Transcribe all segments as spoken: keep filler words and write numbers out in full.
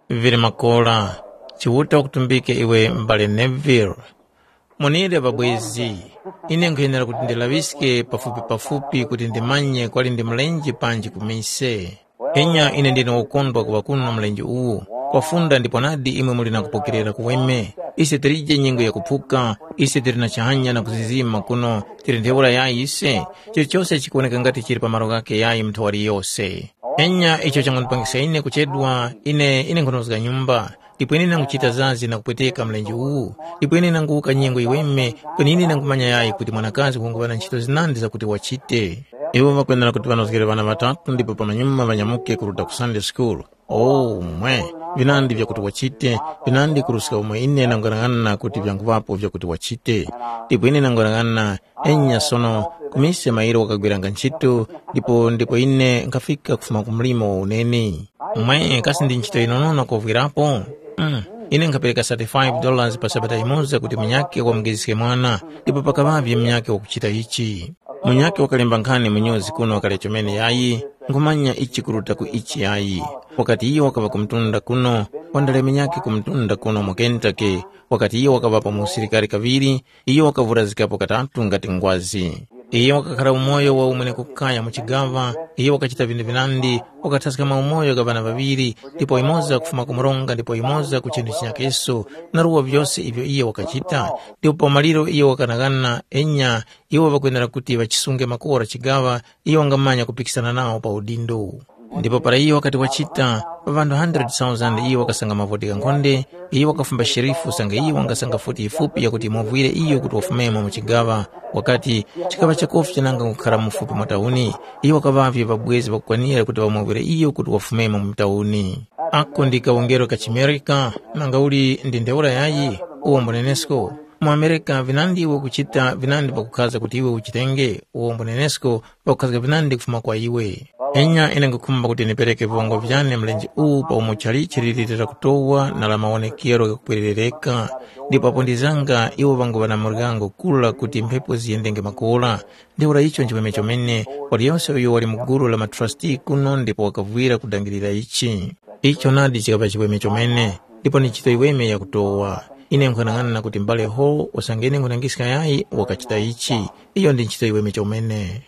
Vili makora, Chiuta wakutumbike iwe m'bale Neville. Monere ŵabwezi, ine nkhuyenera kuti ndilaŵiske pafupipafupi kuti ndimanye kwali ndi mlenje panji ku mise. Enya ine ndine wokondwa kuŵa kuno na mlenje uwu, kwafunda ndipo nadi imwe muli na kupokerera kuweme. Ise tilije nyengo yakuphuka, ise tili na chihanya na kuzizima kuno, tili ntheura yayi ise, chilichose chikuwoneka ngati chili pa malo ghakhe yayi mu nthaŵali yose. Enya icho changondipangisa ine kuchedwa, ine ine nkhunozga nyumba, ndipo ine nanguchita zazi na kupweteka mlenje uwu, ndipo ine nanguwuka nyengo yiweme, kweni ine nangumanya yayi kuti mwanakazi wanguŵa na nchito zinandi zakuti wachite. Iwo ŵakwenera kuti ŵanozgere ŵana ŵatatu ndipo pamanyuma ŵanyamuke kuruta ku Sunday school. Oh, mwe, vinandi vyakuti wachite, vinandi kuruska umo ine nanguyang'ana kuti vyanguŵapo vyakuti wachite. Ndipo ine nanguyang'ana, enya sono, kumise mairo wakagwiranga ntchito, ndipo ndipo ine nkhafika kufuma ku mlimo wa uneni. Mwe kasi ndi ntchito yinonono kovwirapo? Mm. Ine nkhapereka thirty-five dollars pa sabata yimoza kuti munyakhe wamugeziske mwana, ndipo pakaŵavye munyakhe wakuchita ichi. Munyakhe wakalemba nkhani mu nyuzi kuno wakalya chomene yayi, nkhumanya ichi kuruta ku ichi yayi. Wakati iyo wakaŵa ku mtunda kuno, wandale munyakhe ku mtunda kuno mu Kentucky, wakati iyo wakaŵapo mu usilikari kaŵiri, iyo wakavurazikapo katatu ngati ngwazi. Iyo wakakhara umoyo wa umwene kukaya mu chigaŵa, iyo wakachita vinthu vinandi, wakathaska maumoyo gha ŵana ŵaŵiri, ndipo yumoza kufuma ku mronga ndipo yumoza ku chinthu chinyakeso, na ruwa vyose ivyo iyo wakachita. Ndipo pa maliro iyo wakanaghana, enya, iwo ŵakwenera kuti ŵachisunge makora chigaŵa, iyo wangamanya kupikisana nawo pa udindo. Ndipo para iyo wakati wachita, pa ŵanthu hundred thousand iyo wakasanga mavoti ghankhonde, iyo wakafumba sherifu sanga iyo wangasanga futi yifupi yakuti yimuvwire iyo kuti wafumemo mu chigaŵa. Wakati, chikaŵa chakofi chananga kukhara mufupi mwa tauni, iyo wakaŵavye ŵabwezi ŵakukwanira kuti ŵamuvwire iyo kuti wafumemo mu tauni. Ako ndi kawongero ka chimerika, nanga uli ndi ntheura yayi? Uwombo nenesko. Mu Amerika vinandi iwe ukuchita vinandi pakukhaza kuti iwe uchitenge, uwombo nenesko pakukhazga vinandi kufuma kwa iwe. Enya ine nkhukhumba kuti ndipereke viwango vyane mlenje uwu pa umo chalichi lili lira kutowa na la mawonekero ghakupwerereka, ndipo apo ndizanga iwo ŵanguŵa na muryango kura kuti mphepo ziyendenge makora. Ntheura icho nchiweme chomene, waliyose uyo wali mu gulu la matrasti kuno ndipo wakavwira kudangirira ichi. Icho nadi chikaŵa chiweme chomene, ndipo ndi ntchito yiweme yakutowa. Ine nkhanang'ana kuti m'bale Hall usange ine nkhutangiska yayi wakachita ichi. Iyo ndi ntchito yiweme chomene.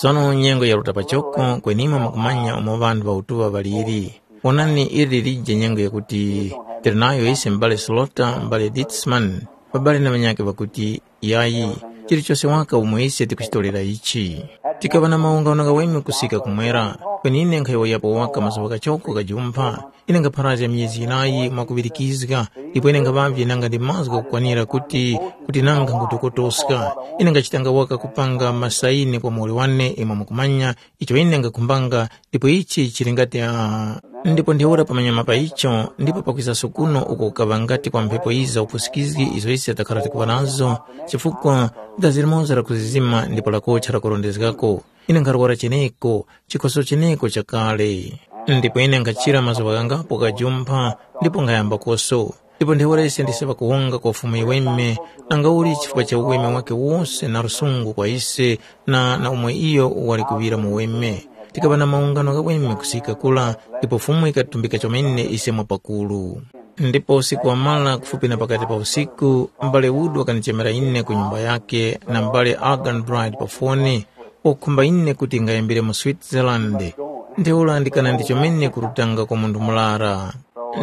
Sono nyengo yaruta pachoko kwenimwe mukumanya umo ŵanthu ŵa utuŵa ŵaliri. Onani ili lilije nyengo yakuti tili nayo ise m'bale Slota, m'bale Ditsman, ŵabale na ŵanyakhe ŵakuti, yayi, chilichose waka umo ise tikuchitorera ichi. Tikaŵa na mawungano ghaweme kusika kumwera, kweni ine nkhayowoyapo waka mazuŵa ghachoko ghajumpha. Ine nkapharazga myezi yinayi mwakuŵirikizga, ndipo ine nkhaŵavye nanga ndi mazgu ghakukwanira kuti kuti nanga nkhutokotoska. Ine nkhachitanga waka kupanga masaini kwa muwoli wane imwe mukumanya icho ine nkakhumbanga, ndipo ichi chili ngati ah, ndipo ntheura pamanyuma pa icho ndipo pakwizaso kuno uko kukaŵa ngati kwa mphepo yiza upusikizgi izo ise takhara tikuŵa nazo, chifukwa dazi limoza lakuzizima ndipo lakocha lakurondezgako. Ine nkharwara cheneko, chikhoso cheneko chakale. Ndipo ine nkhachira mazuŵa ghangapo ghajumpha, ndipo nkhayambakoso. Ndipo ntheura ise ndise ŵakuwonga kwa Fumu yiweme, nangauli chifukwa cha uweme wake wose na lusungu kwa ise na na umwe iyo wali kuŵira mu weme. Tikaŵa na mawungano ghaweme kusika kura, ndipo Fumu yikatumbika chomene ise mwapakuru. Ndipo usiku wamara kufupi na pakati pa usiku, m'bale Wood wakanichemera ine ku nyumba yake na m'bale Arganbright pa foni, wakukhumba ine kuti ngayambire mu Switzerland. Ntheura ndikana ndi chomene kurutanga kwa munthu murara.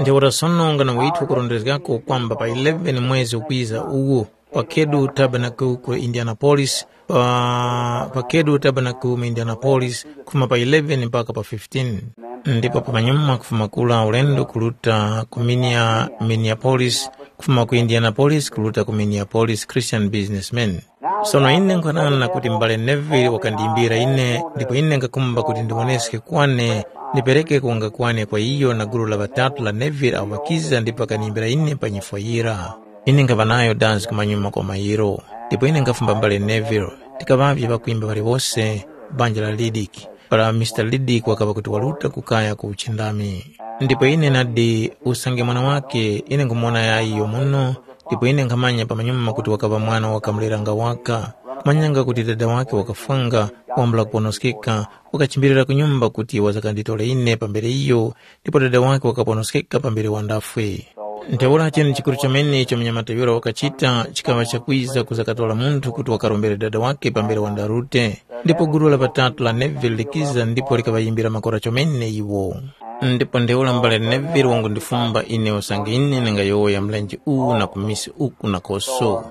Ntheura sono ngana withu kurondezgako kwamba pa eleven mwezi ukwiza uwu, pa Kedu Tabernacle ku Indianapolis, pa, pa Kedu Tabernacle mu Indianapolis, kufuma pa eleven mpaka pa fifteen. Ndipo pamanyuma kufuma kura ulendo kuruta ku Minia-, Minneapolis, kufuma ku Indianapolis kuruta ku Minneapolis Christian Businessman. Sono ine nkhanana kuti m'bale Neville wakandiyimbira ine, ndipo ine ngakumba kuti ndiwoneske kwane, ndipereke kuwanga kwane kwa iyo na gulu la ŵatatu la Neville awo ŵakiza ndipo ŵakandiyimbira ine pa nyifwa yira. Ine nkhaŵa nayo dansi kumanyuma kwa mairo, ndipo ine nkhafumba m'bale Neville, tikaŵavye ŵakwimba ŵaliwose, banja la Lidiki, para Mister Lidiki wakaŵa kuti waruta ku kaya ku uchindami. Ndipo ine nadi usange mwana wake, ine nkhumuwona yayi iyo muno, ndipo ine nkhamanya pamanyuma kuti wakaŵa mwana wakamuleranga waka. Manyanga kuti dada wake wakafwanga, wambula kuponoskeka, wakachimbirira ku nyumba kuti wazakanditore ine pambere iyo, ndipo dada wake wakaponoskeka pambere wandafwe. Ntheura chinu chikuru chomene icho munyamata yura wakachita chikaŵa chakwiza kuzakatora munthu kuti wakarombere dada wake pambere wandarute. Ndipo gulu la ŵatatu la Neville likiza ndipo likaŵayimbira makora chomene iwo. Ndipo ntheura mbale Neville wangundifumba ine usange ine ndingayowoya mlenje uwu na ku mise uku na koso.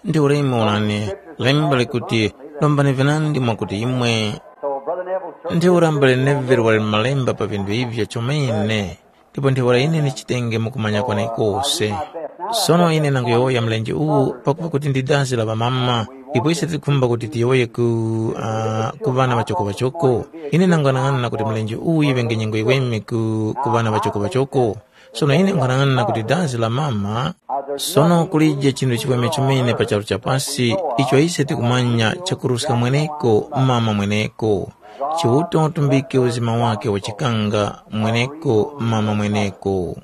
Ntheura imwe onani, lemba likuti, lombani vinandi mwakuti imwe. Ntheura mbale Neville wali malemba pa vinthu ivyo chomene. Ndipo ntheura ine ndichitenge mu kumanya kwenekose. Sono ine nanguyowoya mlenje uwu pakupa kuti ndi dazi la ŵamama, ndipo ise tikukhumba kuti tiyowoye ku, uh, ku ŵana ŵachoko-ŵachoko. Ine nang'anang'ana kuti mlenje uwu yiŵenge nyengo yiweme ku, ku ŵana ŵachoko-ŵachoko. Sono ine nkhwanang'ana kuti dazi la mama, sono kulije chinthu chiweme chomene pa charu cha pasi icho ise tikumanya chakuruska mweneko mama mweneko. Chiuta watumbike uzima wake wachikanga mweneko mama mweneko.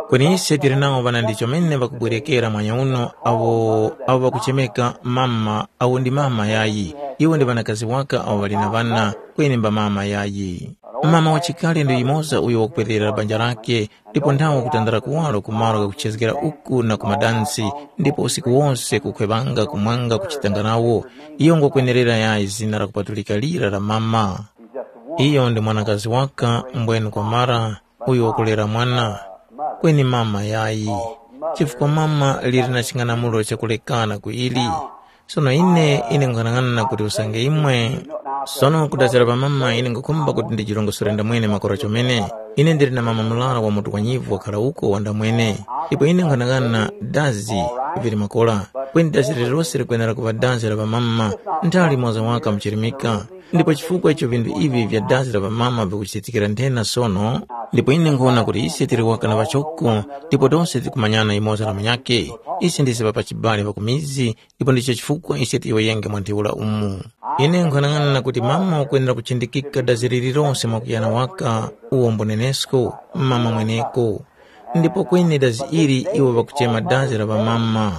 Kweni ise tili nawo ŵana ndi chomene ŵakubwerekera mwanya uno awo awo ŵakuchemeka mama awo ndi mama yayi. Iwo ndi ŵanakazi waka awo ŵali na ŵana kweni mba mama yayi. Mama wachikale ndi yumoza uyo wakupwerera banja lake ndipo nthawe wakutandala kuwaro ku malo ghakuchezgera uku na ku madansi ndipo usiku wose kukhwevanga kumwanga kuchitanga nawo. Iyo ngokwenerera yayi zina lakupatulika lira la mama. Iyo ndi mwanakazi waka mbwenu kwamara uyo wakulera mwana, kweni mama yayi, chifukwa mama lili na ching'anamulo chakulekana ku ili. Sono ine ine nkhanang'ana kuti usange imwe sono kudazira pa mama ine ngakhumba kuti ndijirongosore ndamwene makora chomene. Ine ndili na mama murara wa mutu wanyivu wakhala uko wandamwene. Ipo ine nkhanang'ana dazi vili makora, kweni dazi lililose likwenera kuŵa dazi la pamama. Ntha limoza waka muchirimika. Ndipo chifukwa icho vinthu ivi vya dazi la pamama vikuchitikira nthena sono, ndipo ine nkhona kuti ise tili waka na ŵachoko, ndipo tose tikumanyana yumoza na munyakhe. Ise ndise ŵapachibale ŵa ku mizi, ndipo ndicho chifukwa ise tiyowoyenge mwa ntheura umu. Ine nkhanang'ana kuti mama wakwenera kuchindikika dazi lililonse mwakuyana waka uwo mbunenesko, mama mweneko. Ndipo kweni dazi ili iwo ŵakuchema dazi la ŵamama.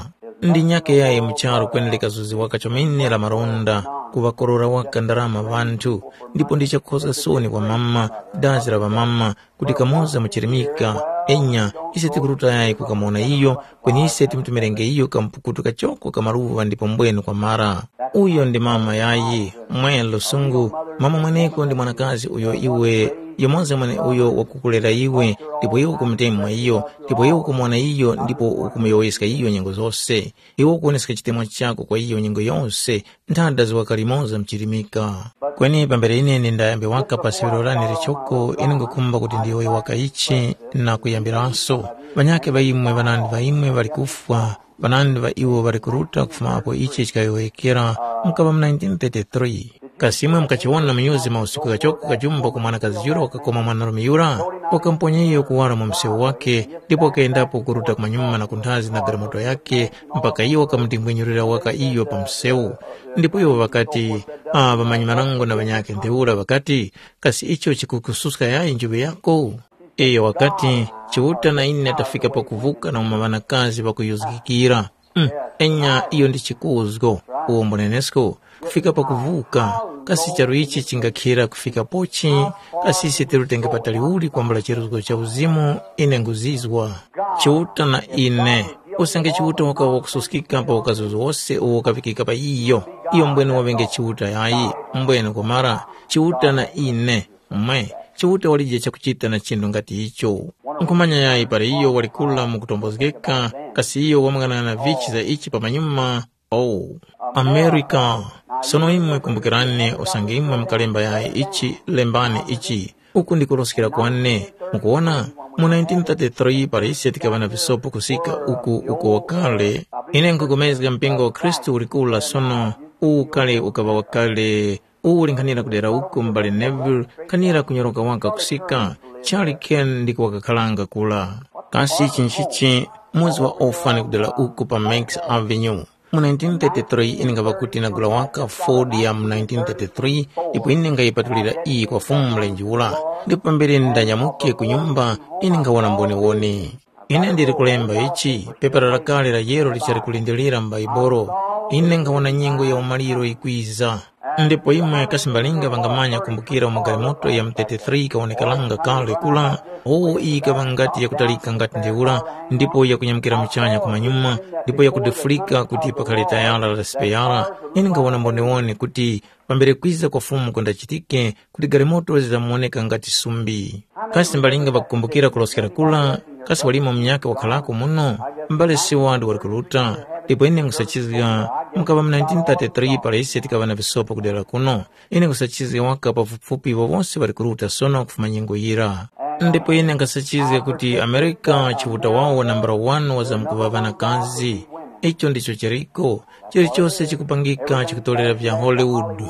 Ndi nyakhe yayi mu charu kweni likazuziwaka chomene la malonda, kuŵakorora waka ndarama ŵanthu, ndipo ndi chakukhoza soni kwa mama, dazi la ŵamama, kuti kamoza muchirimika. Enya, ise tikuruta yayi kukamuwona iyo, kweni ise timutumirenge iyo kampukutu kachoko ka maluŵa ndipo mbwenu kwamara. Uyo ndi mama yayi, mwe lusungu, mama mweneko ndi mwanakazi uyo iwe, yumoza mwene uyo wakukulera iwe, ndipo iwe ukumutemwa iyo, ndipo iwe ukumuwona iyo ndipo ukumuyowoyeska iyo nyengo zose. Iwe ukuwoneska chitemwa chako kwa iyo nyengo yose, nthanda ziwaka limoza mchirimika. Kweni pambere ine ndindayambe waka pa sewero lane lichoko, ine ngukhumba kuti ndiyowoye waka ichi na kuyambiranso. Ŵanyakhe ŵa imwe ŵanandi ŵa imwe ŵali kufwa, ŵanandi ŵa iwo ŵali kuruta kufuma apo ichi chikayowoyekera, mukaŵa mu nineteen thirty-three. Kasi imwe mukachiwona mu nyuzi mausiku ghachoko kajumba ku mwanakazi yura wakakoma mwanarume yura, wakamponya iyo kuwara mu msewu wake, ndipo wakayendapo kuruta kumanyuma na kunthazi na galimoto yakhe, mpaka iyo wakamudingwenyurira waka iyo pa msewu. Ndipo iwo ŵakati, ah, ŵamanyi-marango na ŵanyakhe ntheura ŵakati, kasi icho chikukususka yayi njuŵe yako? Iyo wakati, Chiuta na ine tafika pakuvuka na uma ŵanakazi ŵakuyuzgikira. Mm, enya iyo ndi chikuzgo, uwo mbunenesko, kufika pakuvuka, kasi charu ichi chingakhira kufika pochi? Kasi ise tirutenge patali uli kwambula chiruzgo cha uzimu? Ine nguzizwa. Chiuta na ine, usange Chiuta wakawa wakususkika pa ukazuzo wose uwo ukavikika pa iyo, iyo mbwene waŵenge Chiuta yayi, mbwene kwamara, Chiuta na ine, mwe, Chiuta walije chakuchita na chinthu ngati icho. Nkhumanya yayi para iyo wali kula mu kutombozgeka, kasi iyo wamang'anang'ana vichi za ichi pamanyuma? Oh, Amerika! Sono imwe kumbukirani usange imwe mukalemba yayi ichi, lembani ichi. Uku ndi kuroskera kwane. Mukuwona, mu nineteen thirty-three para ise tikaŵa na visopo kusika uku uko wakale. Ine nkhupulikana mpingo wa Khristu ulikula sono, uwu kale ukaŵa wakale. Uwu uli nkhanira kudera uku m'bale Neville, nkhanira kunyoroka waka kusika, Charlie Ken ndiko wakakharanga kura. Kasi ichi nchichi, muzi wa orphan kudera uku pa Max Avenue. Mu nineteen thirty-three ine ngapa kuti nagula waka Ford ya mu nineteen thirty-three, ndipo ine ngayipatulira iyi kwa Fumu Mlenje ura. Ndipo pambere ndanyamuke ku nyumba, ine ngawona mboniwoni. Ine ndili kulemba ichi, pepara lakale la yero lichali kulindirira m'Baibolo. Ine nkhawona nyengo ya umaliro yikwiza. Ndipo imwe kasi mbalinga ŵangamanya kumbukira umo galimoto ya mu thirty-three ikawonekeranga kale kula, wowo iyi ikaŵa ngati yakutalika ngati ntheura, ndipo yakunyamukira muchanya kumanyuma, ndipo yakudefulika kuti pakhale tayala la sipeyara. Ine nkhawona mbonewone kuti pambere kwiza kwa Fumu kundachitike, kuti galimoto zizamuwoneka ngati sumbi. Kasi mbalinga ŵakukumbukira kuloskera kura? Kasi walimo munyakhe wakharako muno? M'bale Seward wali kuruta, ndipo ine nkhusachizga mukaŵa mu nineteen thirty-three para ise tikaŵa na visopo ku dera kuno. Ine nkhusachizga waka pafupifupi iwo wose ŵali kuruta sono kufuma nyengo yira. Ndipo ine nkhasachizga kuti Amerika Chiuta wawo nambala wani wazamkuŵa ŵanakazi. Icho ndicho chiriko. Chilichose chikupangika chikutorera vya Hollywood.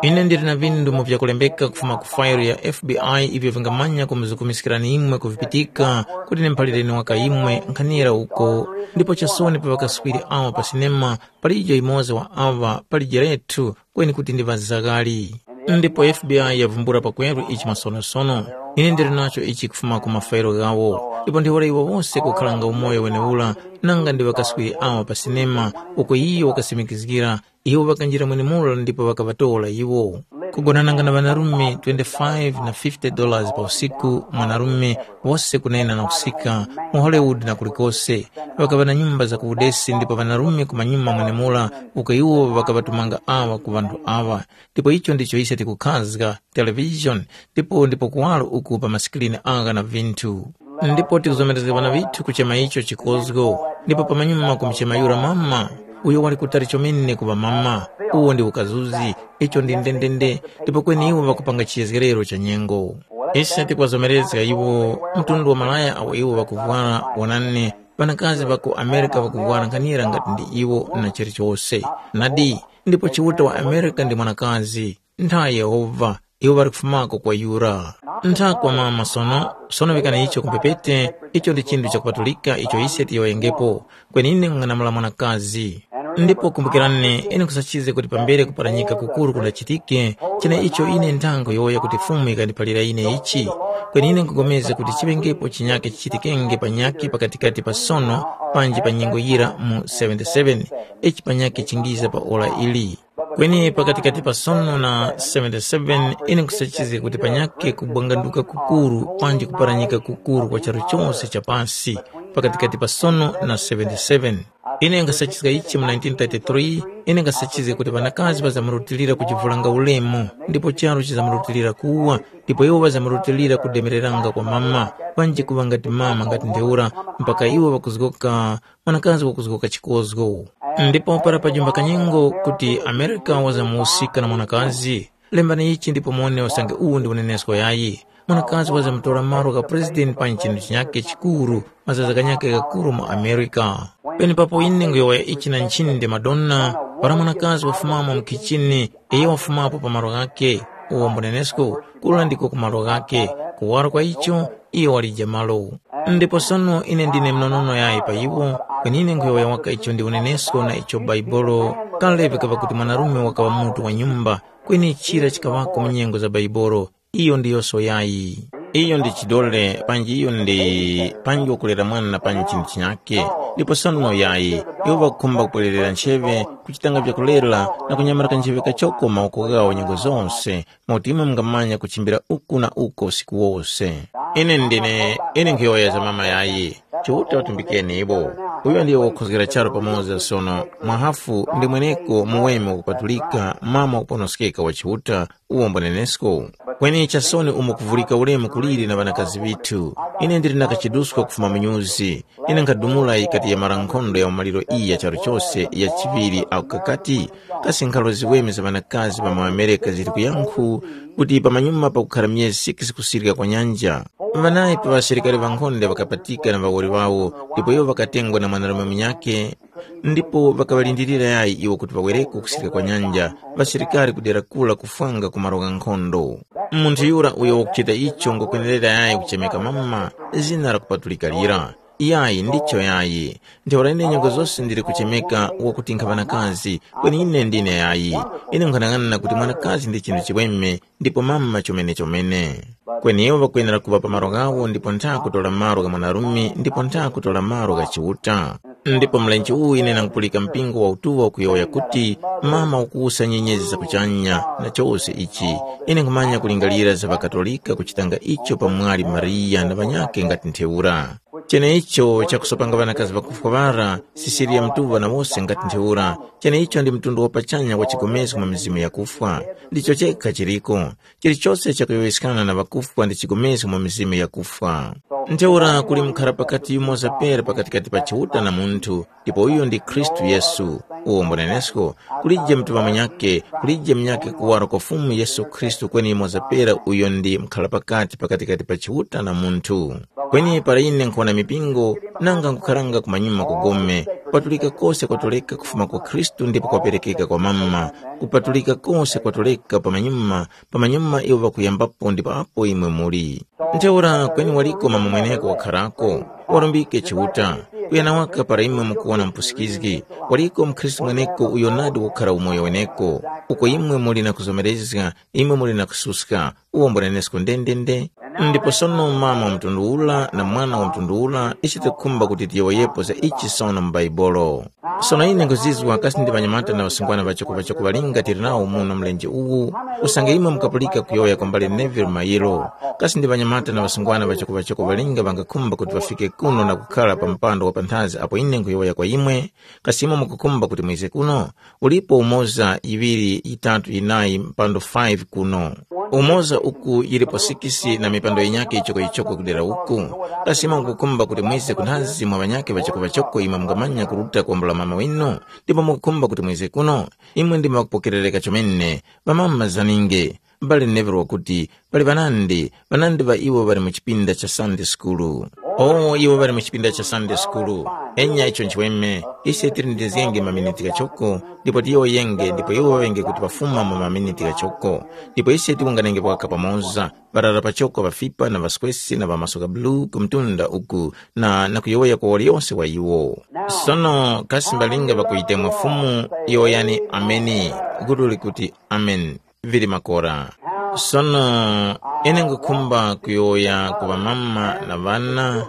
Ine ndili na vindu mu vyakulembeka kufuma ku fayilo ya F B I ivyo vingamanya kumuzukumiskirani imwe kuvipitika kuti nimuphalireni waka imwe nkhanira uko. Ndipo chasoni pa ŵakaswiri awa pa sinema palijo yumoza wa awa pali jerethu kweni kuti ndi ŵazaghali. Ndipo F B I yavumbula pakweru ichi masonosono. Ine ndili nacho ichi kufuma ku mafayilo ghawo. Ndipo ntheura iwo wose kukharanga umoyo wenewura nanga ndi ŵakaswiri awa pa sinema uko iyo wakasimikizgira. Iwo ŵakanjira mwenemura ndipo ŵakaŵatora iwo. Kugonananga na ŵanarume twenty-five na fifty dollars pa usiku mwanarume wose kunena na kusika mu Hollywood na kulikose. Ŵakaŵa na nyumba za ku udesi ndipo ŵanarume kumanyuma mwenemura uko iwo ŵakaŵatumanga awa ku ŵanthu awa. Ndipo icho ndicho ise tikukhazga television ndipo ndipo kuwaro uku pa masikilini agha na vinthu. Ndipo tikuzomerezga ŵana vithu kuchema icho chikozgo. Ndipo pamanyuma kumuchema yura mama, uyo wali kutali chomene kuŵa mama. Uwo ndi ukazuzi. Icho ndi ndendende. Ndipo kweni iwo ŵakupanga chiyezgerero cha nyengo. Ise tikuŵazomerezga iwo mtundu wa malaya awo iwo ŵakuvwara. Wonani, ŵanakazi ŵa ku Amerika ŵakuvwara nkhanira ngati ndi iwo na chilichose. Nadi, ndipo Chiuta wa Amerika ndi mwanakazi. Ntha Yehova, iwo ŵali kufumako kwa yura. Ntha kwa mama sono, sono vikani icho kumpepete, icho ndi chinthu chakupatulika icho ise tiyowoyengepo. Kweni ine nkung'anamula mwanakazi. Ndipo kumbukirani, ine nkhusachizge kuti pambere kuparanyika kukuru kundachitike, chene icho ine nthango yowoya kuti Fumu yikandiphalira ine ichi. Kweni ine nkugomezga kuti chiŵengepo chinyakhe chichitikenge panyakhe pakatikati pa sono panji pa nyengo yira mu seventy-seven, ichi panyakhe chingiza pa ora ili. Kweni pakatikati pa sono na seventy-seven ine nkhusachizga kuti panyakhe kubwanganduka kukuru panji kuparanyika kukuru kwa charu chose cha pasi pakatikati pa sono na seventy-seven. Ine nkhasachizga ichi mu nineteen thirty-three, ine nkhasachizga kuti ŵanakazi ŵazamurutilira kujivulanga ulemu ndipo charu chizamurutilira kuwa, ndipo iwo ŵazamurutilira kudemereranga kwa mama, panji kuŵa ngati mama ngati ntheura, mpaka iwo ŵakuzgoka mwanakazi wakuzgoka chikozgo. Ndipo para pajumba kanyengo kuti Amerika wazamuwusika na mwanakazi, lembani ichi ndipo muwone usange uwu ndi unenesko yayi. Mwanakazi wazamutora malo gha president pa nchinu chinyakhe chikuru, mazaza ghanyakhe ghakuru mu Amerika. Penepapo ine nguyowoya ichi na nchinde Madonna, para mwanakazi wafumamo mu khichini, iyo wafumapo pa malo ghakhe, uwo mbunenesko, kula ndiko ku malo ghakhe, kuwaro kwa icho, iyo walija malo. Ndipo sono ine ndine mnonono yayi pa iwo, kweni ine nkhuyowoya waka icho ndi unenesko na icho Baibolo. Kale vikaŵa kuti mwanarume wakaŵa mutu wa nyumba, kweni chira chikaŵako mu nyengo za Baibolo, iyo ndi yoso yayi. Iyo ndi chidole, panji iyo ndi panji wakulera mwana panji chinthu chinyakhe. Ndipo sono yayi, iwo ŵakukhumba kupwererera ncheŵe, kuchitanga vyakulera na kunyamarika ncheŵe kachoko mawoko ghawo nyengo zonse, mwakuti imwe mungamanya kuchimbira uku na uko usiku wose. Ine ndine, ine nkhuyowoya za mama yayi. Chiuta watumbikeni iwo. Uyo ndiye wakukhozgera charu pamoza sono, mwahafu ndi mweneko muweme wakupatulika, mama wakuponoskeka wa Chiuta, uwo mbunenesko. Kweni chasoni umo kuvulika ulemu kuliri na ŵanakazi ŵithu. Ine ndili na kachiduska kufuma mu nyuzi. Ine nkhadumula yikati yamara nkhondo ya umaliro iyi ya charu chose ya chiŵiri ako kakati, kasi nkhalo ziweme za ŵanakazi ŵa mu Amerika zili kuyankhu kuti pamanyuma pakukhara myezi six kusirika kwa nyanja, ŵanayi pa ŵasilikari ŵankhonde ŵakapatika na ŵawoli ŵawo, ndipo iwo ŵakatengwa na mwanarume munyakhe, ndipo ŵakaŵalindirira yayi iwo kuti ŵawereko kusirika kwa nyanja, ŵasilikari kudera kura kufwanga ku malo gha nkhondo. Munthu yura uyo wakuchita icho ngwakwenerera yayi kuchemeka mama, zina lakupatulika lira. Yayi, ndicho yayi. Ntheura ine nyengo zose ndili kuchemeka wakuti nkha ŵanakazi, kweni ine ndine yayi. Ine nkhanang'ana kuti mwanakazi ndi chinthu chiweme, ndipo mama chomene chomene. Kweni iwo ŵakwenera kuŵa pa malo ghawo ndipo ntha kutora malo gha mwanarume ndipo ntha kutora malo gha Chiuta. Ndipo mlenje uwu ine nangupulika mpingo wa utuŵa ukuyowoya kuti, mama ukuwusa nyenyezi za kuchanya na chose ichi. Ine nkhumanya kulingalira za ŵaKatolika kuchitanga icho pamwali Mariya na ŵanyakhe ngati ntheura. Cheneicho chakusopanga ŵanakazi ŵakufwa ŵara, Sisiliya Mutuŵa na wose ngati ntheura. Cheneicho ndi mtundu wa pachanya wa chigomezgo mwa mizimu yakufwa. Ndicho chekha chiriko. Chilichose chakuyowoyeskana na ŵakufwa ndi chigomezgo mwa mizimu yakufwa. Ntheura kuli mukhara pakati yumoza pera pakatikati pa Chiuta na munthu, ndipo uyo ndi Khristu Yesu. Uwo mbunenesko, kulije mutuŵa munyakhe, kulije munyakhe kuwaro kwa Fumu Yesu Khristu kweni yumoza pera uyo ndi mukhara pakati pakatikati pa Chiuta na munthu. Kweni para ine nkhuwona mipingo, nanga nkukharanga kumanyuma kugome, kupatulika kose kwatoleka kufuma kwa Khristu ndipo kwaperekeka kwa mama, kupatulika kose kwatoleka pamanyuma, pamanyuma iwo ŵakuyambapo ndipo apo imwe muli. Ntheura kweni waliko mama mweneko wakharako, warumbike Chiuta, kuyana waka para imwe mukuwona mupusikizgi, waliko mukhristu mweneko uyo nadi wakukhara umoyo weneko, uko imwe muli na kuzomerezga, imwe muli na kususka, uwo mbunenesko ndendende. Ndipo sono mama wa mtundu ula na mwana wa mtundu ula, ise tikukhumba kuti tiyowoyepo za ichi sono mu Baibolo. Sono ine nkuzizwa kasi ndi ŵanyamata na ŵasungwana ŵachoko ŵachoko ŵalinga tili nawo muno mlenje uwu, usange imwe mukapulika kuyowoya kwa mbale Neville Mayiro, kasi ndi ŵanyamata na ŵasungwana ŵachoko ŵachoko ŵalinga ŵangakhumba kuti ŵafike kuno na kukhara pa mpando wa panthazi apo ine nkhuyowoya kwa imwe? Kasi imwe mukukhumba kuti mwize kuno? Ulipo umoza, yiŵiri, yitatu, yinayi, mpando five kuno. Umoza uku yilipo sikisi na mipando yinyakhe yichokoyichoko kudera uku. Kasi imwe mukukhumba kuti mwize kunthazi mwa ŵanyakhe ŵachokoŵachoko imwe mungamanya kuruta kwambula mama winu? Ndipo mukukhumba kuti mwize kuno? Imwe ndimwe ŵakupokerereka chomene, ŵamama zaninge. M'bale Neville wakuti, pali ŵanandi, ŵanandi ŵa iwo ŵali mu chipinda cha Sunday School. O, iwo ŵali mu chipinda cha Sunday School. Enya icho nchiweme, ise tilindizgenge maminiti ghachoko, ndipo tiyowoyenge, ndipo iwo ŵaŵenge kuti ŵafuma mu maminiti ghachoko. Ndipo ise tiwunganenge paka pamoza, ŵarara pachoko ŵafipa na ŵaswesi na ŵamasoka bulu ku mtunda uku, na, na kuyowoya kwa waliyose wa iwo. Sono kasi mbalinga ŵakuyitemwa Fumu, yowoyani ameni, gutu likuti, Amen. Vili makora. Sono ine nkhukhumba kuyowoya ku ŵamama na ŵana,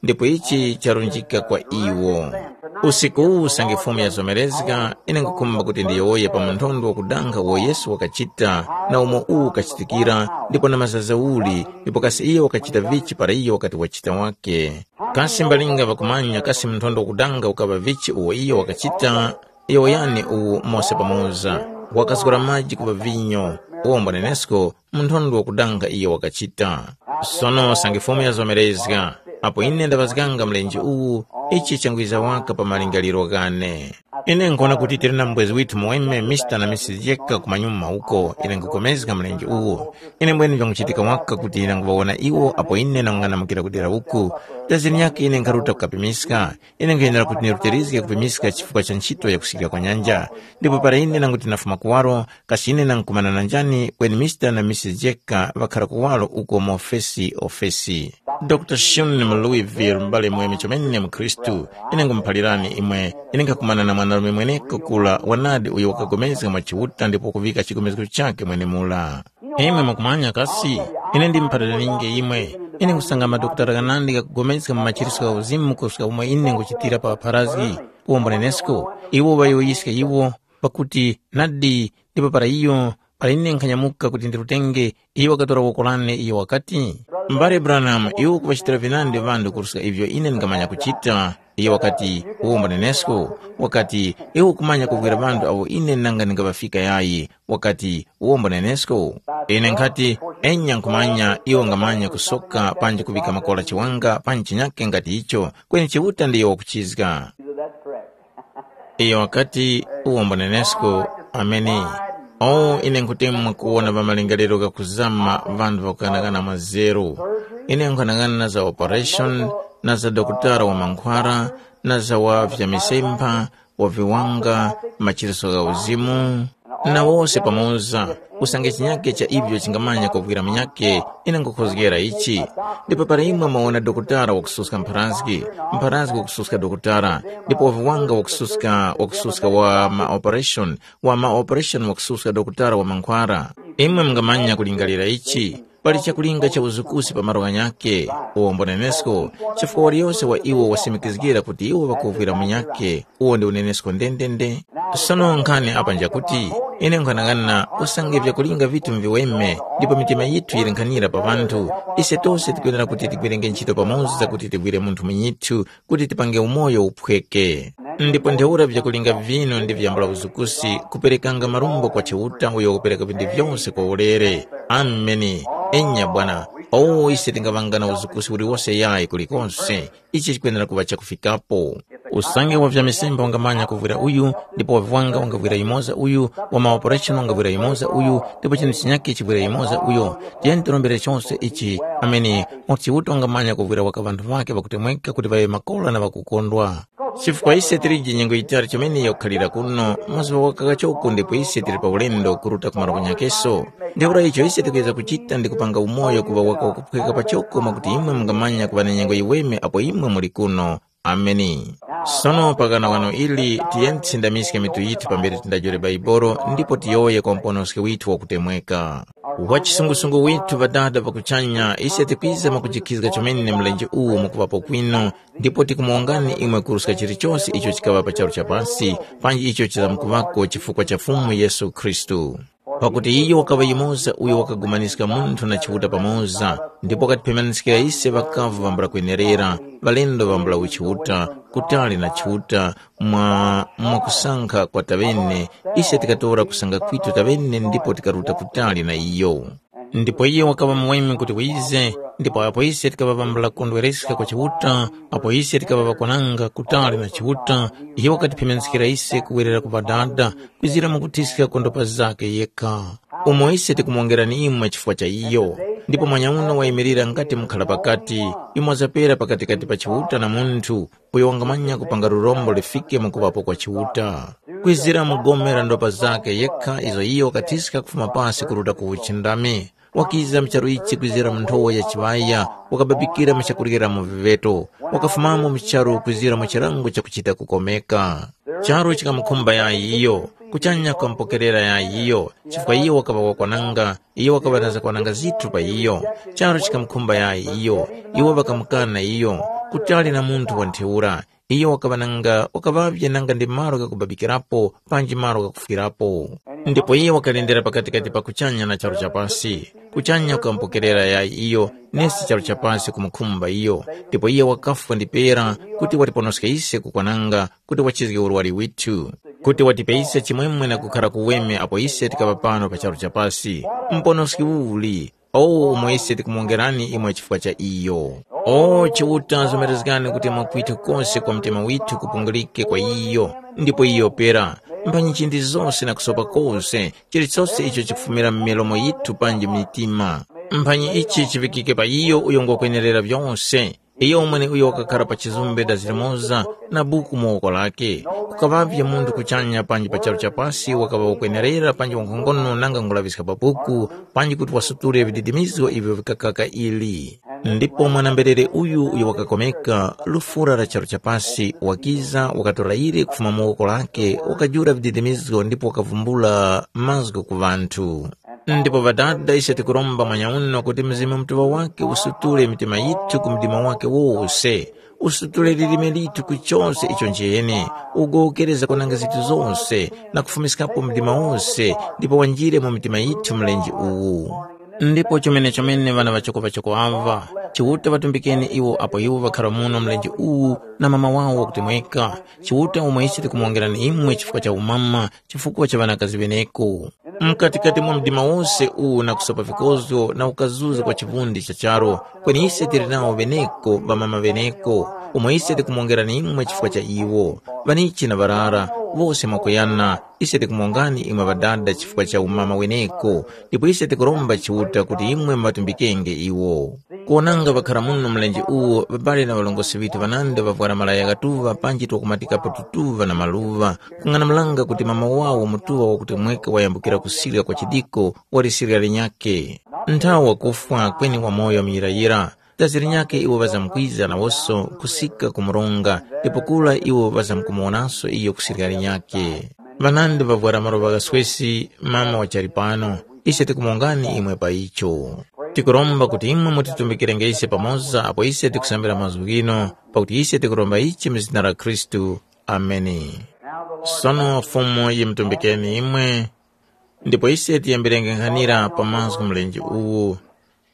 ndipo ichi charunjika kwa iwo. Usiku uwu usange Fumu yazomerezga, ine nkhukhumba kuti ndiyowoye pa munthondwe wakudanga uwo Yesu wakachita na umo uwu ukachitikira, ndipo na mazaza uli, ndipo kasi iyo wakachita vichi para iyo wakati wachita wake. Kasi mbalinga ŵakumanya kasi munthondwe wakudanga ukaŵa vichi uwo iyo wakachita? Yowoyani uwu mose pamoza, wakazgora maji kuŵa vinyo, wombo nenesko munthondwe wakudanga iyo wakachita. Sono usange Fumu yazomerezga, apo ine ndaŵazganga mlenje uwu, ichi changwiza waka pa malingaliro ghane. Ine nkhona kuti tili na mubwezi withu muweme Mister na Missus Jeka kumanyuma uko, ine nkhukomezga mlenje uwu. Ine mbweni vyanguchitika waka kuti ine nguŵawona iwo apo ine nangung'anamukira kudera uku. Dazini yake ine nkharuta kukapimiska. Ine nkhuyenera kuti nirutirizge kupimiska chifukwa cha nchito ya kusikira kwa nyanja. Ndipo para ine nanguti nafuma kuwaro, kasi ine nangukumana na njani kweni Mister na Missus Jeka ŵakhara kuwaro uko mu ofesi ofesi. Dr Shun mu Louisville, m'bale mweme chomene mu Khristu, ine nkhumuphalirani imwe, ine nkhakumana na mwanarume mweneko kula wanadi uyo wakapulikana mwa Chiuta ndipo kuŵika chigomezgo chakhe mwenemura. Imwe mukumanya kasi, ine ndimuphaliraninge imwe, ine nkhusanga madokotala ghanandi ghakupulikana mu machiritso gha uzimu kuruska umo ine nguchitira pa ŵapharazgi, uwo mbunenesko, iwo ŵayowoyiska iwo, pakuti nadi ndipo para iyo, para ine nkhanyamuka kuti ndirutenge, iyo wakatora woko lane, iyo wakati, M'bale Branham, iwe ukuŵachitira vinandi ŵanthu kuruska ivyo ine ndingamanya kuchita. Iyo wakati, uwo mbunenesko, wakati, iwe ukumanya kuvwira ŵanthu awo ine nanga ndingaŵafika yayi, wakati, uwo mbunenesko. Ine nkhati, enya nkhumanya iwo ngamanya kusoka panji kuŵika makola chiwanga panji chinyake ngati icho, kweni Chiuta ndiyo wakuchizga. Iyo wakati, uwo mbunenesko, ameni. O, ine nkhutemwa kuwona pa malingaliro ghakuzama ŵanthu ŵakukanakana mwazeru. Ine nkhanakana na za operation, na za dokotala wa mankhwara, na za wa vya misempha, wa viwanga, machiritso gha uzimu, na wose pamoza, usange chinyake cha ivyo chingamanya kuvwira munyake, ine nkhukhozgera ichi. Ndipo para imwe mwawona dokotala wakususka mpharazgi, mpharazgi wakususka dokotala, ndipo wa viwanga wakususka, wakususka wa ma operation, wa ma operation wakususka dokotala wa mankhwara. Imwe mungamanya kulingalira ichi, Pali chakulinga cha uzukusi pa malo ghanyakhe, uwo mbunenesko, chifukwa waliyose wa iwo wasimikizgira kuti iwo ŵakuvwira munyakhe, uwo ndi unenesko ndendende. Sono nkhani apa njakuti, ine nkhanang'ana usange vyakulinga vitu mviweme, ndipo mitima yithu yili nkhanira pa ŵanthu, ise tose tikwenera kuti tigwirenge ntchito pamoza kuti tigwire munthu munyithu kuti tipange umoyo uphweke. Ndipo ntheura vyakulinga vinu ndi vyambula uzukusi kuperekanga marumbo kwa Chiuta uyo wakupereka vinthu vyose kwa ulere. Ameni. Enya bwana, owo ise tingaŵanga na uzukusi uliwose yayi kulikonse. Ichi chikwenera kuŵa chakufikapo. Usange wa vyamisembe wangamanya kuvwira uyu, ndipo wa viwanga wangavwira yumoza uyu, wa maoperation wangavwira yumoza uyu, ndipo chinthu chinyakhe chivwira yumoza uyo. Tiyeni tirombere chose ichi. Ameni. Mwa Chiuta wangamanya kuvwira waka ŵanthu ŵakhe ŵakutemweka kuti ŵaŵe makola na ŵakukondwa. Chifukwa ise tilije nyengo yitali chomene yakukhalira kuno, mazuŵa waka kachoko ndipo ise tili pa ulendo kuruta ku malo kunyakeso. Ntheura icho ise tikuyeza kuchita ndi kupanga umoyo kuŵa waka wakuphweka pachoko mwakuti imwe mungamanya kuŵa na nyengo yiweme apo imwe muli kuno. Ameni. Sono pakana wano ili tiyeni tisindamiske mitu yithu pambere tindajule Baibolo ndipo tiyowoye kwa muponoski withu wakutemweka. Wa chisungusungu withu Ŵadada ŵa kuchanya, ise tikwiza mwakujikhizga chomene mlenje uwu mukuŵapo kwinu, ndipo tikumuwongani imwe kuruska chilichose icho chikaŵa pa charu cha pasi, panji icho chizamkuŵako chifukwa cha Fumu Yesu Khristu. Pakuti iyo wakaŵa yumoza uyo wakagumaniska munthu na Chiuta pamoza, ndipo wakatipemaniskira ise ŵakavu vambula kwenerera, ŵalendo vambula uchiuta, kutali na Chiuta, mwa mwakusankha kwa taŵene, ise tikatora kusanga kwitu taŵene ndipo tikaruta kutali na iyo. Ndipo iyo wakaŵa muweme kuti wize, ndipo apo ise tikaŵa vambula kondwereska kwa Chiuta, apo ise tikaŵa ŵakwananga kutali na Chiuta, iyo wakatiphemenskira ise kuwerera ku Ŵadada, kwizira mukuthiska kwa ndopa zakhe yekha. Umo ise tikumuwongerani imwe chifukwa cha iyo. Ndipo mwanyauno wayimirira ngati mukhala pakati, yumo zapera pakatikati pa Chiuta na munthu, uyo wangamanya kupanga lurombo lifike mu kuŵapo kwa Chiuta. Kwizira mu gome la ndopa zakhe yekha izo iyo wakathiska kufuma pasi kuruta ku uchindami. Wakiza mu charu ichi kwizira mu nthowa ya chiŵaya, wakababikira mu chakuryera mu viŵeto, wakafumamo mu charu kwizira mu chilango chakuchita kukomeka. Charu chikamukhumba yayi iyo, kuchanya kukamupokerera yayi iyo, chifukwa iyo wakaŵa wakwananga, iyo wakaŵa na zakwananga zithu pa iyo. Charu chikamukhumba yayi iyo, iwo ŵakamukana iyo, kutali na munthu wa ntheura. Iyo wakaŵa nanga wakaŵavye nanga ndi malo ghakubabikirapo panji malo ghakufwirapo. Ndipo iye wakalendera pakatikati pa kuchanya na charu cha pasi. Kuchanya kukamupokerera yayi iyo, nesi charu cha pasi kumukhumba iyo. Ndipo iye wakafwa ndi pera kuti watiponoske ise kukwananga kuti wachizge urwari withu, kuti watipe ise chimwemwe na kukhara kuweme apo ise tikaŵa pano pa charu cha pasi. Muponoski uli, o umo ise tikumuwongerani imwe chifukwa cha iyo. O Chiuta, zomerezgani kuti mwakwitha kose kwa mtima withu kupungulike kwa iyo, ndipo iyo pera. Mphanyi chindi zose na kusopa kose, chilichose icho chikufumira mu milomo yithu panji mitima. Mphanyi ichi chivikike pa iyo uyo ngwakwenerera vyose. Iyo umwene uyo wakakhara pa chizumbe dazi limoza na buku mu woko lake. Kukaŵavye munthu kuchanya panji pa charu cha pasi wakaŵa wakwenerera panji wankhongono nanga ngulaŵiska pa buku, panji kuti wasutule vididimizgo ivyo vikakaka ili. Ndipo mwana-mberere uyu uyo wakakomeka, lufura la charu cha pasi, wakiza, wakatora ile kufuma mu woko lake, wakajula vididimizgo ndipo wakavumbula mazgu ku ŵanthu. Ndipo Ŵadada, ise tikuromba mwanyauno kuti Mzimu Mutuŵa wake usutule mitima yithu ku mdima wake wose, usutule lilime lithu ku chose icho nchiyene, ugowokereza kwananga zinthu zose, na kufumiskapo mdima wose, ndipo wanjire mu mitima yithu mlenje uwu. Ndipo chomene-chomene ŵana ŵachoko-ŵachoko aŵa, Chiuta ŵatumbikeni iwo apo iwo ŵakhara muno mlenje uwu na mama wawo wakutemweka. Chiuta umwe ise tikumuwongerani imwe chifukwa cha umama, chifukwa cha ŵanakazi ŵeneko. Mkatikati mwa mdima wose uwu na kusopa vikozgo na ukazuza kwa chivundi cha charu, kweni ise tili nawo ŵeneko, ŵamama ŵeneko, umo ise tikumuwongerani imwe chifukwa cha iwo. Ŵanichi na ŵarara, wose mwakuyana, ise tikumuwongani imwe Ŵadada chifukwa cha umama weneko, ndipo ise tikuromba Chiuta kuti imwe mubatumbikenge iwo. Kuwonanga ŵakhara muno mlenje uwo, ŵabale na ŵalongosi ŵithu ŵanandi ŵavwara malaya ghatuŵa panji twakumatikapo tutuŵa na maluŵa, kung'anamulanga kuti mama wawo mutuŵa wakutemweka wayambukira kusirya kwa chidiko, wali sirya linyakhe. Nthawe wakufwa kweni wamoyo muyirayira. Dazi linyakhe iwo ŵazamkwiza nawoso kusika ku mronga, ndipo kura iwo ŵazamkumuwonanso iyo ku sirya linyakhe. Ŵanandi ŵavwara maluŵa ghaswesi, mama wachali pano, ise tikumuwongani imwe pa icho. Tikuromba kuti imwe mutitumbikirenge ise pamoza apo ise tikusambira mazgu ghino, pakuti ise tikuromba ichi mu zina la Khristu. Ameni. Sono Fumu yimutumbikeni imwe, ndipo ise tiyambirenge nkhanira pa mazgu mlenje uwu.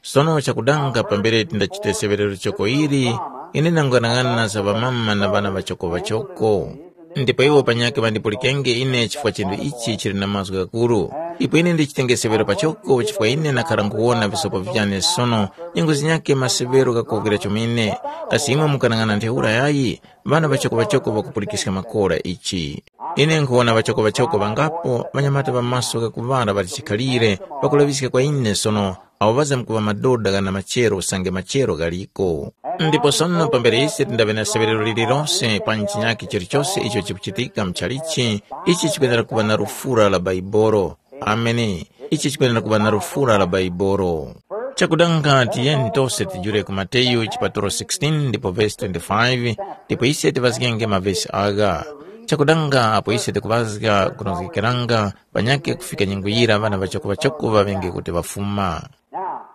Sono chakudanga pambere tindachite seŵerero choko ili, ine ndang'anang'ana za ŵamama na ŵana ŵachoko ŵachoko. Ndipo iwo panyakhe ŵandipulikenge ine chifukwa chinthu ichi chili na mazgu ghakuru. Ipo ine ndichitenge seŵero pachoko chifukwa ine nakhara nkhuwona visopo vyane sono, nyengo zinyakhe maseŵero ghakuwukira chomene. Kasi imwe mukanang'ana ntheura yayi? Ŵana ŵachoko-ŵachoko ŵakupulikiska makora ichi. Ine nkhuwona ŵachoko-ŵachoko ŵangapo ŵanyamata ŵa maso ghakuŵala ŵali chikhalire, ŵakulaŵiska kwa ine sono, awo ŵazamkuŵa madoda ghana machero usange machero ghaliko. Ndipo sono pambere ise tindaŵe na seŵerero lililose pa chinyakhe chilichose icho chikuchitika mchalichi, ichi chikwenera kuŵa na lufura la Baibolo. Ameni. Ichi chikwenera kuŵa na lufura la Baibolo. Chakudanga tiyeni tose tijule ku Mateyu chipatulo sixteen ndipo vesi twenty-five, ndipo ise tiŵazgenge mavesi agha. Chakudanga apo ise tikuŵazga kunozgekeranga panyakhe kufika nyengo yira ŵana ŵachakuŵachaku ŵaŵenge kuti ŵafuma.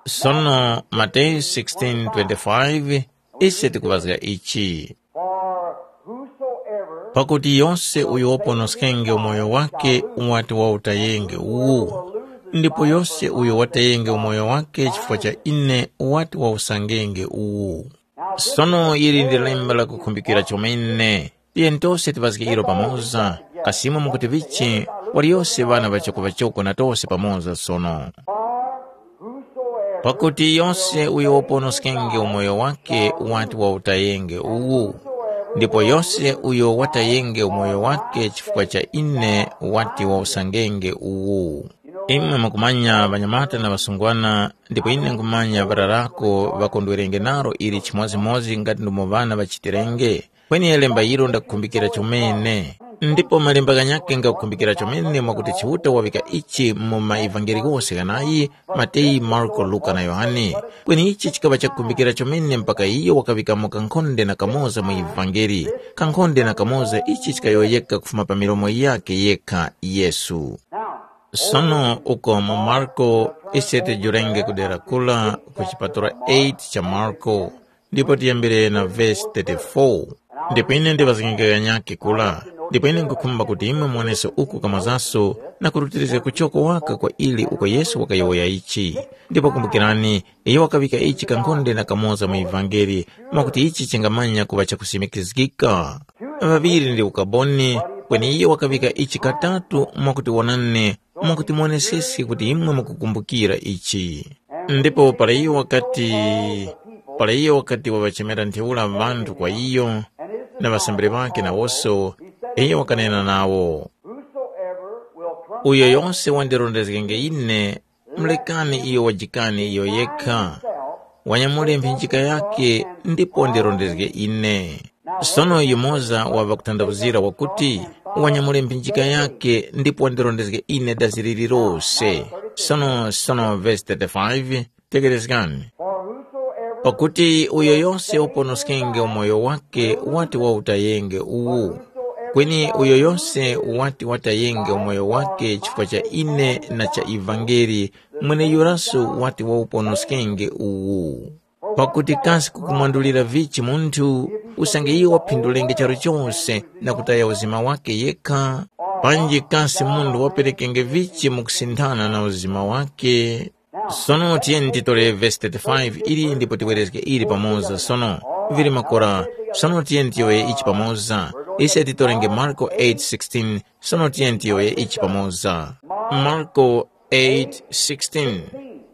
Sono Mateyu sixteen twenty-five, ise tikuŵazga ichi. For whosoever Pakuti yose uyo waponoskenge umoyo wake wati wautayenge uwu, ndipo yose uyo watayenge umoyo wake chifukwa cha ine wati wausangenge uwu. Sono ili ndi lemba lakukhumbikira chomene. Tiyeni tose tiŵazge ilo pamoza, kasi imwe mukuti vichi? Waliyose ŵana ŵachoko-ŵachoko na tose pamoza sono. Pakuti yose uyo waponoskenge umoyo wake wati wautayenge uwu, ndipo yose uyo watayenge umoyo wake chifukwa cha ine wati wausangenge uwu. Imwe mukumanya ŵanyamata na ŵasungwana, ndipo ine nkhumanya ŵararako ŵakondwerenge nalo ili chimodzimodzi ngati ndumo ŵana ŵachitirenge. Kweni lemba ilo ndakukhumbikira chomene. Ndipo malemba ghanyakhe ngakukhumbikira chomene mwakuti Chiuta waŵika ichi mu maevangeli ghose ghanayi, Mateyu, Marko, Luka na Yohane. Kweni ichi chikaŵa chakukhumbikira chomene mpaka iyo wakaŵikamo kankhonde na kamoza mu evangeli. Kankhonde na kamoza ichi chikayowoyeka kufuma pa milomo yakhe yekha Yesu. Sono uko mu Marko ise tijurenge kudera kula ku chipatala eight cha Marko, ndipo tiyambire na vesi thirty-four. Ndipo ine ndiŵazgenge ghanyakhe kula, ndipo ine nkhukhumba kuti imwe muwonese uku kamozaso na kurutirizga kuchoko waka kwa ili uko Yesu wakayowoya ichi. Ndipo kumbukirani, iyo wakaŵika ichi kankhonde na kamoza mu ivangeli, mwakuti ichi chingamanya kuŵa chakusimikizgika. Ŵaŵiri ndi ukaboni, kweni iyo wakaŵika ichi katatu mwakuti wonane, mwakuti muwoneseske kuti imwe mukukumbukira ichi. Ndipo para iyo wakati, para iyo wakati waŵachemera ntheura ŵanthu kwa iyo, na ŵasambiri ŵakhe nawose, iyo wakanena nawo, Uyo yose wandirondezgenge ine, mulekani iyo wajikane iyo yekha, wanyamule mphinjika yakhe ndipo wandirondezge ine. Sono yumoza wa ŵakuthandawuzira wakuti, wanyamule mphinjika yakhe ndipo wandirondezge ine dazi lililose. Sono sono vesi thirty-five, tekerezgani. Pakuti uyo yose waponoskenge umoyo wake wati wautayenge uwu. Kweni uyo yose wati watayenge umoyo wake chifukwa cha ine na cha ivangeli, mweneyuraso wati wauponoskenge uwu. Pakuti kasi kukumwandulira vichi munthu, usange iyo waphindulenge charu chose na kutaya uzima wake yekha? Panji kasi munthu waperekenge vichi mu kusinthana na uzima wake? Sono tiyeni titore vesi thirty-five ili ndipo tiwerezge ili pamoza sono. Vili makora, sono tiyeni tiyowoye ichi pamoza. Ise titorenge Marko eight sixteen, sono tiyeni tiyowoye ichi pamoza. Marko eight sixteen.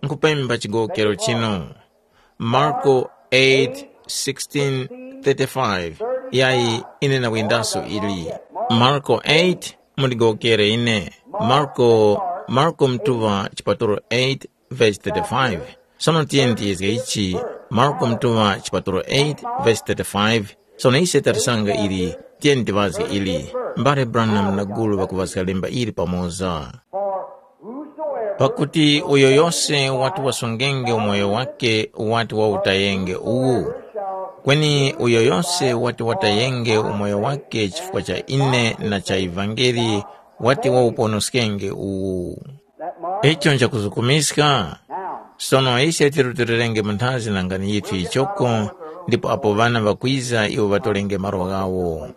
Nkupemba chigowokero chino. Marko eight sixteen, thirty-five. Yayi, ine nakwindaso ili. Marko eight, mundigowokere ine. Marko, Marko mtuŵa chipatolo eight, verse thirty-five. Sono tiyeni tiyezge ichi, Marko mtuŵa chipatolo eight, verse thirty-five. Sono ise tarisanga ili, tiyeni tiŵazge ili. Mbale Branham na gulu ŵakuŵazga lemba ili pamoza. Pakuti uyo yose wati wasungenge umoyo wake wati wautayenge uwu. Kweni uyo yose wati watayenge umoyo wake chifukwa cha ine na cha ivangeli, wati wauponoskenge uwu. Icho nchakuzukumiska. Sono ise tirutilirenge mu nthazi na ngani yithu yichoko, ndipo apo ŵana ŵakwiza iwo ŵatolenge malo ghawo.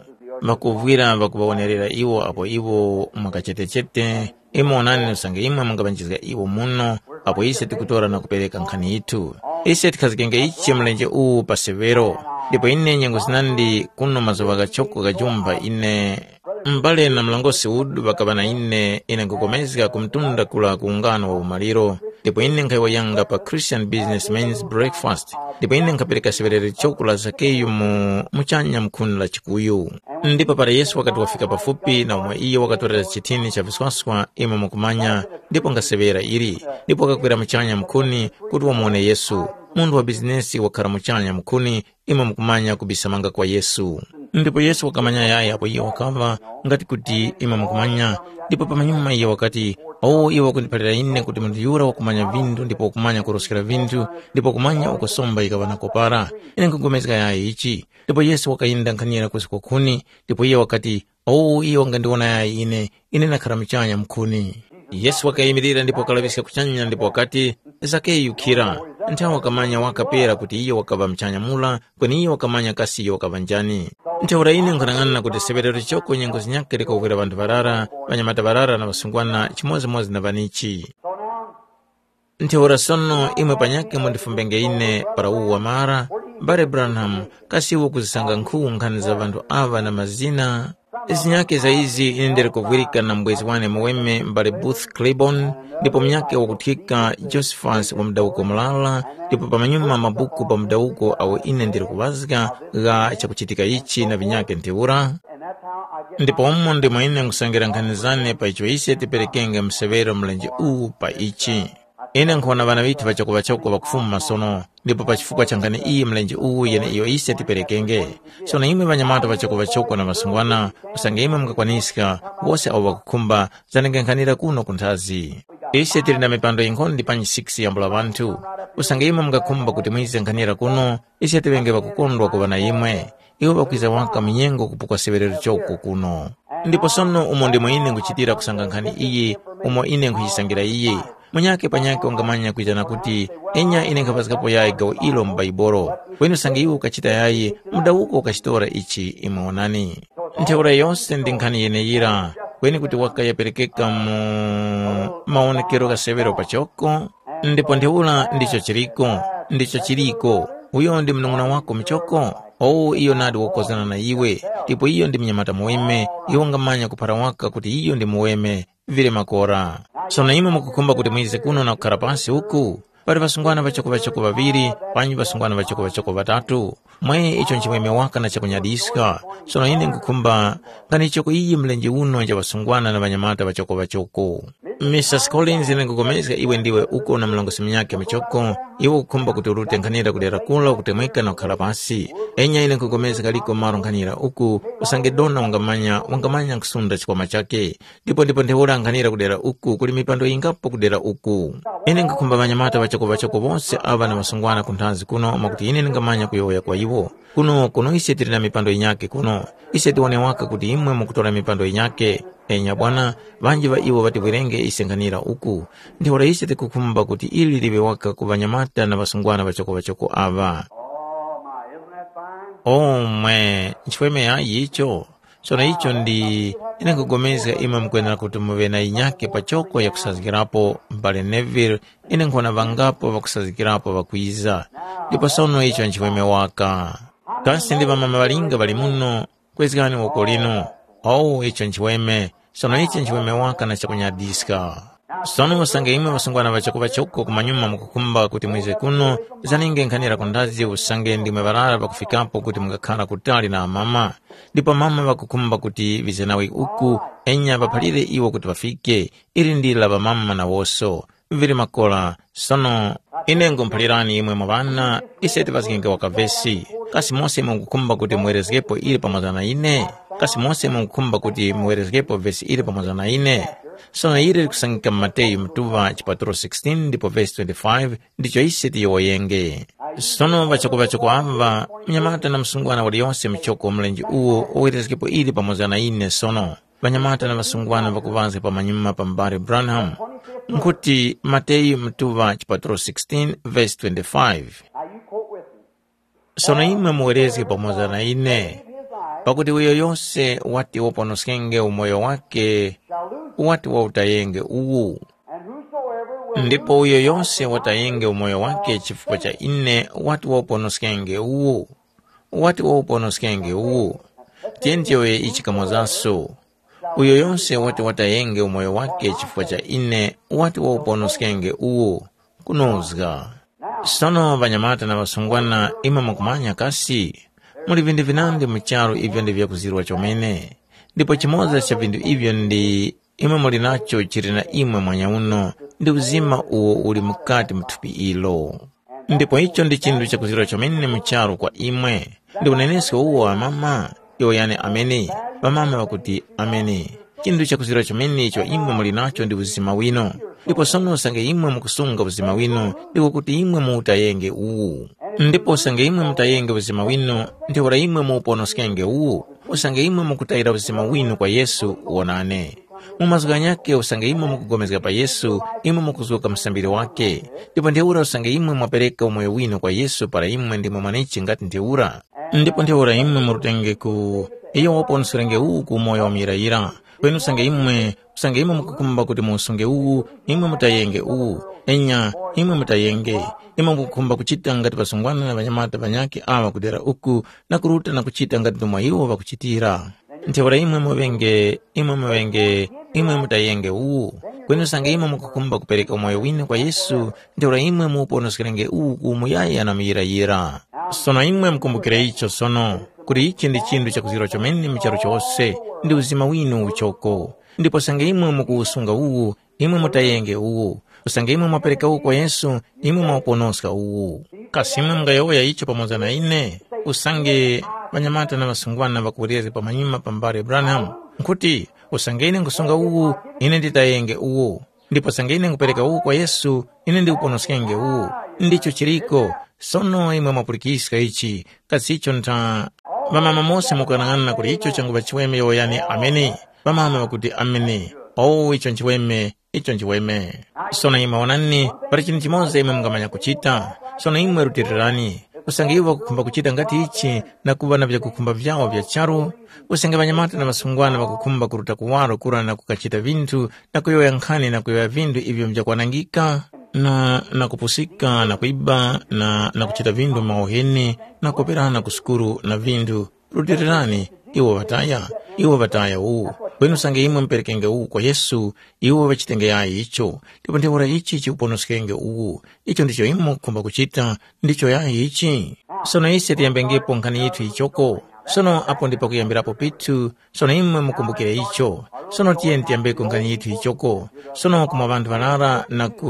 Ŵakuvwira ŵakuŵawonerera iwo apo iwo mwa kachetechete, imwe wonani usange imwe mungaŵanjizga iwo muno, apo ise tikutora na kupereka nkhani yithu. Ise tikhazgenge ichi mlenje uwu pa severo, ndipo ine nyengo zinandi kuno mazuŵa ghachoko ghajumba ine. M'bale na mlongosi udu ŵakaŵa na ine, ine nkupulikana ku mtunda kura ku ungano wa umaliro, ndipo ine nkhayowoyanga pa Christian Businessmen's Breakfast, ndipo ine nkhapereka seŵerero choko la Zakeyu mu muchanya mukhuni la chikuyu. Ndipo para Yesu wakati wafika pafupi na umo iyo wakatorera chithini cha viswaswa, imwe mukumanya, ndipo ngaseŵera ili, ndipo wakakwera muchanya mukhuni kuti wamuwone Yesu. Munthu wa bizinesi wakhara muchanya mukhuni, imwe mukumanya kubisamanga kwa Yesu. Ndipo Yesu wakamanya yaya apo iyo wakaŵa, ngati kuti imwe mukumanya, ndipo pamanyuma iyo wakati, “Owo iwo wakundiphalira ine kuti munthu yura wakumanya vinthu ndipo wakumanya kuroskera vinthu, ndipo wakumanya uko somba yikaŵa na kopara. Ine nkhugomezga yaya ichi.” Ndipo Yesu wakayenda nkhanira kusi kwa khuni, ndipo iyo wakati, “Owo iwo wangandiwona yaya ine, ine ndakhara muchanya mukhuni.” Yesu wakayimirira ndipo wakalaŵiska kuchanya ndipo wakati, “Zakeyu, khira.” Nthawe wakamanya waka pera kuti iyo wakaŵa muchanya mura, kweni iyo wakamanya kasi iyo wakaŵa njani. Ntheura ine nkhanang'ana kuti seŵerero choko nyengo zinyakhe likawukwera ŵanthu ŵarara, ŵanyamata ŵarara na ŵasungwana chimodzimodzi na ŵanichi. Ntheura sono imwe panyakhe mundifumbenge ine para uwu wamara, mbale Branham, kasi iwe ukuzisanga nkhu nkhani za ŵanthu aŵa na mazina? Zinyakhe za izi ine ndili kuvwirika na mubwezi wane muweme mbale Booth Clibon, ndipo munyakhe wakuthika Josephus wa mudawuko murara, ndipo pamanyuma mabuku pa mudawuko awo ine ndili kuŵazga gha chakuchitika ichi na vinyakhe ntheura. Ndipo umo ndimo ine nkhusangila nkhani zane pa icho ise tiperekenge mseŵero mlenje uwu pa ichi. Ine nkhuwona ŵana ŵithu ŵachoko-ŵachoko ŵakufuma sono, ndipo pa chifukwa cha nkhani iyi mlenje uwu yeneiyo ise tiperekenge. Sono imwe ŵanyamata ŵachoko-ŵachoko na ŵasungwana, usange imwe mungakwaniska, wose awo ŵakukhumba, zanenge nkhanira kuno ku nthazi. Ise tili na mipando yinkhonde panji six yambula ŵanthu. Usange imwe mungakhumba kuti mwize nkhanira kuno, ise tiŵenge ŵakukondwa kuŵa na imwe. Iwo ŵakwiza waka mu nyengo kupukwa seŵerero choko kuno. Ndipo sono umo ndimo ine nkhuchitira kusanga nkhani iyi, umo ine nkhuyisangira iyi. Munyakhe panyakhe wangamanya kwizana kuti, “Enya ine nkhapazgapo yayi gawo ilo mu Baibolo.” Kweni usange iwe ukachita yayi, mudawuko ukachitora ichi imwe wonani. Ntheura yose ndi nkhani yeneyira, kweni kuti wakayaperekeka mu mawonekero gha seŵero pachoko, ndipo ntheura ndicho chiliko, ndicho chiliko. Uyo ndi munung'una wako muchoko? Owu iyo nadi wakukozana na iwe, ndipo iyo ndi munyamata muweme, iwe wangamanya kuphara waka kuti iyo ndi muweme, vili makora. Sono imwe mukukhumba kuti mwize kuno na kukhara pasi uku? Pali ŵasungwana ŵachoko-ŵachoko ŵaŵiri, panji ŵasungwana ŵachoko-ŵachoko ŵatatu. Mwe icho nchiweme waka na chakunyadiska. Sono ine nkhukhumba nganichoko iyi mlenje uno nja ŵasungwana na ŵanyamata ŵachoko-ŵachoko. Misasi Collins, ine nkhupulikana iwe ndiwe uko na mlongosi munyakhe muchoko, iwe ukukhumba kuti urute nkhanira ku dera kula ukutemweka na kukhala pasi. Enya ine nkhupulikana kaliko malo nkhanira uku, usange dona wangamanya, wangamanya kusunda chikwama chakhe. Ndipo ndipo ntheura nkhanira ku dera uku, kuli mipando yingapo ku dera uku. Ine nkhukhumba ŵanyamata ŵachoko-ŵachoko wose aŵa na ŵasungwana ku nthazi kuno mwakuti ine ndingamanya kuyowoya kwa iwo. Kuno, kuno ise tili na mipando yinyakhe kuno. Ise tiwone waka kuti imwe mukutora mipando yinyakhe. Enya bwana, ŵanji ŵa iwo ŵativwerenge ise nkhanira uku. Ntheura ise tikukhumba kuti ili liŵe waka ku ŵanyamata na ŵasungwana ŵachoko-ŵachoko aŵa. Oh, my, isn't that fine? Oh, mwe, nchiweme yayi icho? Sono icho ndi, ine nkhupulikana imwe mukwenera kuti muŵe na yinyakhe pachoko yakusazgirapo, m'bale Neville, ine nkhuwona ŵangapo ŵakusazgirapo ŵakwiza. Ndipo sono icho nchiweme waka. Kasi ndi ŵamama ŵalinga ŵali muno? Kwezgani woko linu. Owu icho nchiweme. Sono icho nchiweme waka na chakunyadiska. Sono usange imwe ŵasungwana ŵachoko-ŵachoko kumanyuma mukukhumba kuti mwize kuno, zaninge nkhanira ku ndazi usange ndimwe ŵarara ŵakufikapo kuti mungakhara kutali na amama. Ndipo amama ŵakukhumba kuti ŵize nawe uku, enya ŵaphalire iwo kuti ŵafike, ili ndi la ŵamama nawoso. Vili makora, sono ine nkhumuphalirani imwe mwa ŵana, ise tiŵazgenge waka vesi. Kasi mose mukukhumba kuti muwerezgepo ili pamoza na ine? Kasi mose mukukhumba kuti muwerezgepo vesi ili pamoza na ine? Sono ili likusangika mu Mateyu mutuŵa chipatulo sixteen ndipo vesi twenty-five, ndicho ise tiyowoyenge. Sono ŵachoko-ŵachoko aŵa, munyamata na msungwana waliyose muchoko mlenje uwo wawerezgepo ili pamoza na ine sono. Ŵanyamata na ŵasungwana ŵakuŵazga pamanyuma pa m'bale Branham. Nkhuti Mateyu mutuŵa chipatulo sixteen verse twenty-five. Now you quote with me. Sono imwe muwerezge pamoza na ine, pakuti uyo yose wati waponoskenge umoyo wake, wati wautayenge uwu. And whosoever will ndipo uyo yose watayenge umoyo wake chifukwa cha ine wati wauponoskenge uwu. Wati wauponoskenge uwu. Tiyeni tiyowoye ichi kamozaso. Uyo yose wati watayenge umoyo wake chifukwa cha ine wati wauponoskenge uwu. Kunozga. Sono ŵanyamata na ŵasungwana, imwe mukumanya kasi? Muli vinthu vinandi mu charu ivyo ndi vyakuzirwa chomene. Ndipo chimoza cha vinthu ivyo ndi imwe muli nacho chili na imwe mwanyauno, ndi uzima uwo uli mukati mu thupi ilo. Ndipo icho ndi chinthu chakuzirwa chomene mu charu kwa imwe. Ndi unenesko uwo amama? Iwo yani amene. Ŵamama ŵakuti, amene. Chinthu chakuzirwa chomene icho imwe muli nacho ndi uzima winu. Ndipo sono usange imwe mukusunga uzima winu, ndiko kuti imwe muutayenge uwu. Ndipo usange imwe mutayenge uzima winu, ntheura imwe muuponoskenge uwu. Usange imwe mukutayira uzima winu kwa Yesu, wonani. Mu mazgu ghanyakhe usange imwe mukupulikana pa Yesu, imwe mukuzuka msambiri wakhe. Ndipo ntheura usange imwe mwapereka umoyo winu kwa Yesu para imwe ndimwe mwanechi ngati ntheura. Ndipo ntheura imwe murutenge ku iyo waponoskenge uwu ku umoyo wa muyirayira. Kweni usange imwe, usange imwe mukukhumba kuti muusunge uwu, imwe mutayenge uwu. Enya, imwe mutayenge. Imwe mukukhumba kuchita ngati ŵasungwana na ŵanyamata ŵanyakhe aŵa kudera uku na kuruta na kuchita ngati ndomwe iwo ŵakuchitira. Ntheura imwe muŵenge, imwe muŵenge, imwe mutayenge uwu. Kweni usange imwe mukukhumba kupereka umoyo winu kwa Yesu, ntheura imwe muuponoskerenge uwu ku umuyaya na muyirayira. Sono imwe mukumbukire icho sono, kuti ichi ndi chinthu chakuzirwa chomene mu charu chose, ndi uzima winu uchoko. Ndipo usange imwe mukuwusunga uwu, imwe mutayenge uwu. Usange imwe mwapereka uwu kwa Yesu, imwe mwauponoska uwu. Kasi imwe mungayowoya icho pamoza na ine? Usange ŵanyamata na ŵasungwana ŵakuwerezga pamanyuma pa mbale Branham, nkhuti, usange ine nkusunga uwu, ine nditayenge uwu. Ndipo usange ine nkupereka uwu kwa Yesu, ine ndikuponoskenge uwu. Ndicho chiriko. Sono imwe mwapulikiska ichi, kasi icho ntha? Ŵamama mose mukuyang'ana kuti icho changuŵa chiweme yowoyani ameni. Ŵamama ŵakuti ameni. Oh, icho nchiweme, icho nchiweme. Sono imwe wonani, pali chinthu chimoza imwe mungamanya kuchita. Sono imwe rutilirani. Usange iwo ŵakukhumba kuchita ngati ichi na kuŵa na vyakukhumba vyawo vya charu, usange ŵanyamata na ŵasungwana ŵakukhumba kuruta kuwaro kura na kukachita vinthu na kuyowoya nkhani na kuyowoya vinthu ivyo mjakwanangika, na, na kupusika na kwiba na, na kuchita vinthu mauheni na kuperana ku sukuru na vinthu, rutilirani, iwo ŵataya, iwo ŵataya uwu. Kweni usange imwe muperekenge uwu kwa Yesu, iwo ŵachitenge yayi icho, ndipo ntheura ichi chikuponoskenge uwu. Icho ndicho imwe mukukhumba kuchita, ndicho yayi ichi. Sono ise tiyambengepo nkhani yithu yichoko. Sono apo ndi pakuyambirapo pithu, sono imwe mukumbukire icho. Sono tiyeni tiyambeko nkhani yithu yichoko. Sono kumwa ŵanthu ŵarara na ku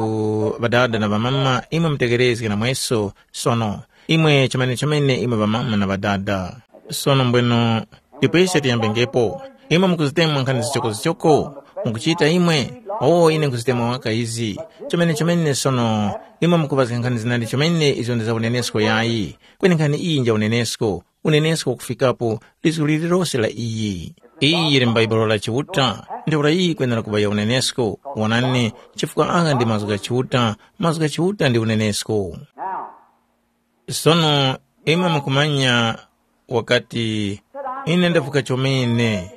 ŵadada na ŵamama, imwe mutegerezge na mweso. Sono imwe chomene-chomene imwe ŵamama na ŵadada. Sono mbweno, ndipo ise tiyambengepo. Imwe mukuzitemwa nkhani zichoko-zichoko? Mukuchita imwe? Oh, ine nkuzitemwa waka izi. Chomene-chomene sono, imwe mukuŵazga nkhani zinandi chomene izo ndi za unenesko yayi. Kweni nkhani iyi nja unenesko. Unenesko wakufikapo lizgu lililose la iyi. Iyi yili m'Baibulo la Chiuta, ntheura iyi yikwenera kuŵa ya unenesko. Wonani, chifukwa agha ndi mazgu gha Chiuta, mazgu gha Chiuta ndi unenesko. Sono imwe mukumanya wakati, ine ndavuka chomene.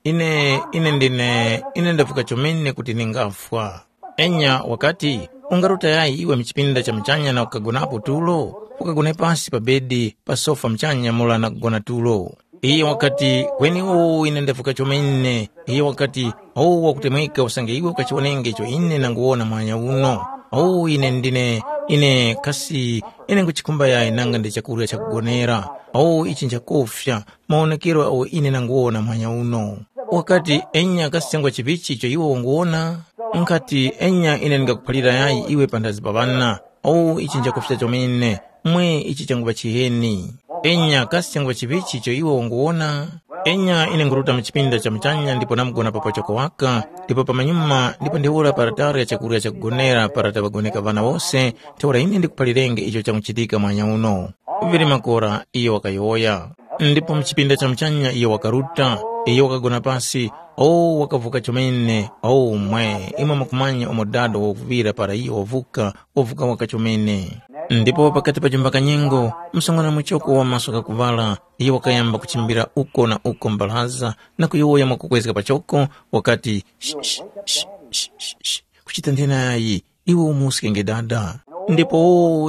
Ine, ine ndine, ine ndavuka chomene kuti ningafwa. Enya wakati, ungaruta yayi iwe mchipinda cha muchanya na kukagonapo tulo? Ukagone pasi pa bedi, pa sofa muchanya mura na kugona tulo. Iye wakati, kweni owu ine ndavuka chomene. Iye wakati, owu wakutemweka usange iwe ukachiwonenge icho ine nanguwona mwanya uno. Owu ine ndine, ine kasi, ine nguchikhumba yayi nanga ndi chakurya chakugonera. Owu ichi nchakufya, mawonekero agho ine nanguwona mwanya uno. Wakati, enya kasi changwa chivichi icho iwe wanguwona? Nkati, enya ine ndingakuphalira yayi iwe panthazi pa ŵana. Owu ichi nchakufya chomene, mwe ichi changuŵa chiheni. Enya kasi changuŵa chivichi icho iwe wanguwona? Enya ine nguruta mu chipinda cha muchanya ndipo namugona pa pachoko waka, ndipo pamanyuma ndipo ntheura pa latari ya chakurya chakugonera para taŵagoneka ŵana wose, ntheura ine ndikuphalirenge icho changuchitika mwanya uno. Vili makora iyo wakayowoya. Ndipo mu chipinda cha muchanya iyo wakaruta, iyo wakagona pasi, o wakavuka chomene, o mwe, imwe mukumanya umo dada wakuŵira para iyo wavuka, wavuka waka chomene. Ndipo pakati pa chumba kanyengo, msungwana muchoko wa maso ghakuŵala, iyo wakayamba kuchimbira uko na uko mbaraza na kuyowoya mwakukwezga pachoko, wakati, "Sh- sh- sh- sh- sh- sh- kuchita nthenayi, iwe umuskenge dada." Ndipo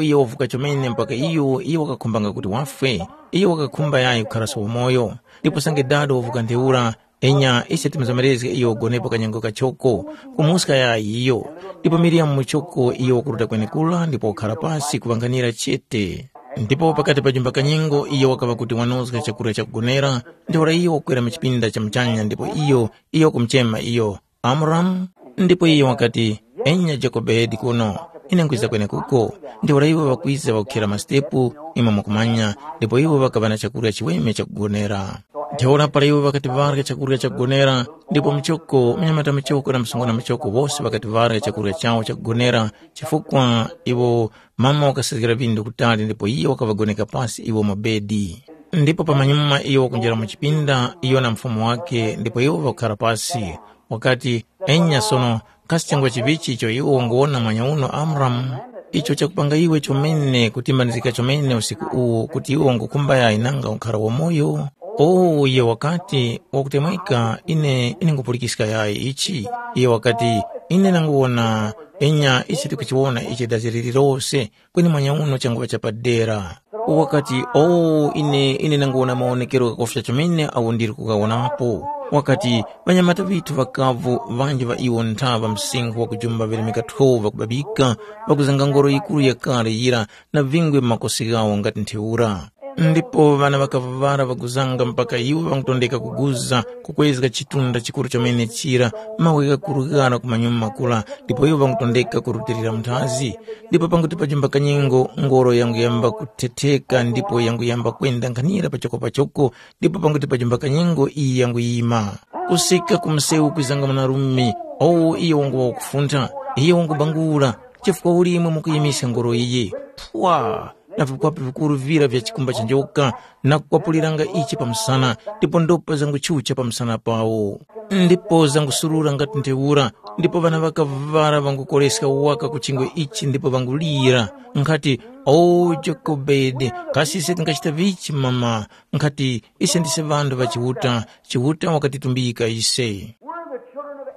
iyo wavuka chomene mpaka iyo, iyo wakakhumbanga kuti wafwe, iyo wakakhumba yayi kukharaso wamoyo. Ndipo sange dada wavuka ntheura, enya ise timuzomerezge iyo ugonepo kanyengo kachoko, kumuska yayi iyo. Ndipo Miriyamu muchoko iyo wakuruta kwenekura ndipo wakhara pasi kuŵanganira chete. Ndipo pakati pa jumba kanyengo iyo wakaŵa kuti wanozga chakurya chakugonera, ntheura iyo wakwera mu chipinda cha muchanya ndipo iyo, iyo wakumuchema iyo, Amuramu? Ndipo iyo wakati, enya Jokobedi kuno, ine nkwiza kwenekuko. Ntheura iwo ŵakwiza ŵakukhera mastepu, imwe mukumanya, ndipo iwo ŵakaŵa na chakurya chiweme chakugonera. Ntheura para iwo ŵakati ŵarya chakurya chakugonera, ndipo muchoko, munyamata muchoko na msungwana muchoko wose ŵakati ŵarya chakurya chawo chakugonera, chifukwa iwo mama wakasizgira vindu kutali ndipo iyo wakaŵagoneka pasi iwo mu bedi. Ndipo pamanyuma iyo wakunjira mu chipinda, iyo na mufumu wake, ndipo iwo ŵakukhara pasi. Wakati, enya sono, kasi changwa chivichi icho iwe wanguwona mwanyauno Amuramu? Icho chakupanga iwe chomene kutimbanizgika chomene usiku uwu kuti iwe wangukhumba yayi nanga ukhara wamoyo? O, iye wakati, wakutemweka, ine, ine ngupulikiska yayi ichi. Iye wakati, ine nanguwona, enya ichi tikuchiwona ichi dazi lililose, kweni mwanyauno changuŵa chapadera. Wakati, o, ine, ine nanguwona mawonekero ghakufya chomene agho ndili kughawonapo. Wakati, ŵanyamata ŵithu ŵakavu ŵanji ŵa iwo ntha ŵa msinkhu wakujumba ŵeremeka twelve ŵakubabika, ŵakuzanga ngoro yikuru yakale yira na vingwe mu makosi ghawo ngati ntheura. Ndipo ŵana ŵakaŵaŵara ŵakuzanga mpaka iwo ŵangutondeka kuguza kukwezga chitunda chikuru chomene chira, mawe ghakuru ghara ku manyuma kura, ndipo iwo ŵangutondeka kurutilira munthazi. Ndipo panguti pajumba kanyengo, ngoro yanguyamba kuthetheka ndipo yanguyamba kwenda nkhanira pachoko pachoko, ndipo panguti pajumba kanyengo iyi yanguyima. Kusika ku msewu kwizanga mwanarume, owo iyo wanguŵa wakufuntha, iyo wangubangula, chifukwa uli imwe mukuyimisya ngoro iyi? Pwa! Na vikwapu vikuru vira vya chikumba cha njoka, na kukwapuliranga ichi pa msana, ndipo ndopa zanguchucha pa msana pawo. Ndipo zangusurura ngati ntheura, ndipo ŵana ŵakavara ŵangukoreska waka ku chingwe ichi ndipo ŵangulira, nkhati, “O Jokobedi, kasi ise tingachita vichi mama? Nkhati ise ndise ŵanthu ŵa Chiuta, Chiuta wakatitumbika ise.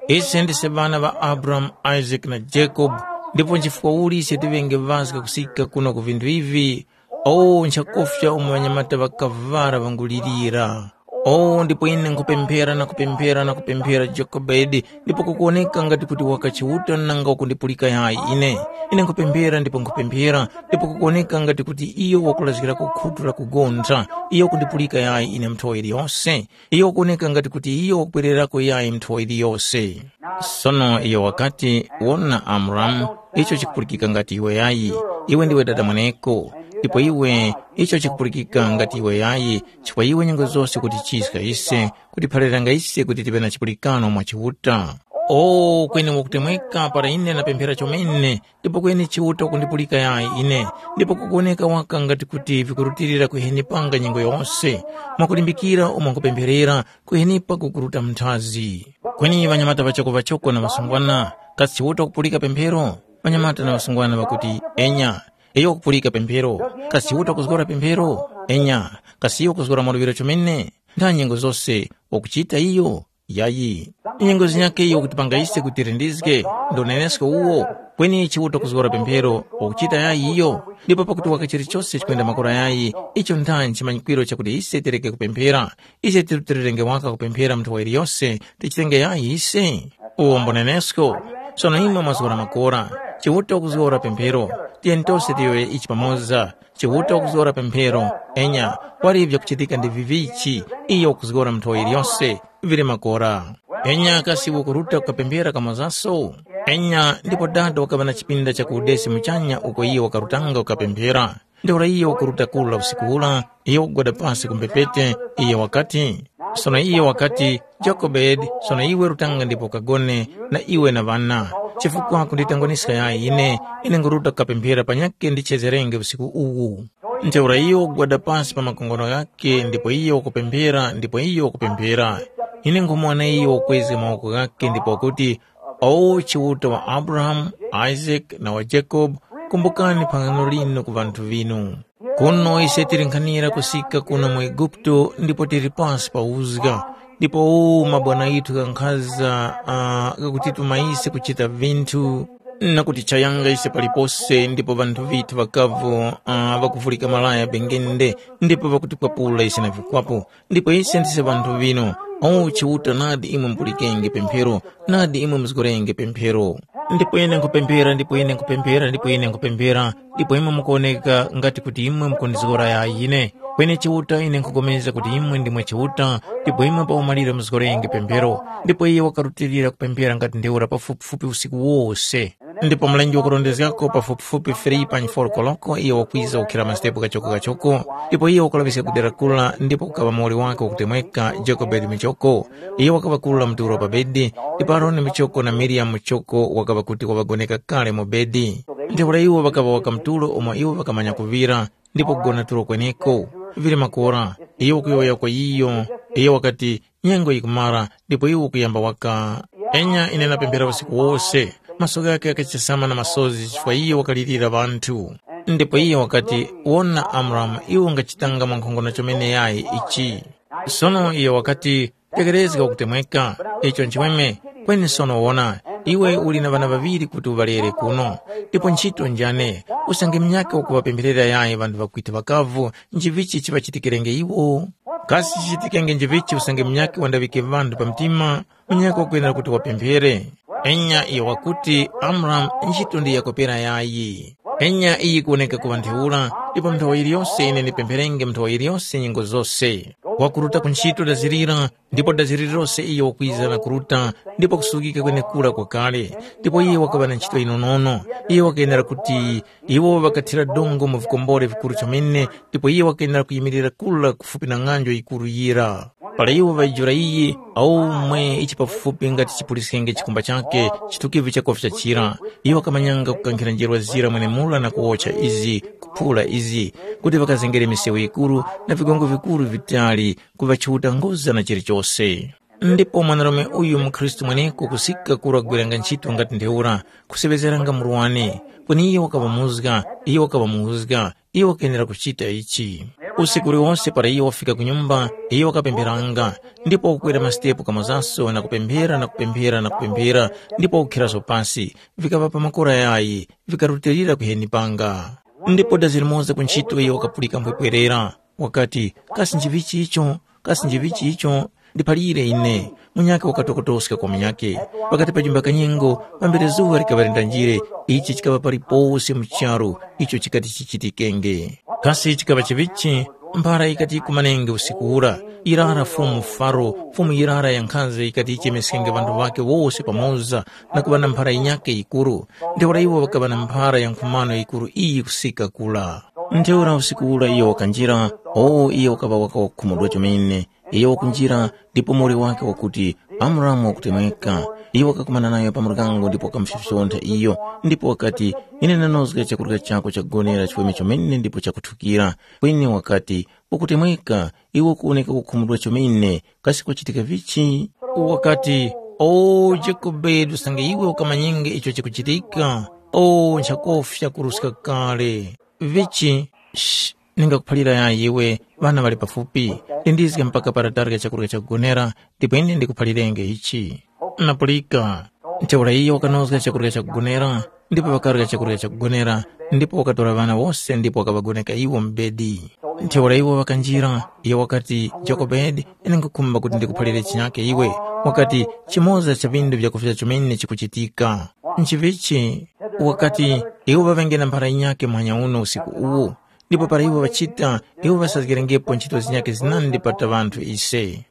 Ise ndise ŵana ŵa Abrahamu, Isake na Jacob, ndipo nchifukwa uli ise tiŵenge ŵazga kusika kuno ku vinthu ivi? O, nchakufya umo ŵanyamata ŵakavara ŵangulirira. O, ndipo ine nkhupemphera na kupemphera na kupemphera Jokobedi, ndipo kukuwoneka ngati kuti waka Chiuta nanga wakundipulika yayi ine. Ine nkhupemphera ndipo nkhupemphera, ndipo kukuwoneka ngati kuti iyo wakulazgirako khutu la kugontha, iyo wakundipulika yayi ine nthowa iliyose. Iyo wakuwoneka ngati kuti iyo wakupwererako yayi nthowa iliyose.” Sono iyo wakati, “Wona Amuramu, icho chikupulikika ngati iwe yayi, iwe ndiwe dada mweneko. Ndipo iwe, icho chikupulikika ngati iwe yayi, chifukwa iwe nyengo zose ukutichiska ise, kutiphaliranga ise kuti tive na chipulikano mwa Chiuta. O, kweni wakutemweka para ine ndapemphera chomene, ndipo kweni Chiuta wakundipulika yayi ine, ndipo kukuwoneka waka ngati kuti vikurutilira kuhenipa nga nyengo yose, mwakulimbikira umo nkupempherera, kuhenipa kukuruta munthazi. Kweni ŵanyamata ŵachoko ŵachoko na ŵasungwana, kasi Chiuta wakupulika pemphero? Ŵanyamata na ŵasungwana ŵakuti, enya. Iyo wakupulika pemphero. Kasi Chiuta wakuzgora pemphero? Enya. Kasi iyo wakuzgora maluŵiro chomene? Ntha nyengo zose wakuchita iyo? Yayi. Nyengo zinyakhe iyo wakutipanga ise kuti tirindizge, ndi unenesko uwo. Kweni Chiuta wakuzgora pemphero wakuchita yayi iyo? Ndipo pakuti waka chilichose chikwenda makora yayi, icho ntha nchimanyikwiro chakuti ise tireke kupemphera. Ise tirutilirenge waka kupemphera mu nthowa iliyose, tichitenge yayi ise? Uwo mbunenesko. Sono imwe mwazgora makora. Chiuta wakuzgora pemphero. Tiyeni tose tiyowoye ichi pamoza. Chiuta wakuzgora pemphero. Enya, wali vyakuchitika ndi vivichi, iyo wakuzgora mu nthowa iliyose, vili makora. Enya kasi ukuruta kukapemphera kamozaso? Enya, ndipo dada wakaŵa na chipinda cha ku udesi muchanya uko iyo wakarutanga kukapemphera. Ntheura iyo wakuruta kula usiku ula, iyo wakugwada pasi ku mbepete, iyo wakati, sono iyo wakati, “Jokobedi, sono iwe rutanga ndipo ukagone, na iwe na ŵana, chifukwa kunditangwaniska yayi ine, ine nguruta kukapemphera panyakhe ndichezerenge usiku uwu.” Ntheura iyo wakugwada pasi pa makongono ghakhe ndipo iyo wakupemphera ndipo iyo wakupemphera. Ine nkhomuwona iyo wakwezga mawoko ghakhe ndipo wakuti, “O Chiuta wa Abrahamu, Isake na wa Jacobe, kumbukani phangano linu ku ŵanthu vinu. Kuno ise tili nkhanira kusika kuno mu Eguputo ndipo tili pasi pa uzga, ndipo uwu mabwana ghithu ghankhaza uh, ghakutituma ise kuchita vinthu na kutichayanga ise palipose ndipo ŵanthu vithu ŵakavu uh, ŵakuvulika malaya bengende ndipo ŵakutikwapula ise na vikwapo. Ndipo ise ndise ŵanthu vino. O Chiuta, nadi imwe mupulikenge pemphero, nadi imwe muzgorenge pemphero. Ndipo ine nkhupemphera ndipo ine nkhupemphera ndipo ine nkhupemphera, ndipo imwe mukuwoneka ngati kuti imwe mukundizgora yayi ine. Kweni Chiuta, ine nkhupulikana kuti imwe ndimwe Chiuta, ndipo imwe pa umaliro muzgorenge pemphero. Ndipo iye wakarutilira kupemphera ngati ntheura pafupifupi usiku wose. Ndipo mlenje wakurondezgako pafupifupi three pa four koloko iyo wakwiza kukhira mastepo kachoko-kachoko, ndipo iyo wakulaŵiska ku dera kula ndipo kukaŵa muwoli wake wakutemweka Jokobedi Michoko. Iyo wakaŵa kula mtulo pa bedi, ndipo Aroni Michoko na Miriyamu Michoko wakaŵa kuti waŵagoneka kale mu bedi. Ntheura iwo ŵakaŵa waka mtulo umo iwo ŵakamanya kuŵira, ndipo kugona tulo kweneko. Vili makora, iyo wakuyowoya kwa iyo, iyo wakati, nyengo yikumara, ndipo iwe ukuyamba waka. Enya ine napemphera usiku wose. Maso ghakhe ghakachesama na masozi chifukwa iyo wakalirira ŵanthu. Ndipo iyo wakati, wona Amuramu, iwe ungachitanga mwankhongono chomene yayi ichi. Sono iyo wakati, tekerezga ukutemweka, icho nchimweme. Kweni sono wona, iwe uli na ŵana ŵaŵiri kuti uŵalere kuno, ndipo ntchito njane, usange munyakhe wakuŵapempherera yayi ŵanthu ŵakwithu ŵakavu, nchivichi chiŵachitikirenge iwo? Kasi chichitikenge njivichi usange munyakhe wandaŵike ŵanthu pa mtima, munyakhe wakwenera kuti wapemphere? Enya iyo wakuti, Amuramu, ntchito ndi yakopera yayi. Enya iyi kuwoneka kuŵa ntheura, ndipo nthawa yiliyose ine ndipempherenge nthawa yiliyose nyengo zose. Wakuruta ku ntchito dazirira, ndipo dazirira lose iyo wakwiza na kuruta, ndipo kusukika kwenekura kwakale. Ndipo iye wakaŵa na ntchito yinonono. Iye wakayendera kuti iwo ŵakathira dongo mu vikombore vikuru chomene, ndipo iye wakayenera kuyimirira kura kufupi na ng'anjo yikuru yira. Para iwo ŵayijula iyi, aumwe ichi pafupi ngati chipuliskenge chikumba chakhe, chitukivi chakofya chira. Iwo ŵakamanyanga kukankhira njerwa zira mwenemura na kuwotcha izi, kuphula izi, kuti ŵakazengere misewu yikuru na vigongo vikuru vitali, kuŵa Chiuta ngoza na chilichose. Ndipo mwanarume uyu mukhristu mweneko kusika kura kugwiranga ntchito ngati ntheura, kuseŵezeranga murwani, kweni iyo wakaŵa muzga, iyo wakaŵa muzga, iyo wakayenera kuchita ichi. Usiku uliwonse para iyo wafika ku nyumba, iyo wakapempheranga, ndipo wakukwera masitepo kamozaso na kupemphera na kupemphera na kupemphera, ndipo wakukhiraso pasi, vikaŵa pa makora yayi, vikarutilira kuheni panga. Ndipo dazi limoza ku ntchito iyo wakapulika mphwepwerera, wakati, kasi njivichi icho? Kasi njivichi icho? Ndiphalire ine. Munyakhe wakatokotoska kwa munyakhe. Pakati pa jumba kanyengo, pambere zuŵa likaŵa lindanjire, ichi chikaŵa palipose mu charu icho chikati chichitikenge. Kasi chikaŵa chivichi? Mphara yikati yikumanenge usiku ura, yirara Fumu Faro, fumu yirara ya nkhanza yikati yichemeskenge ŵanthu ŵakhe wose pamoza na kuŵa na mphara yinyakhe yikuru. Ntheura iwo ŵakaŵa na mphara ya nkhumano yikuru iyi kusika kula. Ntheura usiku ura iyo wakanjira, o iyo wakaŵa waka wakukhumudwa chomene. Iyo wakunjira, ndipo muwoli wakhe wakuti, Amuramu wakutemweka. Iyo wakakumana nayo pa muryango ndipo wakamufyofyontha iyo, ndipo wakati, ine ndanozga chakurya chako chakugonera chiweme chomene ndipo chakuthukira. Kweni wakati, ukutemweka, iwe ukuwoneka kukhumudwa chomene, kasi kwachitika vichi? Wakati, o Jakobe, usange iwe ukamanyenge icho chikuchitika, o nchakofya kuruska kale. Vichi, sh, ningakuphalira yayi iwe, ŵana ŵali pafupi, lindizga mpaka para tarya chakurya chakugonera, ndipo ine ndikuphalirenge ichi. Napulika. Ntheura iyo wakanozga chakurya chakugonera, ndipo ŵakarya chakurya chakugonera, ndipo wakatora ŵana wose ndipo wakaŵagoneka iwo mu bedi. Ntheura iwo ŵakanjira, iyo wakati, Jokobedi, ine nkhukhumba kuti ndikuphalire chinyakhe iwe. Wakati, chimoza cha vindu vyakufya chomene chikuchitika. Nchivichi? Wakati, iwo ŵaŵenge na mphara yinyakhe muhanya uno usiku uwu. Ndipo para iwo ŵachita, iwo ŵasazgerengepo ntchito zinyakhe zinandi pata ŵanthu ise.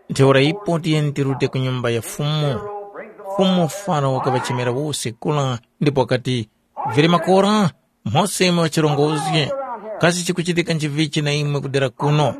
Ntheura ipo tiyeni tirute ku nyumba ya Fumu. Fumu Faro wakaŵachemera wose kura ndipo wakati, vili makora, mose imwe ŵachirongozge, kasi chikuchitika nchivichi na imwe kudera kuno?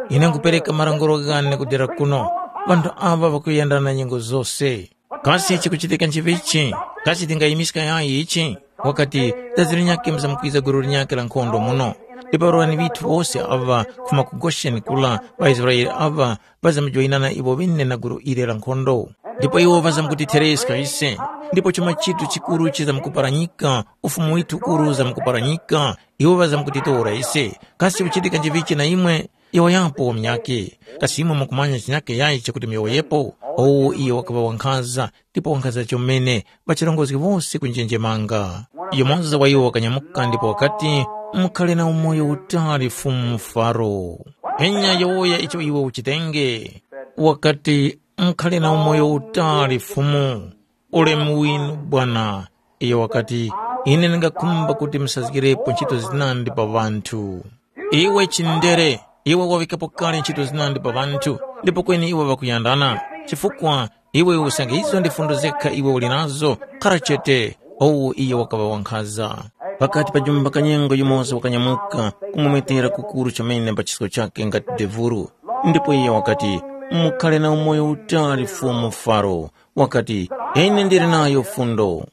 Ine nkhupereka malanguro ghane kudera kuno, ŵanthu aŵa ŵakuyendana nyengo zose. Kasi chikuchitika nchivichi? Kasi tingayimiska yayi ichi? Wakati, dazi linyakhe mzamkwiza gulu linyakhe la nkhondo muno. Ndipo ŵarwani ŵithu wose aŵa kufuma ku Gosheni kula, ŵaIsraele aŵa ŵazamkujoyinana iwo ŵene na gulu ile la nkhondo. Ndipo iwo ŵazamkutithereska ise, ndipo chuma chitu chikuru chizamkuparanyika, ufumu withu ukuru uzamkuparanyika, iwo ŵazamkutitora ise. Kasi kuchitika nchivichi na imwe? Yowoyapo munyakhe, kasi imwe mukumanya chinyakhe yayi chakuti muyowoyepo? Owu iyo wakaŵa wankhaza, ndipo wankhaza chomene, ŵachirongozgi wose kunjenjemanga. Yumoza wa iwo wakanyamuka ndipo wakati, “Mukhale na umoyo utali Fumu Faro. Enya yowoya icho iwe uchitenge.” Wakati, “Mukhale na umoyo utali Fumu. Ulemu winu bwana.” Iyo wakati, “Ine ndingakhumba kuti musazgirepo nchito zinandi pa ŵanthu.” Iwe chindere, iwe wawikapo kale nchito zinandi pa ŵanthu, ndipo kweni iwe ŵakuyandana. Chifukwa iwe usange izo ndi fundo zekha iwe uli nazo, khara chete. Owu iyo wakaŵa wankhaza. Pakati pa jumba kanyengo yumoza wakanyamuka, kumumetera kukuru chomene pa chisko chakhe ngati devuru. Ndipo iye wakati, “Mukhale na umoyo utali Fumu Faro.” Wakati, “Ine ndili nayo fundo.”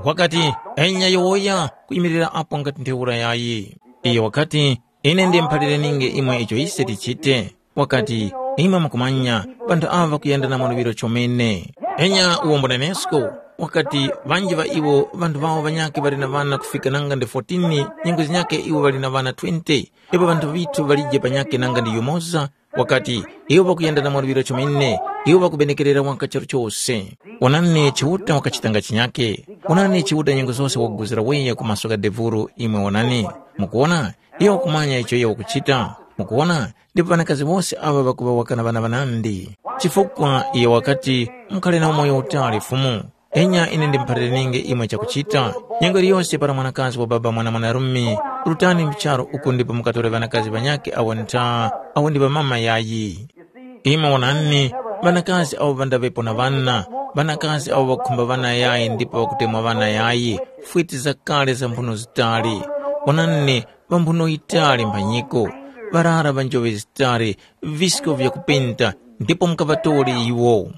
Wakati, “Enya yowoya kuyimirira apo ngati ntheura yayi.” Iyo wakati, “Ine ndimuphalirininge imwe icho ise tichite.” Wakati, “Imwe mukumanya, ŵanthu aŵa ŵakuyenda na mwaluŵiro chomene. Enya uwombo nenesko.” Wakati, “Ŵanji ŵa iwo ŵanthu ŵawo ŵanyakhe ŵali na ŵana kufika nanga ndi fourteen, nyengo zinyakhe iwo ŵali na ŵana twenty, ndipo ŵanthu ŵithu ŵalije panyakhe nanga ndi yumoza.” Wakati, “Iwo ŵakuyenda na mwaluŵiro chomene, iwo ŵakubenekerera waka charu chose.” Onani, Chiuta wakachitanga chinyakhe. Onani, Chiuta nyengo zose wakuguzira weya ku maso gha devuro, imwe onani. Mukuwona? Iyo wakumanya icho iyo wakuchita. Mukuwona? Ndipo ŵanakazi wose aŵa ŵakuŵa waka na ŵana ŵanandi. Chifukwa iyo wakati, “Mukhale na umoyo utali Fumu.” Enya ine ndimuphalirininge imwe chakuchita. Nyengo iliyose para mwanakazi wa baba mwana mwanarume, rutani mu charu uku ndipo mukatore ŵanakazi ŵanyakhe awo ntha, awo ndi ŵamama yayi. Imwe wonani, ŵanakazi awo ŵandaŵepo na ŵana, ŵanakazi awo ŵakukhumba ŵana yayi ndipo ŵakutemwa ŵana yayi, fwiti zakale za mphuno zitali. Wonani, ŵa mphuno yitali mphanyiko, ŵarara ŵa njoŵe zitali, visko vyakupenta, ndipo mukaŵatore iwo.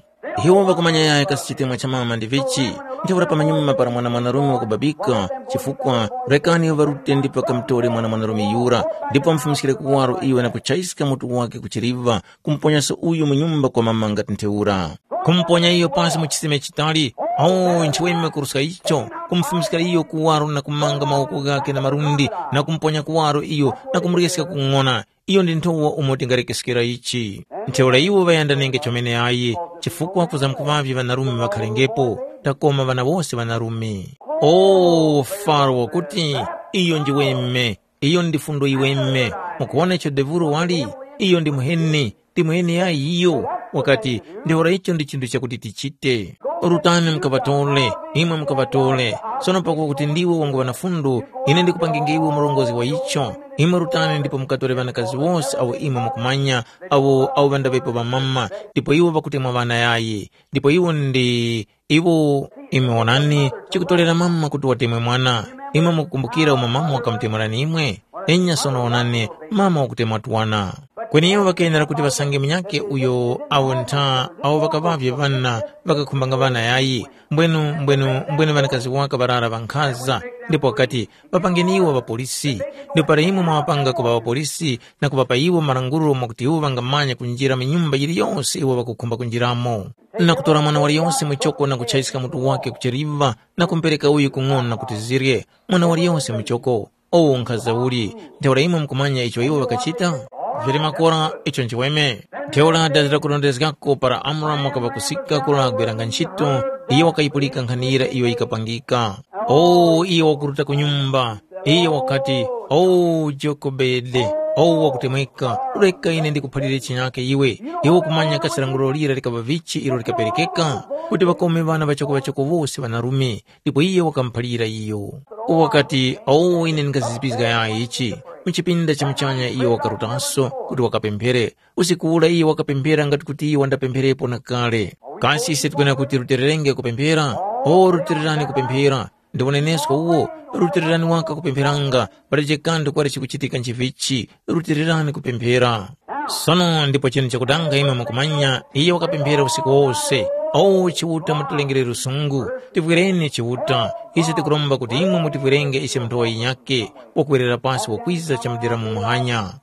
Iwo ŵakumanya yaya kasi chitemwa cha mama ndi vichi, ntheura pamanyuma para mwana mwanarume wakubabika, chifukwa rekani ŵarute ndipo ŵakamutore mwana mwanarume yura, ndipo ŵamufumiskire kuwaro iwe na kuchayiska mutu wakhe ku chiliva, kumuponyaso uyu mu nyumba kwa mama ngati ntheura. Kumuponya iyo pasi mu chisime chitali, awo nchiweme kuruska icho, kumufumiskira iyo kuwaro na kumanga mawoko ghakhe na malundi, na kumuponya kuwaro iyo na kumuryeska kung'ona. Iyo ndi nthowa umo tingarekeskera ichi. Ntheura iwo ŵayandanenge chomene ayi, chifukwa kuzamkuŵavye ŵanarume ŵakhalengepo, takoma ŵana wose ŵanarume. O Faro wakuti, iyo ndi weme, iyo ndi fundo yiweme. Mukuwona icho devuro wali? Iyo ndi muheni, ndi muheni yayi iyo. Wakati, ntheura icho ndi chinthu chakuti tichite. Rutani mukaŵatore, imwe mukaŵatore. Sono pakuti ndiwe wanguŵa na fundo, ine ndikupanginge iwe murongozgi wa icho. Imwe rutani ndipo mukatore ŵanakazi wose awo imwe mukumanya, awo awo ŵandaŵepo ŵamama, ndipo iwo ŵakutemwa ŵana yayi. Ndipo iwo ndi iwo, imwe wonani, chikutorera mama kuti watemwe mwana. Imwe mukukumbukira umo mama wakamutemwerani imwe? Enya sono wonani, mama wakutemwa twana. Kweni iwo ŵakenera kuti ŵasange munyakhe uyo awo ntha awo ŵakaŵavye ŵana ŵakakhumbanga ŵana yayi, mbwenu mbwenu mbwenu ŵanakazi waka ŵarara ŵankhaza, ndipo ŵakati, “Ŵapangeni iwo ŵapolisi.” Ndipo para imwe mwaŵapanga kuŵa ŵapolisi na kuŵapa iwo malangulo mwakuti iwo ŵangamanya kunjira mu nyumba yiliyose iwo ŵakukhumba kunjiramo, na kutora mwana waliyose muchoko na kuchayiska mutu wakhe ku chiliva na kumupereka uyu kung'ona kuti zirye, mwana waliyose muchoko. Owo nkhaza uli, ntheura imwe mukumanya icho iwo ŵakachita? Vili makora icho nchiweme. Ntheura dazira kurondezgako para Amuramu wakaŵa kusika kula gwiranga ntchito, iyo wakayipulika nkhani yira iyo yikapangika. O iyo wakuruta ku nyumba, iyo wakati, “O Jokobede, o wakutemweka, reka ine ndikuphalire chinyake iwe. Iwe ukumanya kasi lamulo lira likaŵa vichi ilo likaperekeka, kuti ŵakome ŵana ŵachoko-ŵachoko wose ŵanarume, ndipo iye wakamuphalira iyo. Wakati, “Awo ine ndingazizipizga yayi ichi mu chipinda cha muchanya.” Iyo wakarutanso kuti wakapemphere. Usiku ura iyo wakapemphera ngati kuti iyo wandapempherepo na kale. Kasi ise tikwenera kuti rutererenge kupemphera? O, rutererani kupemphera. Ndi unenesko uwo, rutererani waka kupempheranga, palibe kanthu kwali chikuchitika nchivichi, rutererani kupemphera. Sono ndipo chinthu chakutanga imwe mukumanya, iyo wakapemphera usiku wose, “O Chiuta, mutilengere lusungu, tivwireni Chiuta. Ise tikuromba kuti imwe mutivwirenge ise nthowa yinyakhe, wakwerera pasi wakwiza chamudera mu muhanya.”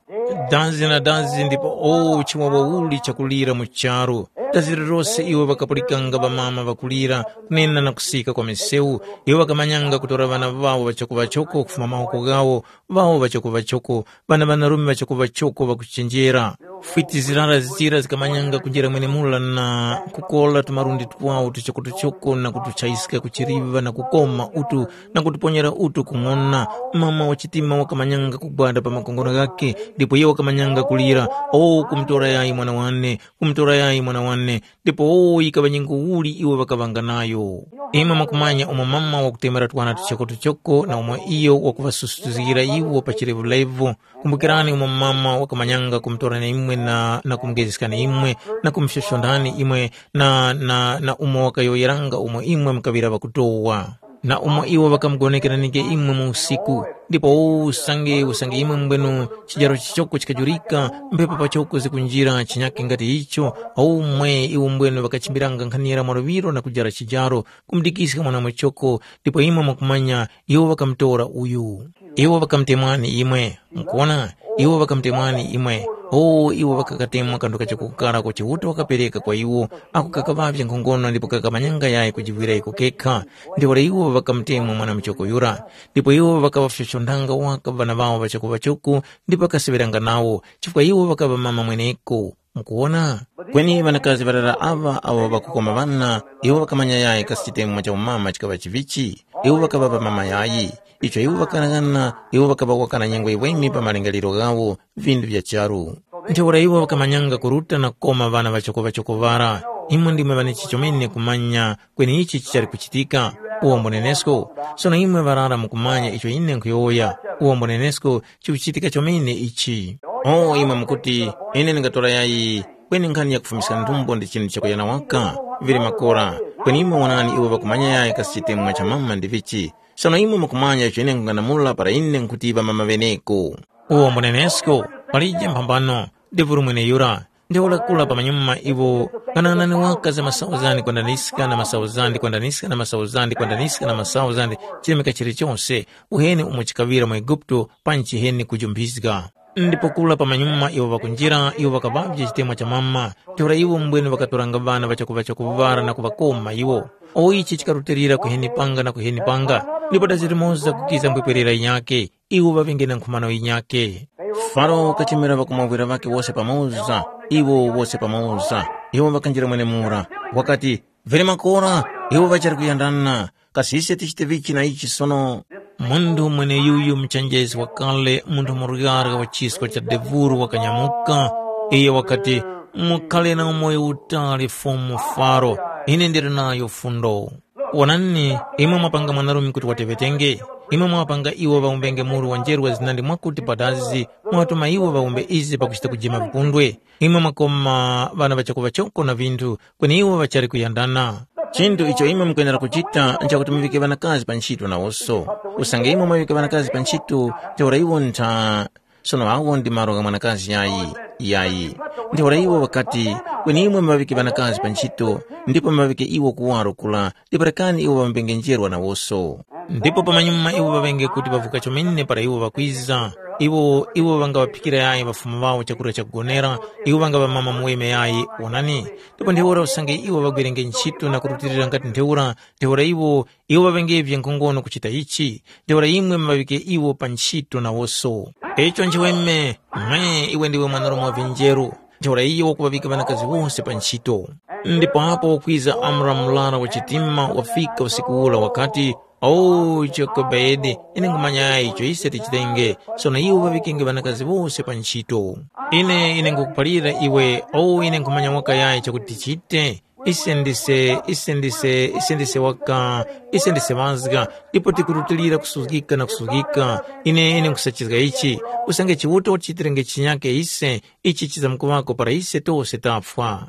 Dazi na dazi ndipo o chiwawa uli chakulira mu charu. Dazi lilose iwo ŵakapulikanga ŵamama ŵakulira, kunena na kusika kwa misewu, iwo ŵakamanyanga kutora ŵana ŵawo ŵachokoŵachoko kufuma mawoko ghawo, ŵawo ŵachokoŵachoko, ŵana ŵanarume ŵachokoŵachoko ŵakuchenjera. Fwiti zirara zira zikamanyanga kunjira mwenemura na kukora tumalundi twawo tuchokotuchoko na kutuchayiska ku chiliŵa na kukoma utu na kutuponyera utu kung'ona. Mama wa chitima wakamanyanga kugwada pa makongono ghakhe, ndipo iyo wakamanyanga kulira, “O, kumutora yayi mwana wane, kumutora yayi mwana wane!” Ndipo o yikaŵa nyengo uli iwo ŵakaŵanga nayo. Imwe mwakumanya umo mama wakutemera twana tuchokotuchoko na umo iyo wakuŵasusutizgira iwo pa chilevulevu. Kumbukirani umo mama wakamanyanga kumutora na imwe na, na kumugezgeskani imwe na kumufyofyondani imwe na, na, na umo wakayowoyeranga umo imwe mukaŵira ŵakutowa. Na umo iwo ŵakamugonekeranike imwe mu usiku, ndipo usange usange imwe mbwenu chijaro chichoko chikajurika, mphepo pachoko zikunjira chinyake ngati icho, aumwe iwo mbwenu ŵakachimbiranga nkhanira mwaluŵiro na kujara chijaro, kumudikiska mwana muchoko, ndipo imwe mwakumanya iwo ŵakamutora uyu. Iwo ŵakamutemwani imwe. Mukuwona, iwo ŵakamutemwani imwe. O, iwo ŵakakatemwa kanthu kachoko kara ko Chiuta wakapereka kwa iwo, ako kakaŵavye nkhongono ndipo kakamanyanga yayi kujivwira iko kekha. Ntheura iwo ŵakamutemwa mwana muchoko yura. Ndipo iwo ŵakaŵafyochondanga waka ŵana ŵawo ŵachokoŵachoko ndipo ŵakaseŵeranga nawo, chifukwa iwo ŵakaŵa mama mweneko. Mukuwona? Kweni ŵanakazi ŵarara aŵa awo ŵakukoma ŵana, iwo ŵakamanya yayi kasi chitemwa cha umama chikaŵa chivichi? Iwo ŵakaŵa ŵamama yayi. Icho iwo ŵakalaghana, iwo ŵakaŵa wakana nyengo yiweme pa malingaliro ghawo, vindu vya charu. Ntheura iwo ŵakamanyanga kuruta na kukoma ŵana ŵachokoŵachoko ŵara. Imwe ndimwe ŵanichi chomene kumanya kweni ichi chichali kuchitika. Uwombo nenesko, sono imwe ŵarara mukumanya icho ine nkhuyowoya. Uwombo nenesko, chikuchitika chomene ichi. O, imwe mukuti, ine ndingatora yayi, kweni nkhani yakufumiska nthumbo ndi chinthu chakuya na waka, vili makora. Kweni imwe wonani iwo ŵakumanya yayi kasi chitemwa cha mama ndi vichi. Sono imwe mukumanya icho ine nkung'anamula para ine nkhuti ŵamama ŵeneko. Uwo mbunenesko, palije mphambano, ndivuli mweneyura. Ntheura kura pamanyuma iwo ng'anang'anani waka za masauzandi kwandaniska na masauzandi kwandaniska na masauzandi kwandaniska na masauzandi chilemeka chilichose, uheni umo chikaŵira mu Eguputo panji chiheni kujumphiska. Ndipo kura pamanyuma iwo ŵakunjira, iwo ŵakaŵavye chitemwa cha mama. Ntheura iwo mbwene ŵakatoranga ŵana ŵachakuŵa chakuŵara na kuŵakoma iwo. O ichi chikarutilira kuheni panga na kuheni panga, ndipo dazi limoza kukiza mbwepwerera yinyakhe, iwo ŵaŵenge na nkhumano yinyakhe. Faro wakachemera ŵakumwawira ŵakhe wose pamoza, iwo wose pamoza. Iwo ŵakanjira mwenemura, wakati, “Vili makora, iwo ŵachali kuyandana, kasi ise tichite vichi na ichi sono?” Munthu mweneyuyu muchenjezi wakale, munthu muryarya wa chisko cha devuru wakanyamuka. Iyo wakati, “Mukhale na umoyo utali Fumu Faro, ine ndili nayo fundo. Wonani, imwe mwapanga mwanarume kuti wateŵetenge, imwe mwapanga iwo ŵawumbenge muru wa njerwa zinandi mwakuti padazi, mwatuma iwo ŵawumbe izi pakuchita kujima vipundwe. Imwe mwakoma ŵana ŵachakuŵachoko na vinthu, kweni iwo ŵachali kuyandana. Chinthu icho imwe mukwenera kuchita nchakuti muŵike ŵanakazi pa ntchito nawonso. Usange imwe mwaŵika ŵanakazi pa ntchito, ntheura iwo ntha. Sono awo ndi malo gha mwanakazi yayi, yayi. Ntheura iwo ŵakati, kweni imwe muŵaŵike ŵanakazi pa ntchito, ndipo muŵaŵike iwo kuwaro kura, ndipo rekani iwo ŵambengenjerwa nawonso. Ndipo pamanyuma iwo ŵaŵenge kuti ŵavuka chomene para iwo ŵakwiza. Iwo, iwo ŵangaŵaphikira yayi ŵafumu ŵawo chakurya chakugonera, iwo ŵangaŵamama muweme yayi, wonani. Ndipo ntheura usange iwo ŵagwirenge ntchito na kurutilira ngati ntheura, ntheura iwo, iwo ŵaŵengevye nkhongono kuchita ichi, ntheura imwe muŵaŵike iwo pa ntchito nawonso. Icho nchiweme, mwe iwe ndiwe mwanarume wa vinjeru, ntheura iyo wakuŵaŵika ŵanakazi wose pa ntchito. Ndipo apo wakwiza Amuramu murara wa chitima wafika usiku ura wakati, “O Jokebedi, ine nkhumanya icho ise tichitenge, sono iwe uŵaŵikenge ŵanakazi wose pa ntchito. Ine, ine nkukuphalira iwe, o ine nkhumanya waka yayi chakuti tichite. Ise ndise, ise ndise, ise ndise waka, ise ndise mazga, ndipo tikurutilira kusuzgika na kusuzgika. Ine, ine nkhusachizga ichi, usange Chiuta watichitirenge chinyake ise, ichi chizamkuŵako para ise tose tafwa.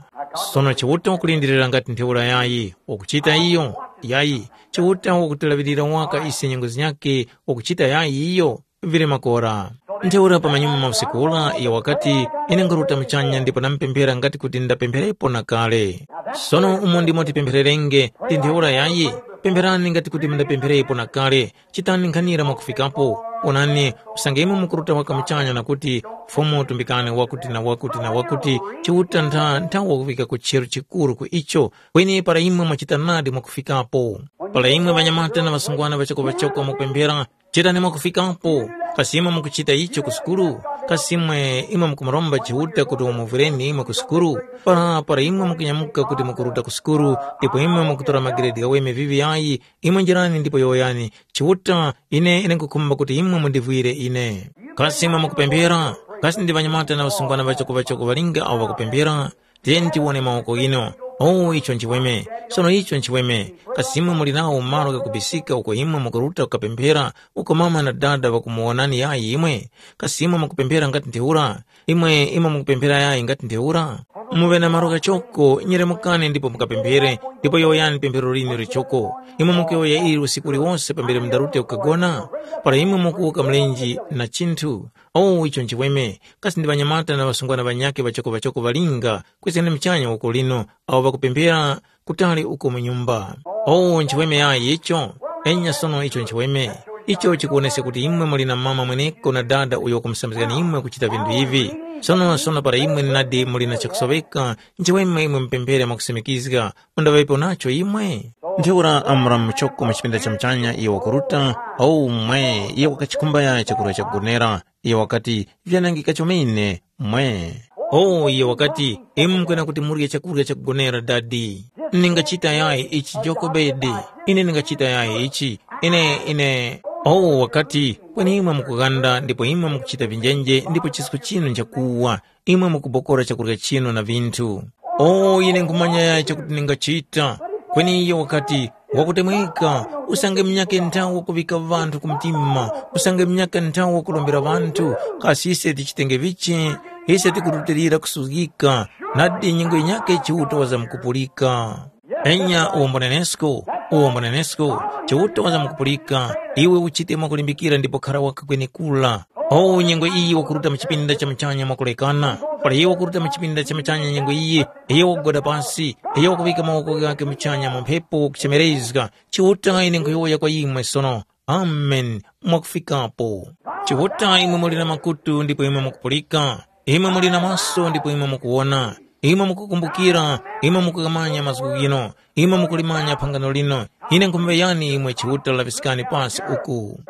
Sono Chiuta wakulindirira ngati ntheura yayi, wakuchita iyo? Yayi, Chiuta wakutilaŵirira waka ise nyengo zinyakhe, wakuchita yayi iyo?” vili makora. Ntheura pamanyuma ma usiku ura iyo wakati, ine nkaruta muchanya ndipo namupemphera ngati kuti ndapempherepo na kale. Sono umo ndimo tipemphererenge, ndi ntheura yayi, pempherani ngati kuti mundapempherepo na kale, chitani nkhanira mwakufikapo. Onani, usange imwe mukuruta waka muchanya na kuti, Fumu tumbikani wakuti na wakuti na wakuti, Chiuta ntha nthawa kuŵika ku chero chikuru ku icho, kweni para imwe mwachita nadi mwakufikapo. Para imwe ŵanyamata na ŵasungwana ŵachoko-ŵachoko mwakupemphera, chitani mwakufikapo. Kasi imwe mukuchita icho ku sukulu? Kasi imwe imwe mukumuromba Chiuta kuti wamuvwireni imwe ku sukulu? Para para imwe mukunyamuka kuti mukuruta ku sukulu, ndipo imwe mukutora magredi ghaweme vivi yayi, imwe njirani ndipo yowoyani, Chiuta, ine ine nkhukhumba kuti imwe mundivwire ine. Kasi imwe mukupemphera? Kasi ndi ŵanyamata na ŵasungwana ŵachoko-ŵachoko ŵalinga awo ŵakupemphera? Tiyeni tiwone mawoko ghinu. Oh, icho nchiweme. Sono icho nchiweme. Kasi imwe muli nawo malo ghakubisika uko imwe mukuruta kukapemphera, uko mama na dada ŵakumuwonani yayi imwe? Kasi imwe mukupemphera ngati ntheura? Imwe imwe mukupemphera yayi ngati ntheura? Muŵe na malo ghachoko, nyeremukani ndipo mukapemphere, ndipo yowoyani pemphero linu lichoko. Imwe mukuyowoya ili usiku uliwose pambere mundarute kukagona? Para imwe mukuwuka mlenje na chinthu? Oh, icho nchiweme. Kasi ndi ŵanyamata na ŵasungwana ŵanyakhe ŵachoko-ŵachoko ŵalinga kwiskani muchanya uko lino, awo ŵakupemphera kutali uko mu nyumba. Oh, nchiweme yayi icho? Enya sono icho nchiweme. Icho chikuwoneska kuti imwe muli na mama mweneko na dada uyo wakumusambizgani imwe kuchita vinthu ivi. Sono sono para imwe nadi muli na chakusoŵeka, nchiweme imwe mupemphere mwakusimikizga, mundaŵepo nacho imwe? Ntheura Amuramu muchoko mu chipinda cha muchanya iyo wakuruta, oh mwe, iyo wakachikhumba chakurya chakugonera. Iyo wakati, vyanangika chomene, mwe. Oh, iyo wakati, imwe mukwena kuti murye chakurya chakugonera dadi. Ningachita yayi ichi Jokobedi, ine ningachita yayi ichi, ine, ine. Oh, wakati, kweni imwe mukughanda ndipo imwe mukuchita vinjenje ndipo chisko chinu nchakuwa, imwe mukubokora chakurya chinu na vinthu. Oh, ine nkhumanya yayi chakuti ningachita. Kweni iyo wakati, wakutemweka, usange munyake nthawi wakuŵika ŵanthu ku mtima, usange munyake nthawi wakurombera ŵanthu, kasi ise tichitenge vichi? Ise tikurutilira kusuzgika, nadi nyengo yinyakhe Chiuta wazamkupulika. Enya uwombonenesko, uwombonenesko, Chiuta wazamkupulika, iwe uchite mwakulimbikira ndipo khara waka kwenekura. O nyengo iyi wakuruta mu chipinda cha muchanya mwakulekana, para iye wakuruta mu chipinda cha muchanya nyengo iyi, iyo wakugwada pasi, iyo wakuŵika mawoko ghakhe muchanya mu mphepo kuchemerezga, Chiuta ine nkhuyowoya kwa imwe sono, Amen, mwakufikapo. Chiuta imwe muli na makutu ndipo imwe mukupulika, imwe muli na maso ndipo imwe mukuwona, imwe mukukumbukira, imwe mukugamanya mazgu ghino, imwe mukulimanya phangano lino, ine nkhumuyani imwe Chiuta laŵiskani pasi uku.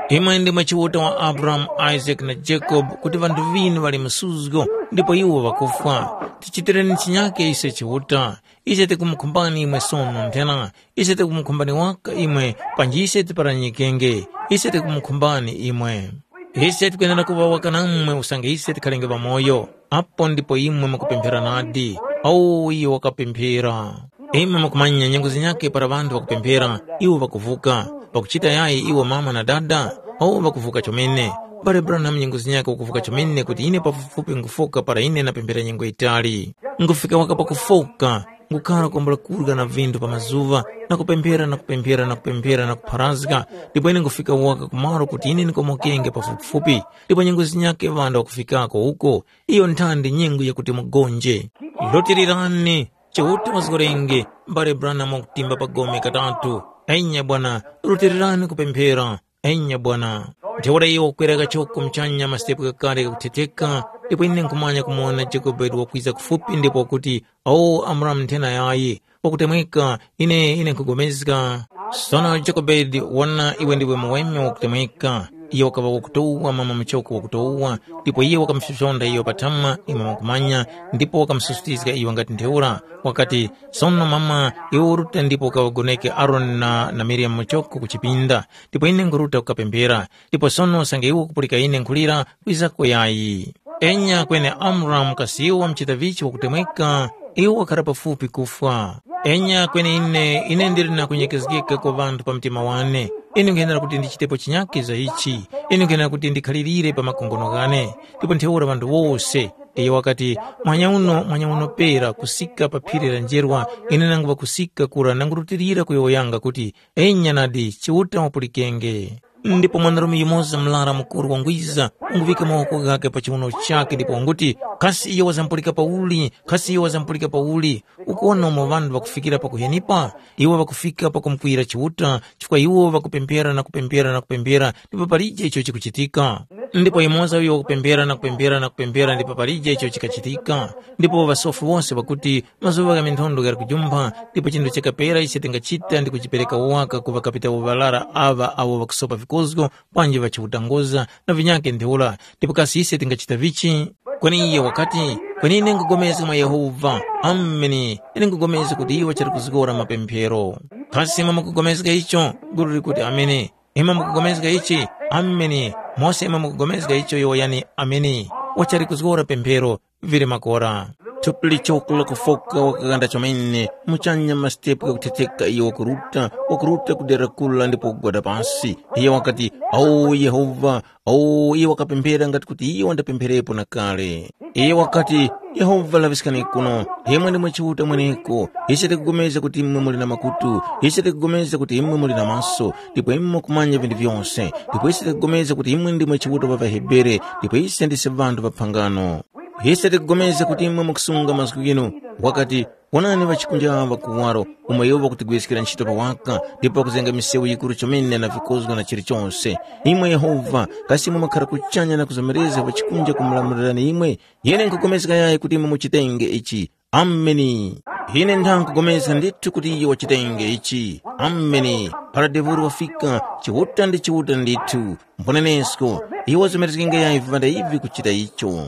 Imwe ndimwe Chiuta wa Abrahamu, Isaac na Jacob, kuti ŵanthu ŵinu ŵali msuzgo ndipo iwo ŵakufwa. Tichitireni chinyake ise Chiuta. Ise tikumukhumbani imwe sono nthena. Ise tikumukhumbani waka imwe, panji ise tiparanyikenge. Ise tikumukhumbani imwe. Ise tikwenera kuŵa waka namwe usange ise tikhalenge ŵamoyo. Apo ndipo imwe mukupemphera nadi. Awo iyo wakapemphera. Imwe mukumanya nyengo zinyakhe para ŵanthu ŵakupemphera, iwo ŵakuvuka. Pakuchita yayi iwo mama na dada, awo ŵakuvuka chomene. Mbale Branham nyengo zinyakhe wakuvuka chomene kuti ine pafupifupi nkhufoka para ine napemphera nyengo yitali. Nkufika waka pakufoka, ngukhara kwambula kurya na vinthu pa mazuŵa, na kupemphera na kupemphera na kupemphera na kupharazga, ndipo ine nkufika waka kumalo kuti ine ndikomokenge pafupifupi, ndipo nyengo zinyakhe ŵanthu ŵakufikako uko, iyo nthandi nyengo yakuti mugonje. Lotererani, Chiuta wazgorenge, mbale Branham wakutimba pa gome katatu. Enya bwana, lotererani kupemphera. Enya bwana. Ntheura iwo wakwera kachoko muchanya masitepu ghakale ghakuthetheka, ndipo ine nkhumanya kumuwona Jokobedi wakwiza kufupi ndipo wakuti, “O Amuramu nthena yayi, wakutemweka, ine ine nkhupulikana.” Sono Jokobedi wona iwe ndiwe muweme wakutemweka. Iyo wakaŵa wakutowa mama muchoko wakutowa, ndipo iyo wakamusosontha iyo patama imwe mukumanya, ndipo wakamususutizga iyo ngati ntheura. Wakati, “Sono mama, iwe uruta ndipo ukaŵagoneke Aroni na, na Miriyamu muchoko ku chipinda, ndipo ine nkhuruta kukapemphera. Ndipo sono usange iwe ukupulika ine nkhulira, kwizako yayi.” Enya kweni Amuramu kasi iwo wamuchita vichi wakutemweka, iwo wakhara pafupi kufwa. Enya kweni ine, ine ndili na kunyekezgeka kwa ŵanthu pa mtima wane. Ine nkhenera kuti ndichitepo chinyakhe za ichi. Ine nkhenera kuti ndikhalirire pa makongono ghane. Ndipo ntheura ŵanthu wose, iyo wakati, “Mwanyauno, mwanyauno pera kusika pa phiri la njerwa, ine nangu ŵakusika kura nangurutilira kuyowoyanga kuti, ‘Enya nadi, Chiuta wapulikenge.’” Ndipo mwanarume yumoza murara mukuru wangwiza, wanguŵika mawoko ghakhe pa chiwuno chakhe ndipo wanguti, “Kasi iyo wazamupulika pauli? Kasi iyo wazamupulika pauli?” Ukuwona umo ŵanthu ŵakufikira pakuhenipa? Iwo ŵakufika pakumukwiyira Chiuta, chifukwa iwo ŵakupemphera na kupemphera na kupemphera, ndipo palije icho chikuchitika. Ndipo yumoza uyo wakupemphera na kupemphera na kupemphera, ndipo palije icho chikachitika. Ndipo ŵasofi wose ŵakuti, mazuŵa gha minthondwe ghali kujumpha, ndipo chinthu chakapera ise tingachita ndi kujipereka waka ku ŵakapitawo ŵarara aŵa awo ŵakusopa vikozgo, panji ŵachiutangoza na vinyakhe ntheura, ndipo kasi ise tingachita vichi? Kweni iye wakati, “Kweni ine nkhupulikana mwa Yehova. Ameni. Ine nkhupulikana kuti iwo chali kuzgora mapemphero.” Kasi imwe mukupulikana icho? Gulu likuti, “Ameni.” Imwe mukupulikana ichi? Ameni. Mose imwe mukupulikana icho yowoyani, “Ameni.” Wachali kuzgora pemphero, vili makora. Thupi lichoko lakufoka wakaghanda chomene, muchanya masitepu ghakuthetheka iyo wakuruta, wakuruta ku dera kula ndipo kugwada pasi. Iye wakati, “Awu Yehova, awu.” Iye wakapemphera ngati kuti iye wandapempherepo na kale. Iye wakati, “Yehova laŵiskani kuno, imwe ndimwe Chiuta mweneko, ise tikupulikana kuti imwe muli na makutu, ise tikupulikana kuti imwe muli na maso, ndipo imwe mukumanya vinthu vyose, ndipo ise tikupulikana kuti imwe ndimwe Chiuta wa ŵaHebere, ndipo ise ndise ŵanthu ŵa phangano. Ise tikupulikana kuti imwe mukusunga mazgu ghinu.” Wakati, “Wonani ŵachikunja aŵa kuwaro, umo iwo ŵakutigwiriskira ntchito pa waka, ndipo ŵakuzenga misewu yikuru chomene na vikozgo na chilichose. Imwe Yehova, kasi imwe mwakhara kuchanya na kuzomerezga ŵachikunja kumulamulirani imwe? Ine nkhupulikana yayi kuti imwe muchitenge ichi. Ameni. Ine nkhupulikana ndithu kuti iyo wachitenge ichi. Ameni. Para devulu wafika, Chiuta ndi Chiuta ndithu. Mbonenesko, iwo wazomerezgenge yayi vivanda ivi kuchita icho.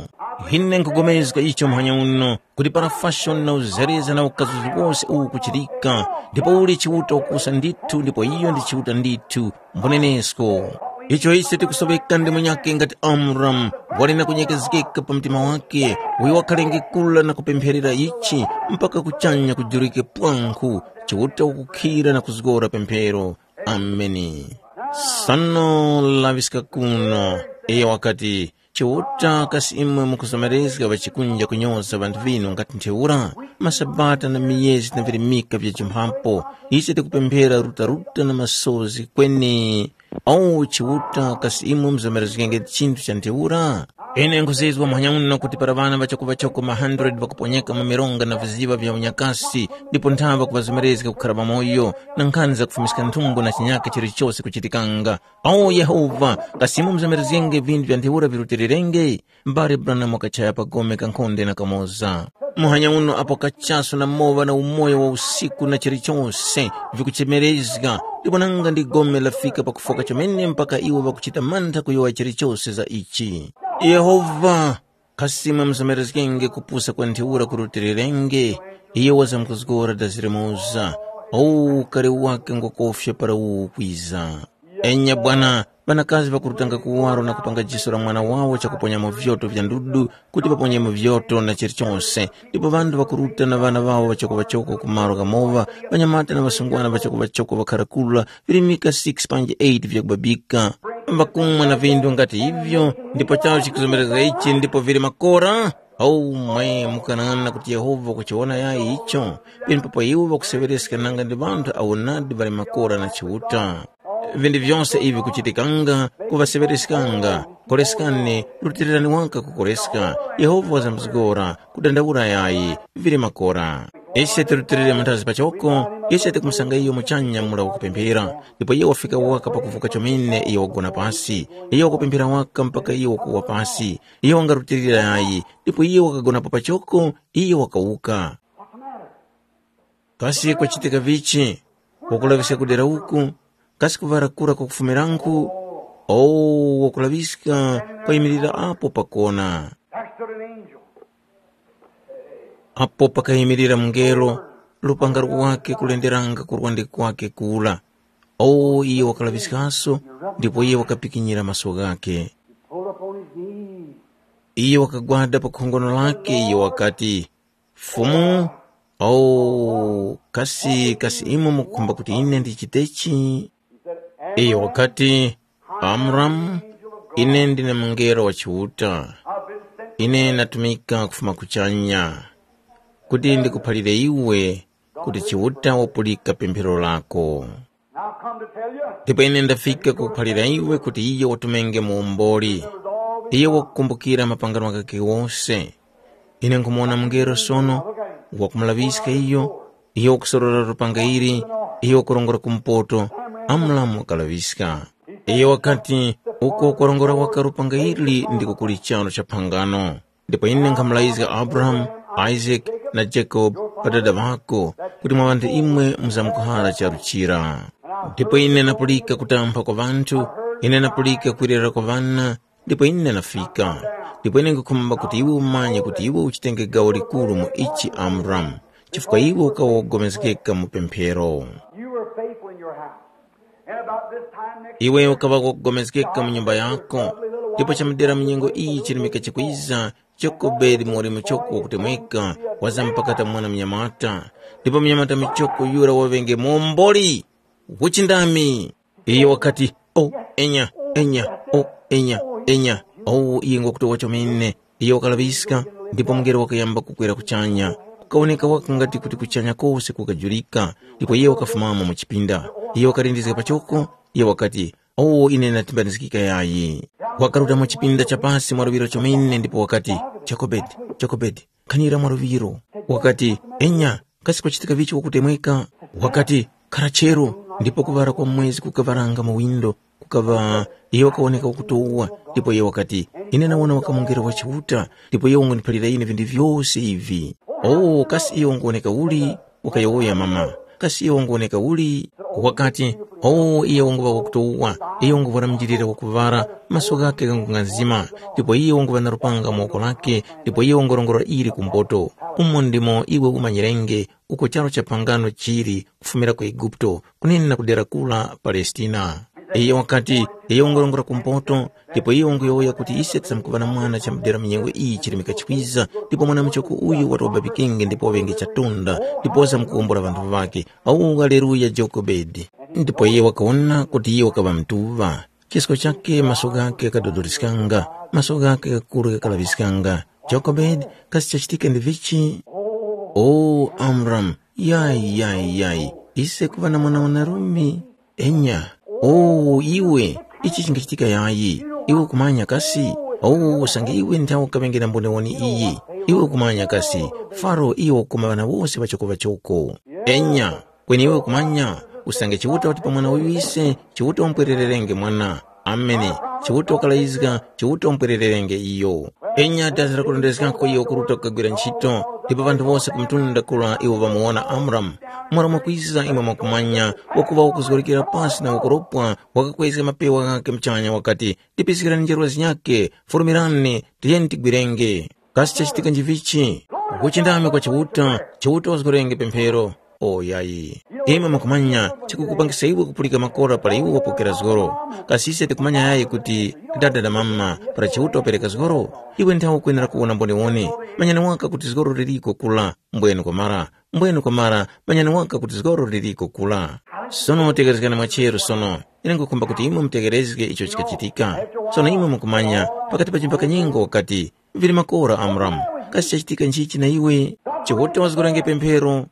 Ine nkhupulikana icho muhanya uno, kuti para fashoni na uzereza na ukazuzi wose uwu kuchitika, ndipo uli Chiuta ukusa ndithu ndipo iyo ndi Chiuta ndithu. Mbonenesko. Icho ise tikusoŵeka ndi munyakhe ngati Amuramu, wali na kunyekezgeka pa mtima wakhe, uyo wakhalenge kula na kupempherera ichi mpaka kuchanya kujurike pwankhu, Chiuta ukukhira na kuzgora pemphero. Ameni. Sono laŵiska kuno. Iyo wakati, “Chiuta, kasi imwe mukuzomerezga ŵachikunja kunyoza ŵanthu ŵinu ngati ntheura? Masabata na miyezi na virimika vya chimphapo, ise tikupemphera rutaruta na masozi kweni. O Chiuta, kasi imwe muzomerezgenge chinthu cha ntheura?” Ine nkhuzizwa muhanya uno kuti para ŵana ŵachokoŵachoko ma hundred ŵakuponyeka mu mironga na viziŵa vya unyakasi, ndipo nthaŵa kuŵazomerezga kukhara ŵamoyo, na nkhani zakufumiska nthumbo na chinyaka chilichose kuchitikanga. O Yehova, kasi imwe muzomerezgenge vinthu vya ntheura virutilirenge? Mbale Branham wakachaya pa gome kankhonde na kamoza. Muhanya uno apo kachaso na mowa na umoyo wa usiku na chilichose vikuchemerezga, ndipo nanga ndi gome lafika pakufoka chomene mpaka iwo ŵakuchita mantha kuyowoya chilichose za ichi. Yehova, kasi imwe muzomerezgenge kupusa kwa ntheura kurutilirenge? Iyo wazamkuzgora dazirimoza. O ukari wake ngwakofya para uwu ukwiza. Enya bwana, ŵanakazi ŵakurutanga kuwaro na kupanga jiso la mwana wawo chakuponyamo vyoto vya ndudu kuti ŵaponyemo vyoto na chilichose, ndipo ŵanthu ŵakuruta na ŵana ŵawo ŵachokoŵachoko ku malo ghamoŵa, ŵanyamata na ŵasungwana ŵachokoŵachoko ŵakhara kula, virimika six panji eight vyakubabika. Ŵakumwa na vindu ngati ivyo, ndipo chawo chikuzomerezga ichi ndipo vili makora? Aumwe mukanana kuti Yehova wakuchiwona yayi icho, penepapo iwo ŵakuseŵereska nanga ndi ŵanthu awo nadi ŵali makora na Chiuta. Vinthu vyose ivi vikuchitikanga, kuŵaseŵereskanga, koreskani, rutirirani waka kukoreska, Yehova wazamkuzgora, kudandaula yayi, vili makora. Ise tirutilire munthazi pachoko, ise tikumusanga iyo muchanya mura wakupemphera, ndipo iyo wafika waka pakuvuka chomene iyo wagona pasi, iyo wakupemphera waka mpaka iyo wakuwa pasi, iyo wangarutilira yayi, ndipo iyo wakagonapo pachoko, iyo wakawuka. Kasi kwachitika vichi? Wakulaŵiska kudera uku? Kasi kuŵara kura kwakufumiranku? O, wakulaŵiska kwayimirira apo pakona. There stood an angel. Apo pakayimirira mungelo, lupanga lwakhe kulenderanga ku lwande kwakhe kula. O, iyo wakalaŵiskaso, ndipo iyo wakapikinyira maso ghakhe. He pulled up on his knees. Iyo wakagwada pa khongono lakhe, iyo wakati, “Fumu, o, kasi, kasi imwe mukukhumba kuti ine ndichitechi?” He said, Iyo wakati, “Amramu, ine ndine mungelo wa Chiuta. Ine natumika kufuma kuchanya, kuti ndikuphalire iwe kuti Chiuta wapulika pemphero lako.” Now come to tell you, Ndipo ine ndafika kukuphalira iwe kuti iyo watumenge muwomboli. Iyo wakukumbukira mapangano ghakhe ghose. Ine nkhumuwona mungelo sono, wakumulaŵiska iyo, iyo wakusorora lupanga ili, iyo wakurongora kumpoto, Amuramu wakalaŵiska. Iyo wakati, uko kwarongora waka lupanga ili ndiko kuli charu cha phangano. Ndipo ine nkhamulazga Abrahamu, Isake na Jakobe, ŵadada ŵako, kuti mwa ŵanthu imwe muzamkuhara charu chira. Ndipo ine napulika kutampha kwa ŵanthu, ine napulika kwirira kwa ŵana, ndipo ine nafika. Ndipo ine nkhukhumba kuti iwe umanye kuti iwe uchitenge gawo likuru mu ichi Amuramu, chifukwa iwe ukawa wogomezgeka mu pemphero. You were faithful in your house. And about this time next Iwe ukaŵa wogomezgeka mu nyumba yako, ndipo chamudera mu nyengo iyi chirimika chikwiza, Jokobedi muwoli muchoko wakutemweka, wazampakata mwana munyamata, ndipo munyamata muchoko yura waŵenge muomboli. Uchindami. Iyo wakati, o, enya, enya, o, enya, enya. O, iye ngwakutowa chomene. Iyo wakalaŵiska, ndipo mungelo wakayamba kukwera kuchanya. Kukawoneka waka ngati kuti kuchanya kose kukajurika, ndipo iye wakafumamo mu chipinda. Iyo wakalindizga pachoko, iyo wakati, o, ine ndatimbanizgika yayi. Wakaruta mu chipinda cha pasi mwa luŵiro chomene ndipo wakati, Jokobedi, Jokobedi, khanira mwa luŵiro. Wakati, enya, kasi kwachitika vichi wakutemweka? Wakati, khara chero, ndipo kuŵala kwa mwezi kukaŵaranga mu windo, kukaŵa, iyo wakawoneka wakutowa, ndipo iyo wakati, ine nawona wakamungera wa Chiuta, ndipo iyo wanguniphalira ine vinthu vyose ivi. O, kasi iyo wanguwoneka uli? Wakayowoya mama. Kasi iyo wanguwoneka uli? Wakati, o, iyo wanguŵa wakutowa, iyo wanguvwara mjilira wakuŵara, maso ghakhe ghangunga nzima, ndipo iyo wanguŵa na lupanga mu woko lakhe, ndipo iyo wangurongora ili ku mboto. Umo ndimo iwe umanyirenge uko charu cha phangano chili kufumira ku Eguputo, kunene na ku dera kura Palestina. Iyo wakati, iyo wangurongora ku mboto, ndipo iyo wanguyowoya kuti ise tisamkuŵa na mwana chamudera mu nyengo iyi chirimika chikwiza, ndipo mwana muchoko uyu wati wababikenge ndipo waŵenge chatunda, ndipo wasamkuwombora ŵanthu ŵakhe. Au, haleluya, Jokobedi! Ndipo iye wakawona kuti iye wakaŵa mtuŵa. Chisko chakhe maso ghakhe ghakadodoliskanga, maso ghakhe ghakuru ghakalaŵiskanga. Jokobedi, kasi chachitika ndi vichi? O, Amramu, yayi, yayi, yayi, ise kuŵa na mwana wanarume? Enya, o, iwe, ichi chingachitika yayi, iwe ukumanya kasi? O, usange iwe nthawe ukaŵenge na mboniwoni iyi, iwe ukumanya kasi? Faro iyo wakukoma ŵana wose ŵachoko-ŵachoko. Enya, kweni iwe ukumanya, usange Chiuta wati pa mwana uyu ise, Chiuta umpwerererenge mwana. Amene, Chiuta wakalayizga, Chiuta umpwerererenge iyo. Enya dazi lakurondezgako iyo kuruta kukagwira ntchito, ndipo ŵanthu wose ku mtunda kura iwo ŵamuwona Amuramu. Mura mwakwiza imwe mwakumanya, wakuŵa wakuzgorokera pasi na wakuropwa, wakakwezga mapewa ghakhe muchanya wakati, tipiskirani njerwa zinyakhe, fulumirani, tiyeni tigwirenge. Kasi chachitika njivichi? Kuchindami kwa Chiuta, Chiuta wazgorenge pemphero. O yayi. Imwe mukumanya chikukupangisa iwe kupulika makora para iwe wapokera zgoro. Kasi ise tikumanya yayi kuti dada na mama para Chiuta wapereka zgoro? Iwe nthawe ukwenera kuwona mboniwoni. Manyani waka kuti zgoro liliko kula, mbwenu kwamara, mbwenu kwamara, manyani waka kuti zgoro liliko kula. Sono tekezgani mwacheru sono, ine ngukhumba kuti imwe mutekerezge icho chikachitika. Sono imwe mukumanya, pakati pa chimbakanyengo wakati, vili makora Amuramu, kasi chachitika nchichi na iwe? Chiuta wazgorenge pemphero.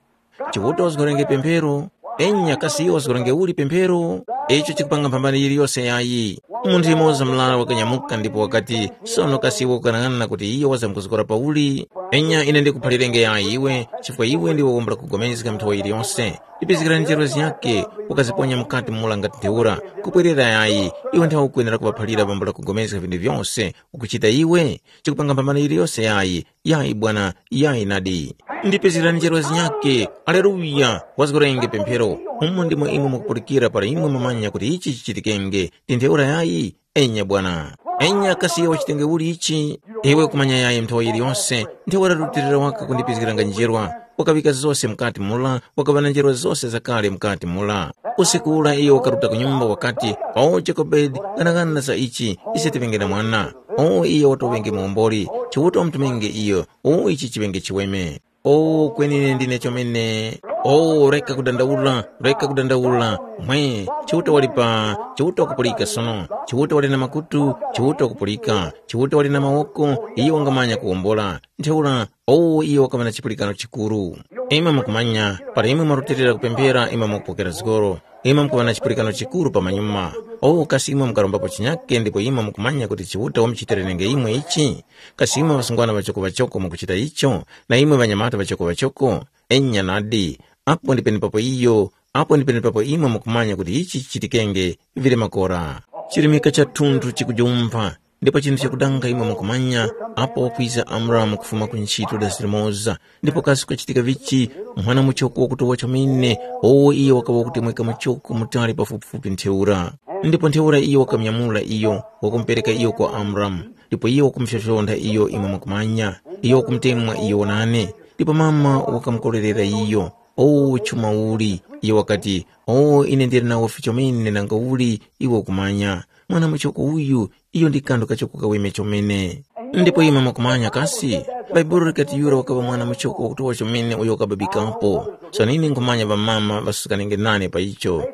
Chiuta wazgorenge pemphero. Enya kasi iyo wazgorenge uli pemphero? Icho chikupanga mphambano yiliyose yayi. Munthu yumoza murara wakanyamuka ndipo wakati, sono kasi iwe ukanang'ana kuti iyo wazamkuzgora pauli? Enya ine ndikuphalirenge yayi iwe, chifukwa iwe ndiwe wambula kugomezga nthowa yiliyose. Ndipizgirani njerwa zinyakhe, ukaziponya mukati mula ngati ntheura. Kupwerera yayi, iwe nthawe ukwenera kuŵaphalira wambula kugomezga vinthu vyose, ukuchita iwe? Chikupanga mphambano yiliyose yayi, yayi bwana, yayi nadi. Ndipezgerani njerwa zinyakhe. Aleluya! Wazgorenge pemphero. Umo ndimo imwe mukupulikira para imwe mumanya kuti ichi chichitikenge. Ndi ntheura yayi? Enya bwana. Enya kasi iyo wachitenge uli ichi? Iwe kumanya yayi nthowa yiliyonse, ntheura rutilira waka kundipezgeranga njerwa. Wakaŵika zose mukati mula, wakaŵa na njerwa zose zakale mukati mula. Usiku ula iyo wakaruta ku nyumba wakati, o Jokobedi, ghanagana za ichi, ise tiŵenge na mwana. O iyo watoŵenge muomboli, Chiuta wamutumenge iyo, o ichi chiŵenge chiweme. O kweni ine ndine chomene. “O, reka kudandaula, reka kudandaula. Mwe, Chiuta wali pa, Chiuta wakupulika sono. Chiuta wali na makutu, Chiuta wakupulika. Chiuta wali na mawoko, iyo wangamanya kuwombola.” Ntheura, o, iyo wakaŵa na chipulikano chikuru. Imwe mukumanya, para imwe mwarutilira kupemphera, imwe mukupokera zgoro. Imwe mukuŵa na chipulikano chikuru pamanyuma. O, kasi imwe mukarombapo chinyake ndipo imwe mukumanya kuti Chiuta wamuchitirenenge imwe ichi? Kasi imwe ŵasungwana ŵachoko-ŵachoko mukuchita icho, na imwe ŵanyamata ŵachoko-ŵachoko? Enya nadi, apo ndi penepapo iyo, apo ndi penepapo imwe mukumanya kuti ichi chichitikenge, vili makora. Chirimika cha thunthu chikujumpha, ndipo chinthu chakudanga imwe mukumanya, apo wakwiza Amramu kufuma ku ntchito dasi limoza, ndipo kasi kukachitika vichi, mwana muchoko wakutowa chomene, owo iye wakaŵa wakutemweka muchoko mutali pafupifupi ntheura. Ndipo ntheura iyo wakamnyamula iyo, wakumupereka iyo kwa Amramu, ndipo iyo wakumufyofyontha iyo imwe mukumanya, iyo wakumutemwa iyo nane, ndipo mama wakamukorerera iyo. O chuma uli, iyo wakati, o ine ndili nawo fichomene nanga uli iwe ukumanya, mwana muchoko uyu, iyo ndi kanthu kachoko kaweme chomene. Ndipo imwe mukumanya kasi, Bhaibuli likati yura wakaŵa mwana muchoko wakutowa chomene uyo wakababikapo. Sono ine nkhumanya ŵamama ŵasukanenge nane pa icho.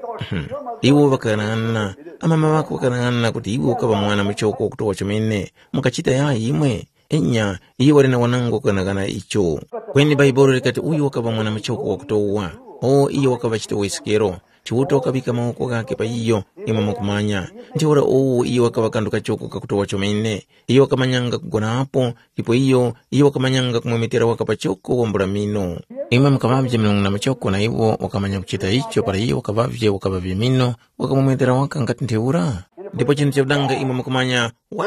Iwo ŵakaghanaghanana, amama ŵako ŵakaghanaghanana kuti iwe ukaŵa mwana muchoko wakutowa chomene, mukachita yayi imwe? Enya, iyo wali na wanango kughanaghana icho. Kweni Bhaibuli likati uyu wakaŵa mwana muchoko wakutowa. O, iyo wakaŵa chitowesekero. Chiuta wakaŵika mawoko ghakhe pa iyo, imwe mukumanya. Ntheura uwu iyo wakaŵa kanthu kachoko kakutowa chomene. Iyo wakamanyanga kugonapo, ndipo iyo, iyo wakamanyanga kumwemetera waka pachoko wambula mino. Imwe mukaŵavye milungu na muchoko na iwo wakamanya kuchita icho para iyo wakaŵavye wakaŵavye mino, wakamwemetera waka ngati ntheura. Ndipo chinthu chakudanga imwe mukumanya, wa!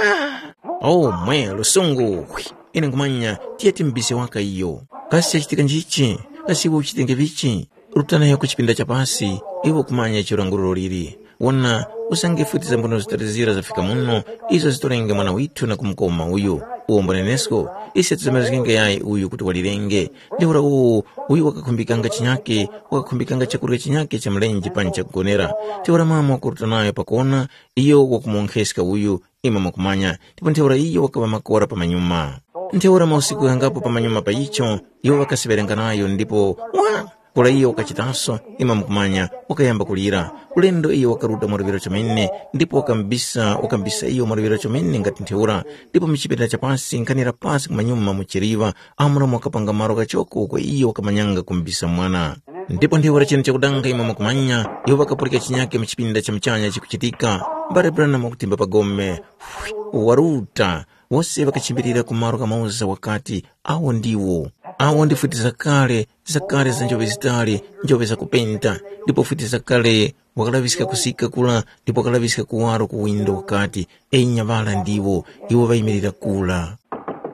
Oh, mwe lusungu! Ine nkhumanya tiye timbise waka iyo. Kasi chachitika njichi? Kasi iwe uchitenge vichi? Ruta nayo ku chipinda cha pasi, iwe ukumanya icho langururo liri. Wona, usange futi za mbonero zitatu zira zafika muno, izo zitorenge mwana withu na kumukoma uyu. Uwo mbonenesko, ise tizamazgenge yayi uyu kuti walirenge. Ntheura uwu, uyu wakakhumbikanga chinyake, wakakhumbikanga chakurya chinyake cha mlenje panji chakugonera. Ntheura mama wakuruta nayo pakona, iyo wakumuwonkheska uyu, imwe mukumanya, ndipo ntheura iyo wakaŵa makora pamanyuma. Ntheura mausiku ghangapo pamanyuma pa icho, iwo ŵakasiŵerenganayo ndipo wa! Kura iyo wakachitaso, imwe mukumanya, wakayamba kulira. Ulendo iyo wakaruta mwaluŵiro chomene, ndipo wakambisa, wakambisa iyo mwaluŵiro chomene ngati ntheura, ndipo mu chipinda cha pasi nkhanira pasi kumanyuma mu chiliŵa, Amuramu wakapanga malo ghachoko uko iyo wakamanyanga kumbisa mwana. Ndipo ntheura chinu chakudanga imwe mukumanya, iwo ŵakapulika chinyake mu chipinda cha muchanya chikuchitika. Mbale Branham wakutimba pa gome, waruta, wose ŵakachimbilira ku malo ghamoza wakati, awo ndiwo. Awo ndi futi zakale, zakale za njope zitali, njope zakupenta, ndipo futi zakale wakalaŵiska kusika kula ndipo wakalaŵiska kuwaro ku windo wakati, enya ŵala ndiwo, iwo ŵayimirira kula.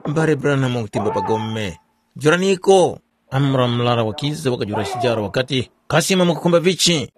Mbale Branham wakutimba pa gome, juraniko. Amuramu murara wakiza wakajula chijaro wakati, kasi imwe mukukhumba vichi?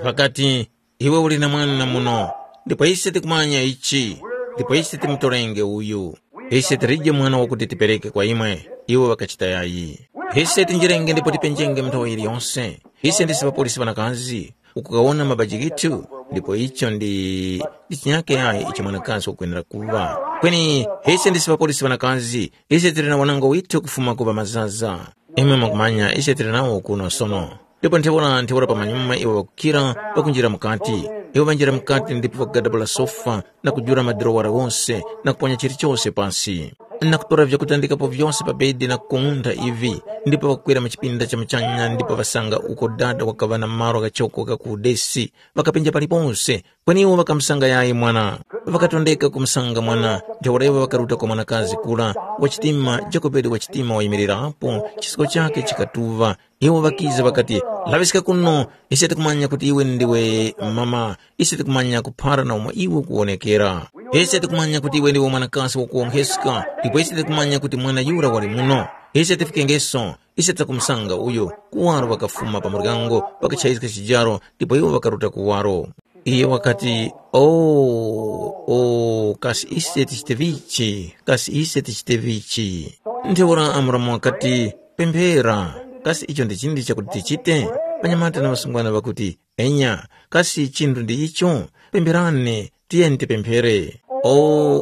Ŵakati, iwe uli na mwana muno, ndipo ise tikumanya ichi, ndipo ise timutorenge uyu. Ise tilije mwana wakuti tipereke kwa imwe, iwo ŵakachita yayi. Ise tinjirenge ndipo tipenjenge mu nthawi yiliyonse. Ise ndisi ŵapolisi ŵanakazi, ukukawona mabaji ghithu, ndipo icho ndi, ndi chinyake yayi icho mwanakazi wakwenera kuŵa. Kweni ise ndisi ŵapolisi ŵanakazi, ise tili na wanango withu kufuma ku ŵamazaza. Imwe mukumanya ise tili nawo kuno sono. Ndipo ntheura ntheura pamanyuma iwo ŵakukira pakunjira mukati. Iwo ŵanjira mukati ndipo ŵakagadabula sofa na kujula madorowara ghose na kuponya chilichose pasi, na kutora vyakutandikapo vyose pa bedi na kukung'untha ivi, ndipo ŵakakwera mu chipinda cha muchanya ndipo ŵasanga uko dada wakaŵa na malo ghachoko gha ku udesi, ŵakapenja paliponse. Kweni iwo ŵakamusanga yayi mwana. Ŵakatondeka kumusanga mwana, ntheura iwo ŵakaruta kwa mwanakazi kura, wachitima, Jokobedi wachitima wayimirirapo, chisiko chakhe chikatuŵa. Iwo ŵakiza ŵakati, laŵiska kuno, ise tikumanya kuti iwe ndiwe mama, ise tikumanya kuphara na umo iwe ukuwonekera. Ise tikumanya kuti iwe ndiwe mwanakazi wakuwonkheska, ndipo ise tikumanya kuti mwana yura wali muno. Ise tifikengeso, ise takumusanga uyo. Kuwaro ŵakafuma pa muryango, ŵakachayizga chijaro, ndipo iwo ŵakaruta kuwaro. Iye wakati, o, o, kasi ise tichite vichi? Kasi ise tichite vichi? Ntheura Amuramu wakati, pemphera. Kasi icho ndi chindi chakuti tichite? Ŵanyamata na ŵasungwana ŵakuti, enya. Kasi chinthu ndi icho? Pempherani, tiyeni tipemphere. O,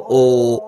o,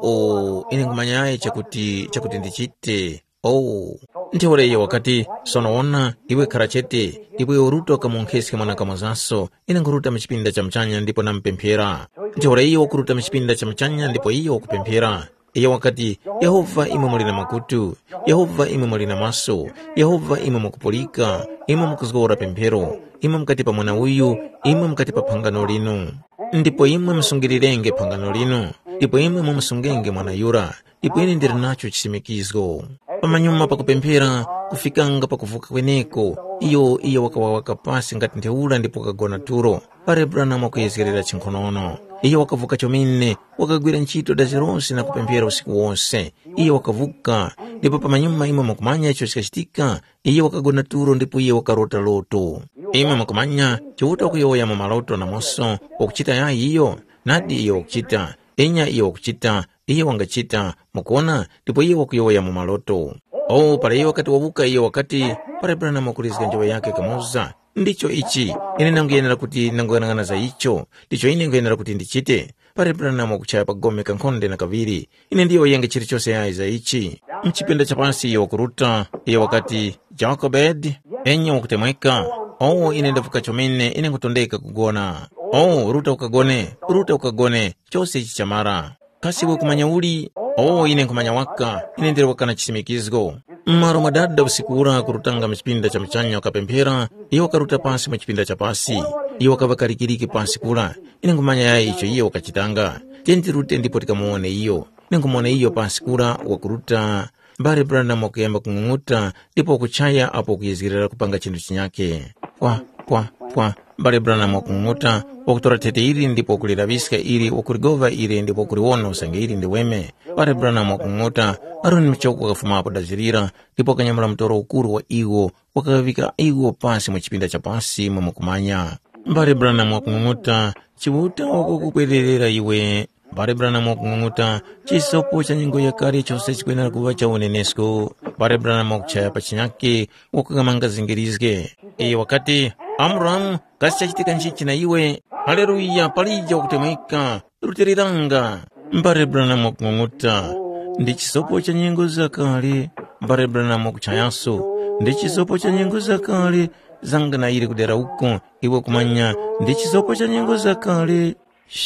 o, ine nkhumanya yayi chakuti, chakuti ndichite. Oh, ntheura iyo wakati, sono wona, iwe khara chete, ndipo iwe uruta ukamunkheske mwanakamozaso, ine nkhuruta mu chipinda cha muchanya ndipo namupemphera. Ntheura iyo wakuruta mu chipinda cha muchanya ndipo iyo wakupemphera. Iyo wakati, Yehova imwe muli na makutu, Yehova imwe muli na maso, Yehova imwe mukupulika, imwe mukuzgora pemphero, imwe mukati pa mwana uyu, imwe mukati pa phangano linu. Ndipo imwe musungirirenge phangano linu, ndipo imwe mumusungenge mwana yura, ndipo ine ndili nacho chisimikizgo. Pamanyuma pakupemphera, kufikanga pakuvuka kweneko, iyo iyo wakawa waka pasi ngati ntheura ndipo wakagona tulo. Pare Branham wakuyezgerera chinkhonono. Iyo wakavuka chomene, wakagwira ntchito dazi lose na kupemphera usiku wose. Iyo wakavuka, ndipo pamanyuma imwe mukumanya icho chikachitika, iyo wakagona tulo ndipo iyo wakarota loto. Imwe mukumanya, Chiuta wakuyowoya mu maloto namoso, wakuchita yayi iyo? Nadi iyo wakuchita. Enya iyo wakuchita, iyo wangachita, mukuona, ndipo iyo wakuyowoya mu maloto. O, para iyo wakati wawuka, iyo wakati, para Branham wakulizga njoŵa yakhe kamoza, ndicho ichi, ine ndanguyenera kuti ndanguyang'ana za icho, ndicho ine nkhuyenera kuti ndichite. Para Branham wakuchaya pa gome kankhonde na kaŵiri, ine ndiyo yenga chilichose yayi za ichi. Mchipinda cha pasi iyo wakuruta, iyo wakati, Jokebedi, enya wakutemweka, owo ine ndavuka chomene, ine nkutondeka kugona. O, ruta ukagone, ruta ukagone, chose ichi chamara. Kasi iwe kumanya uli? O, ine nkhumanya waka, ine ndili waka na chisimikizgo. M'malo mwa dada usiku ura kurutanga mu chipinda cha muchanya wakapemphera, iyo wakaruta pasi mu chipinda cha pasi. Iyo wakaŵa kalikiliki pasi kura. Ine nkhumanya yayi icho iyo wakachitanga. Tiye tirute ndipo tikamuwone iyo. Ine nkhumuwona iyo pasi kura wakuruta. Mbale Branham wakuyamba kung'ung'uta ndipo wakuchaya apo wakuyezgerera kupanga chinthu chinyakhe. Pwa, pwa, pwa. Mbale Branham wakung'ung'uta, wakutora thete ili ndipo wakuliraŵiska ili, wakuligova ili ndipo wakuliwona usange ili ndi weme. Mbale Branham wakung'ung'uta, Aroni Michoko wakafumapo dazirira ndipo wakanyamula mutoro ukuru wa iwo, wakaŵika iwo pasi mu chipinda cha pasi mwe mukumanya. Mbale Branham wakung'ung'uta, Chiuta wakukupwererera iwe. Mbale Branham wakung'ung'uta, chisopo cha nyengo yakale chose chikwenera kuŵa cha unenesko. Mbale Branham wakuchaya pa chinyakhe, wakukamanga zingirizge. Iyo wakati, Amuramu, kasi chachitika nchichi na iwe? Haleluya, palije wakutemweka, rutiliranga. Mbale Branham wakung'ung'uta, ndi chisopo cha nyengo zakale. Mbale Branham wakuchayaso, ndi chisopo cha nyengo zakale. Zanga na ili kudera uko, iwe kumanya, ndi chisopo cha nyengo zakale.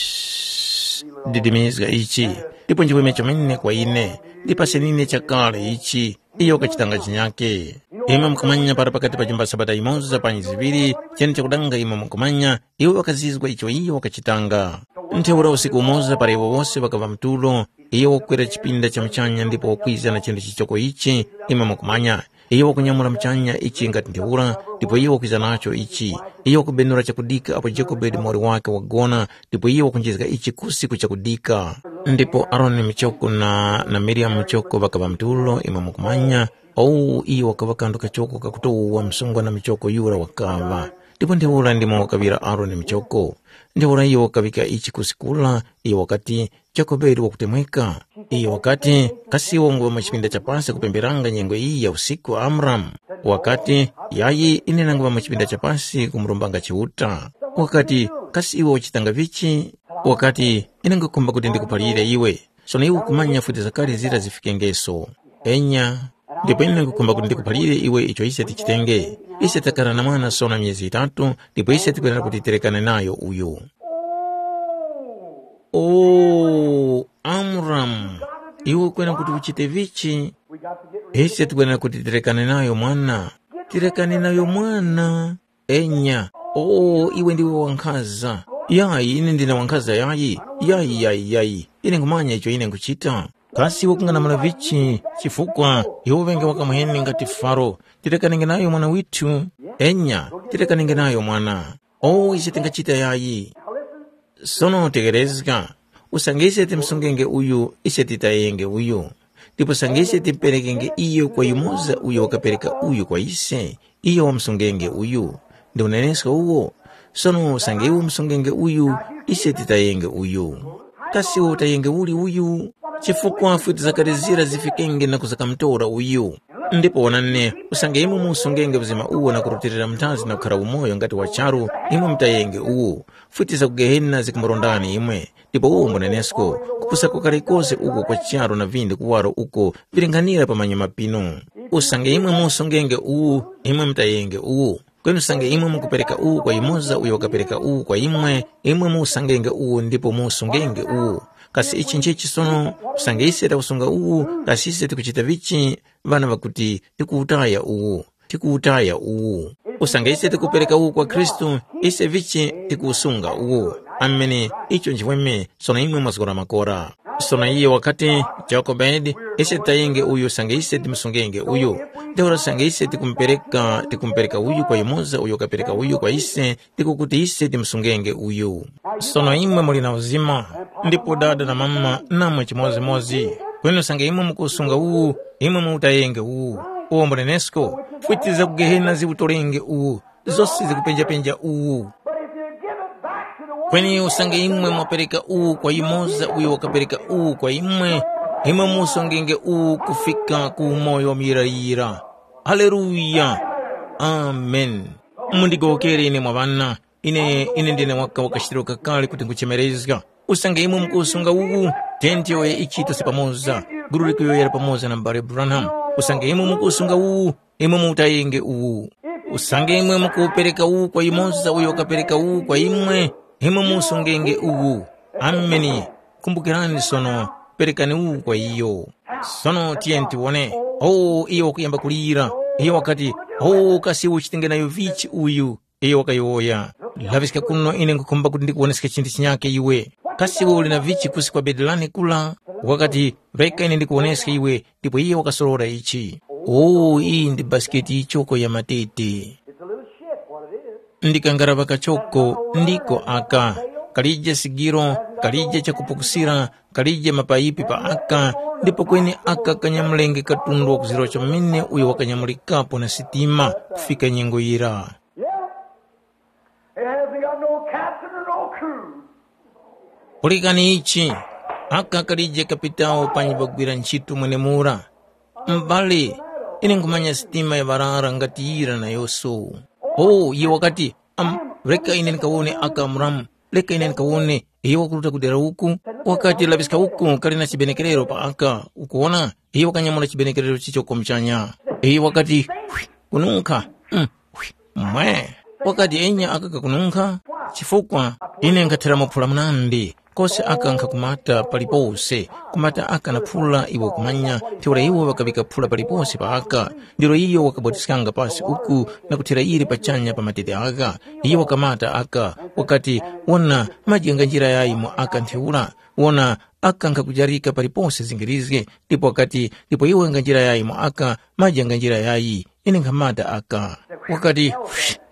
Shh, didimizga ichi, ndipo nchiweme chomene kwa ine, ndipase nine chakale ichi. Iyo wakachitanga chinyake. Imwe mukumanya para pakati pa chimba sabata imoza panyi ziŵiri, chene chakudanga imwe mukumanya, iwo ŵakazizwa icho iyo wakachitanga. Ntheura usiku umoza para iwo wose ŵakaŵa mtulo, iyo wakukwera chipinda cha muchanya ndipo wakwiza na chinthu chichoko ichi, imwe mukumanya, iyo wakunyamula muchanya ichi ngati ntheura, ndipo iyo wakwiza nacho ichi. Iyo wakubenura chakudika apo Jekobedi muwoli wake wagona, ndipo iyo wakunjizga ichi kusi ku chakudika. Ndipo Aroni muchoko na, na Miriamu muchoko ŵakaŵa mtulo, imwe mukumanya, owu iyo wakaŵa kandu kachoko kakutowa msungwana muchoko yura wakaŵa. Ndipo ntheura ndimo wakaŵira Aroni muchoko. Ntheura iyo wakaŵika ichi kusi kura, iyo wakati, Jekobedi wakutemweka. Iyo wakati, kasi iwe unguŵa mu chipinda cha pasi kupemberanga nyengo iyi ya usiku, Amuramu? Wakati, yayi, ine nanguŵa mu chipinda cha pasi kumurombanga Chiuta. Wakati, kasi iwe wachitanga vichi? Wakati, ine ngukhumba kuti ndikuphalire iwe. Sono iwe ukumanya futi zakale zira zifikengeso. Enya, ndipo ine ngukhumba kuti ndikuphalire iwe icho ise tichitenge. Ise takara na mwana sono myezi yitatu, ndipo ise tikwenera kuti tirekane nayo uyu. Oh, Amuramu, iwe kwena kuti uchite vichi? Ise tikwenera kuti tirekane nayo mwana. Tirekane nayo mwana. Enya, oh, iwe ndiwe wankhaza. Yayi, ine ndine wankhaza yayi. Yayi, yayi, yayi. Ine nkhumanya icho ine nkhuchita. Kasi iwe kunganamula vichi? Chifukwa iwe uvenge wakamuheni ngati Faro. Tirekanenge nayo mwana withu. Enya, tirekanenge nayo mwana. Oh, ise tingachita yayi. Sono tekerezga, usange ise timsungenge uyu, ise titayenge uyu. Ndipo usange ise timperekenge iyo kwa yumoza uyo wakapereka uyu kwa ise, iyo wamsungenge uyu. Ndi unenesko uwo. Sono usange iwe umsungenge uyu, ise titayenge uyu. Kasi iwe utayenge uli uyu? Chifukwa futi zakale zira zifikenge na kuzakamtora uyu. Ndipo wonani, usange imwe musungenge uzima uwo na kurutilira muthazi na kukhara umoyo ngati wa charu, imwe mutayenge uwu. Futi za ku Gehena zikumurondani imwe, ndipo uwo mbunenesko, kupusa kwakale kose uko kwa charu na vindi kuwaro uko vilinghanira pa manyuma pinu. Usange imwe musungenge uwu, imwe mutayenge uwu. Kweni usange imwe mukupereka uwu kwa yumoza uyo wakapereka uwu kwa imwe, imwe musangenge uwu ndipo musungenge uwu. Kasi ichi nchechi sono, usange ise takusunga uwu, kasi ise tikuchita vichi? Ŵana ŵakuti, tikuwutaya uwu, tikuwutaya uwu. Usange ise tikupereka uwu kwa Khristu, ise vichi tikuwusunga uwu. Amene, icho nchimweme, sono imwe mwazgora makora. Sono iye wakati, Jokobedi, ise tayenge uyu usange ise timusungenge uyu. Ntheura usange ise tikumupereka, tikumupereka uyu kwa yumoza uyo wakapereka uyu kwa ise, ndiko kuti ise timusungenge uyu. Sono imwe muli na uzima, ndipo dada na mama namwe chimodzimodzi. Kweni usange imwe mukusunga uwu, imwe muwutayenge uwu. Uwo mbunenesko, fwiti za ku Gehena ziwutolenge uwu, zose zikupenjapenja uwu. But if you give it back to the one Kweni usange imwe mwapereka uwu kwa yumoza uyo wakapereka uwu kwa imwe, imwe musongenge uwu kufika ku umoyo wa muyirayira. Haleluya! Amen. Mundigowokere ine mwa ŵana, ine ine ndine waka wakachitiro kakale kuti nguchemerezga. Usange imwe mukusunga uwu, tenti yoye ichitose pamoza, gulu likuyoyera pamoza na m'bale Branham. Usange imwe mukusunga uwu, imwe muwutayenge uwu. Usange imwe mukuwupereka uwu kwa yumoza uyo wakapereka uwu kwa imwe, imwe musungenge uwu. Ameni. Kumbukirani sono, perekani uwu kwa iyo. Sono tiyeni tiwone. Oh, iyo wakuyamba kulira. Iyo wakati, oh, kasi uchitenge nayo vichi uyu? Iyo wakayowoya. Laŵiska kuno ine nkhukhumba kuti ndikuwoneske chinthu chinyake iwe. Kasi iwe uli na vichi kusi kwa bedi lane kula? Wakati, reka ine ndikuwoneske iwe, ndipo iye wakasorora ichi. Oh, iyi ndi basiketi yichoko ya matete. It's a little ship, what it is. Ndi kangaraŵa kachoko, ndiko aka. Kalije sigiro, kalije chakupukusira, kalije mapayipi pa aka, ndipo kweni aka kanyamulenge katundu wa kuzirwa chomene uyo wakanyamulikapo na sitima kufika nyengo yira. Yeah. It hasn't got no captain or no crew. Pulikani ichi, aka kalije kapitawo panyi pagwira ntchito mwenemura. M'bale, ine nkhumanya sitima ya ŵarara ngati yira nayose. Oh, iye wakati, am, reka ine ndikawone aka Amuramu, reka ine ndikawone. Iye wakuruta ku dera uku, wakati laŵiska uku kali na chibenekerero pa aka, ukuwona? Iye wakanyamula chibenekerero chicho muchanya. Iye wakati, hwi, kununkha. Mm, hwi, mwe. Wakati enya aka kakununkha, chifukwa ine nkhathera maphula munandi. Kose aka nkhakumata palipose, kumata aka na phula iwe ukumanya, ntheura iwo ŵakaŵika phula palipose pa aka. Ndiro iyo wakabwatiskanga pasi uku na kuthera ili pachanya pa matete aka. Iyo wakamata aka, wakati, wona, maji nga njira yayi mu aka ntheura. Wona, aka nkhakujarika palipose zingirizge, ndipo wakati, ndipo iwe nga njira yayi mu aka, maji nga njira yayi. Ine nkhamata aka. Wakati,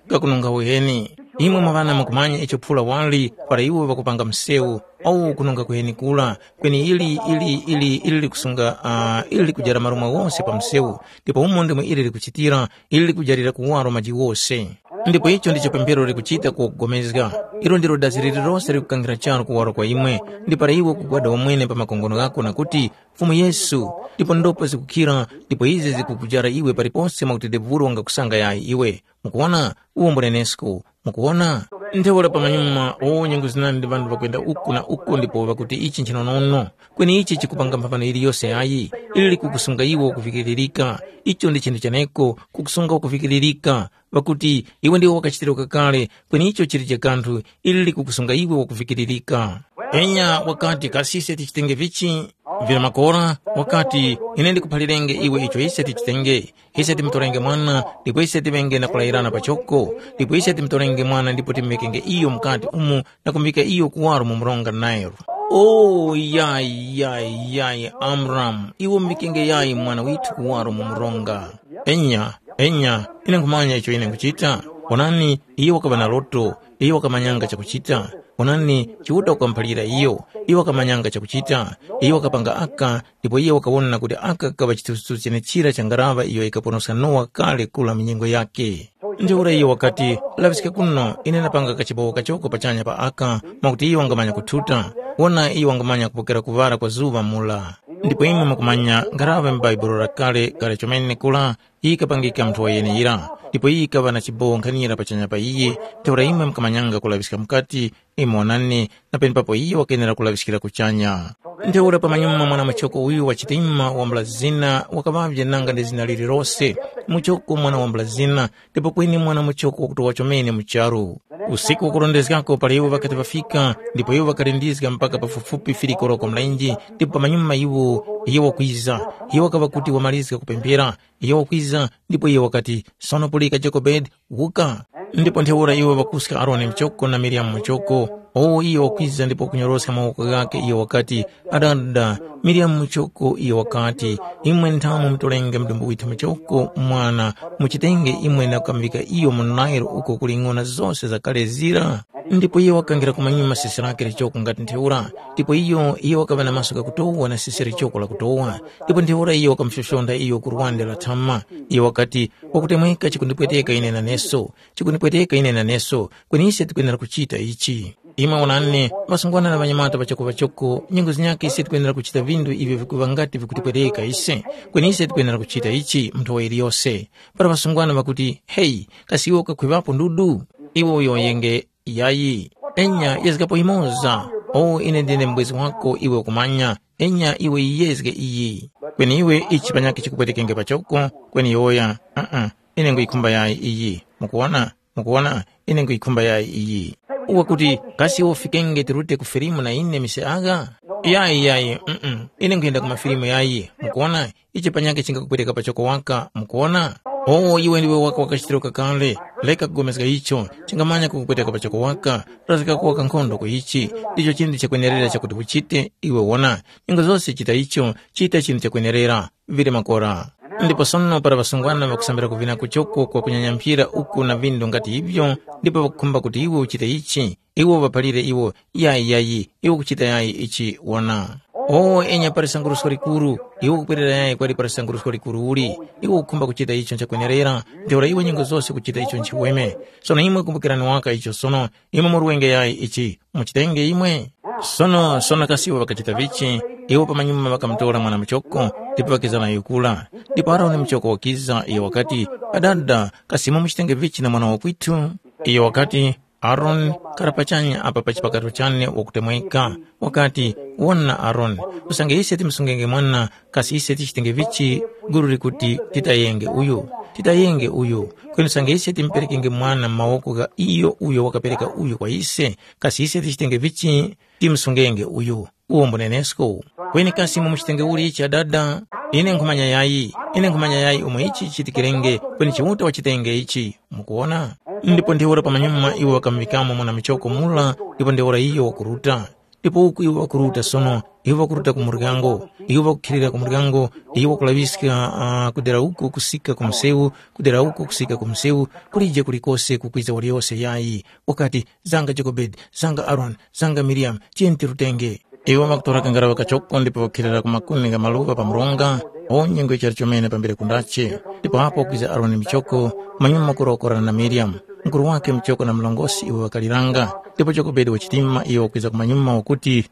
kakununga uheni. Imwe mwa ŵana mukumanya icho phula wali para iwo ŵakupanga msewu, awu kununga kuheni kura, kweni ili ili ili ili likusunga uh, ili likujara marumwa wose pa msewu, ndipo umo ndimwe ili likuchitira, ili likujarira kuwaro maji wose. Ndipo icho ndicho pemphero likuchita kugomezga. Ilo ndilo dazi lililose likukangira charu kuwaro kwa imwe, ndi para iwe kugwada wamwene pa makongono ghako na kuti, Fumu Yesu, ndipo ndopa zikukhira, ndipo izi zikukujara iwe palipose mwakuti Debulu wangakusanga yayi iwe. Mukuwona? Uwo mbunenesko. Mukuwona? Ntheura pamanyuma, o nyengo zinandi ŵanthu ŵakwenda uku na uku ndipo ŵakuti ichi nchinonono. Kweni ichi chikupanga mphamano yiliyose yayi, ili likukusunga iwe wakuvikiririka. Icho ndi chinthu chaneko, kukusunga wakuvikiririka. Ŵakuti, iwe ndiwe wakachitiro kakale, kweni icho chilije kanthu, ili likukusunga iwe wakuvikiririka. Enya wakati, kasi ise tichitenge vichi? Vira makora, wakati, ine ndikuphalirenge iwe icho ise tichitenge. Ise timutorenge mwana, ndipo ise tiŵenge na kulayirana pachoko, ndipo ise timutorenge mwana ndipo timuvekenge iyo mukati umu na kumuvika iyo kuwaro mu mronga Nile. O yayi, yayi, yayi, Amramu, iwe umvikenge yayi mwana withu kuwaro mu mronga. Enya, enya, ine nkhumanya icho ine nkhuchita. Wonani, iyo wakaŵa na loto, iyo wakamanyanga chakuchita. Wonani, Chiuta wakamuphalira iyo, iyo wakamanyanga chakuchita. Iyo wakapanga aka, ndipo iyo wakawona kuti aka kakaŵa chithunzithunzi chenechira cha ngaraŵa iyo yikaponoska Nowa kale kula mu nyengo yakhe. Ntheura iyo wakati, laŵiska kuno, ine ndapanga kachibowo kachoko pachanya pa aka, mwakuti iyo wangamanya kuthuta. Wona iyo wangamanya kupokera kuŵala kwa zuŵa mura. Ndipo imwe mukumanya ngaraŵa mu Bhaibuli lakale kale chomene kula, yikapangika munthu wa yeneyira. Ndipo iyo yikaŵa na chibowo nkhanira pachanya pa iye, ntheura imwe mukamanyanga kulaŵiska mukati, imwe wonani, na penepapo iyo wakenera kulaŵiskira kuchanya. Ntheura pamanyuma mwana muchoko uyu wa chitima wambula zina wakaŵavye nanga ndi zina lililose, muchoko mwana wambula zina, ndipo kweni mwana muchoko wakutowa chomene mu charu. Usiku wakurondezgako para iwo ŵakati ŵafika, ndipo iwo ŵakalindizga mpaka pafupifupi firiko koloko mlenje, ndipo pamanyuma iwo, iye wakwiza, iye wakaŵa kuti wamalizga kupemphera, iye wakwiza, ndipo iye wakati, sono pulika Jokobedi, wuka. Ndipo ntheura iwo ŵakuska Aroni muchoko na Miriamu muchoko, owo iye wakwiza ndipo wakunyoroska mawoko ghake, iye wakati, adada, Miriamu muchoko, iye wakati, imwe nthamu mutorenge mudumbu withu muchoko mwana, muchitenge imwe na kukamuvika iyo mu Nile uko kuli ng'ona zose zakale zira. Ndipo iye wakangira kumanyuma sisi lake lichoko ngati ntheura, ndipo iyo iye wakaŵa na maso ghakutowa na sisi lichoko lakutowa. Ndipo ntheura iyo wakamufyofyonda iyo ku lwande la thama. Iyo wakati, wakutemweka chikundipweteka ine naneso, chikundipweteka ine naneso, kweni ise tikwenera kuchita ichi. Imwe wonani, ŵasungwana na ŵanyamata ŵachoko-ŵachoko, nyengo zinyakhe ise tikwenera kuchita vindu ivyo vikuŵa ngati vikutipweteka ise, kweni ise tikwenera kuchita ichi mu nthowa yiliyose. Para ŵasungwana ŵakuti, heyi, kasi iwe ukakhwiŵapo ndudu? Iwe uyowoyenge, yayi. Enya yezgapo yimoza, o ine ndine mubwezi wako iwe ukumanya, enya iwe yiyezge iyi. Kweni iwe ichi panyakhe chikupwetekenge pachoko, kweni yowoya, uh-uh, ine nguyikhumba yayi iyi. Mukuwona? Mukuwona? Ine nguyikhumba yayi iyi. Uwe kuti, kasi iwe ufikenge tirute ku filimu na ine mise agha? Yayi, yayi, mm, ine nkhuyenda ku mafilimu yayi. Mukuwona? Ichi panyakhe chingakupweteka pachoko waka, mukuwona? O, iwe ndiwe waka wakachitiro kakale, reka kugomezga icho, chingamanya kukupweteka pachoko waka, razgako waka nkhondo ku ichi, ndicho chinthu chakwenerera chakuti uchite, iwe wona, nyengo zose chita icho, chita chinthu chakwenerera, vili makora. Ndipo sono para ŵasungwana ŵakusambira kuvina kuchoko kwa kunyanyamphira uku na vindu ngati ivyo, ndipo ŵakukhumba kuti iwe uchite ichi, iwo ŵaphalire iwo, yayi, yayi, iwe ukuchita yayi ichi, wona. O enya pali sangurusko likuru, iwe ukupwerera yayi kwali pali sangurusko likuru uli, iwe ukukhumba kuchita icho nchakwenerera, ntheura iwe nyengo zose ukuchita icho nchiweme. Sono imwe kumbukirani waka icho sono, imwe murwenge yayi ichi, muchitenge imwe. Sono, sono kasi iwo ŵakachita vichi, iwo pamanyuma ŵakamutora mwana muchoko, ndipo ŵakiza nayo kula. Ndipo Aroni muchoko wakiza, iyo wakati, adada, kasi imwe muchitenge vichi na mwana wakwitu? Iyo wakati, Aroni, kara pachanya apa pa chipakato chane wakutemweka. Wakati, wona Aroni, usange ise timsungenge mwana, kasi ise tichitenge vichi? Guru likuti, titayenge uyu, titayenge uyu. Kweni usange ise timperekenge mwana mu mawoko gha iyo uyo wakapereka uyu kwa ise, kasi ise tichitenge vichi? Timsungenge uyu. Uwo mbunenesko. Kweni kasi mumuchitenge uli ichi adada? Ine nkhumanya yayi, ine nkhumanya yayi umo ichi chichitikirenge, kweni Chiuta wachitenge ichi. Mukuwona? Ndipo ntheura pamanyuma iwo ŵakamuŵikamo mwana muchoko mura, ndipo ntheura iyo wakuruta. Ndipo uku iwo ŵakuruta sono, iwo ŵakuruta ku muryango, iwo ŵakukhilira ku muryango, iwo ŵakulaŵiska uh, kudera uku kusika ku msewu, kudera uku kusika ku msewu, kulije kulikose kukwiza waliyose yayi. Wakati, zanga Jokobedi, zanga Aroni, zanga Miriyamu, tiyeni tirutenge. Iwo ŵakutora kangaraŵa kachoko ndipo ŵakukhilira ku makuni gha maluŵa pa mronga, o nyengo yichali chomene pambere kundache. Ndipo apo kwiza Aroni michoko, manyuma kurokorana na Miriyamu, mukuru wakhe muchoko na mlongosi iwo ŵakaliranga. Ndipo Jokobedi wachitima iyo wakwiza kumanyuma wakuti,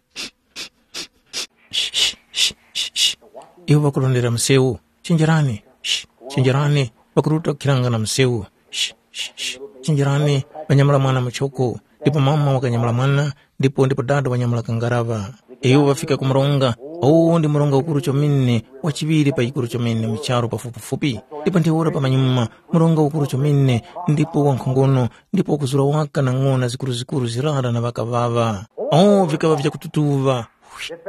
iwo ŵakurondera msewu, chenjerani, chenjerani, ŵakuruta kukhiranga na msewu. Chenjerani, ŵanyamula mwana muchoko. Ndipo mama wakanyamula mwana, ndipo ndipo dada wanyamula kangaraŵa. Iwo ŵafika ku mronga, uwu ndi mronga ukuru chomene, wachiŵiri pa yikuru chomene mu charu pafupifupi. Ndipo ntheura pamanyuma, mronga ukuru chomene, ndipo wankhongono, ndipo wakuzura waka na ng'ona zikuruzikuru zirara na ŵakaŵaŵa. O, vikaŵa vyakututuŵa.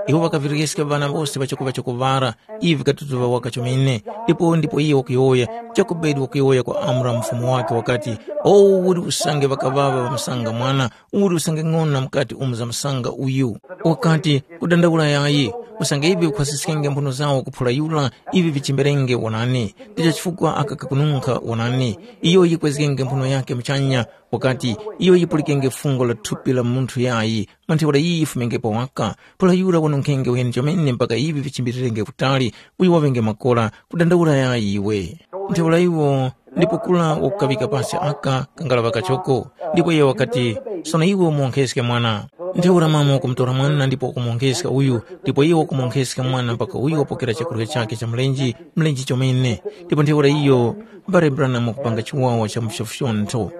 Iwo ŵakavireska ŵana wose ŵachoko ŵachoko ŵara, ivi vikatutuŵa waka chomene. Ndipo ndipo iye wakuyowoya, Jokobedi wakuyowoya kwa Amura mufumu wakhe wakati, o uli usange ŵakaŵaŵa ŵamusanga mwana, uli usange ng'ona mukati umu zamusanga uyu. Wakati, kudandaula yayi, usange ivi vikhwasiskenge mphuno zawo kuphula yura, ivi vichimberenge wonani. Ndicho chifukwa aka kakununkha wonani. Iyo yikwezgenge mphuno yakhe muchanya, wakati, iyo yipulikenge fungo la thupi la munthu yayi, mwa ntheura iyi yifumengepo waka, pura yura wanunkhenge uheni chomene mpaka ivi vichimbirirenge kutali, uyo waŵenge makora, kudandaula yayi iwe. Ntheura iwo ndipo kura wakukaŵika pasi aka kangalaŵa kachoko, ndipo iye wakati, sono iwe umuwonkheske mwana. Ntheura mama wakumutora mwana ndipo wakumuwonkheska uyu, ndipo iyo wakumuwonkheska mwana mpaka uyu wapokera chakurya chakhe cha mlenje, mlenje chomene. Ndipo ntheura iyo, mbale Branham wakupanga chiwawa cha mfyofyontho.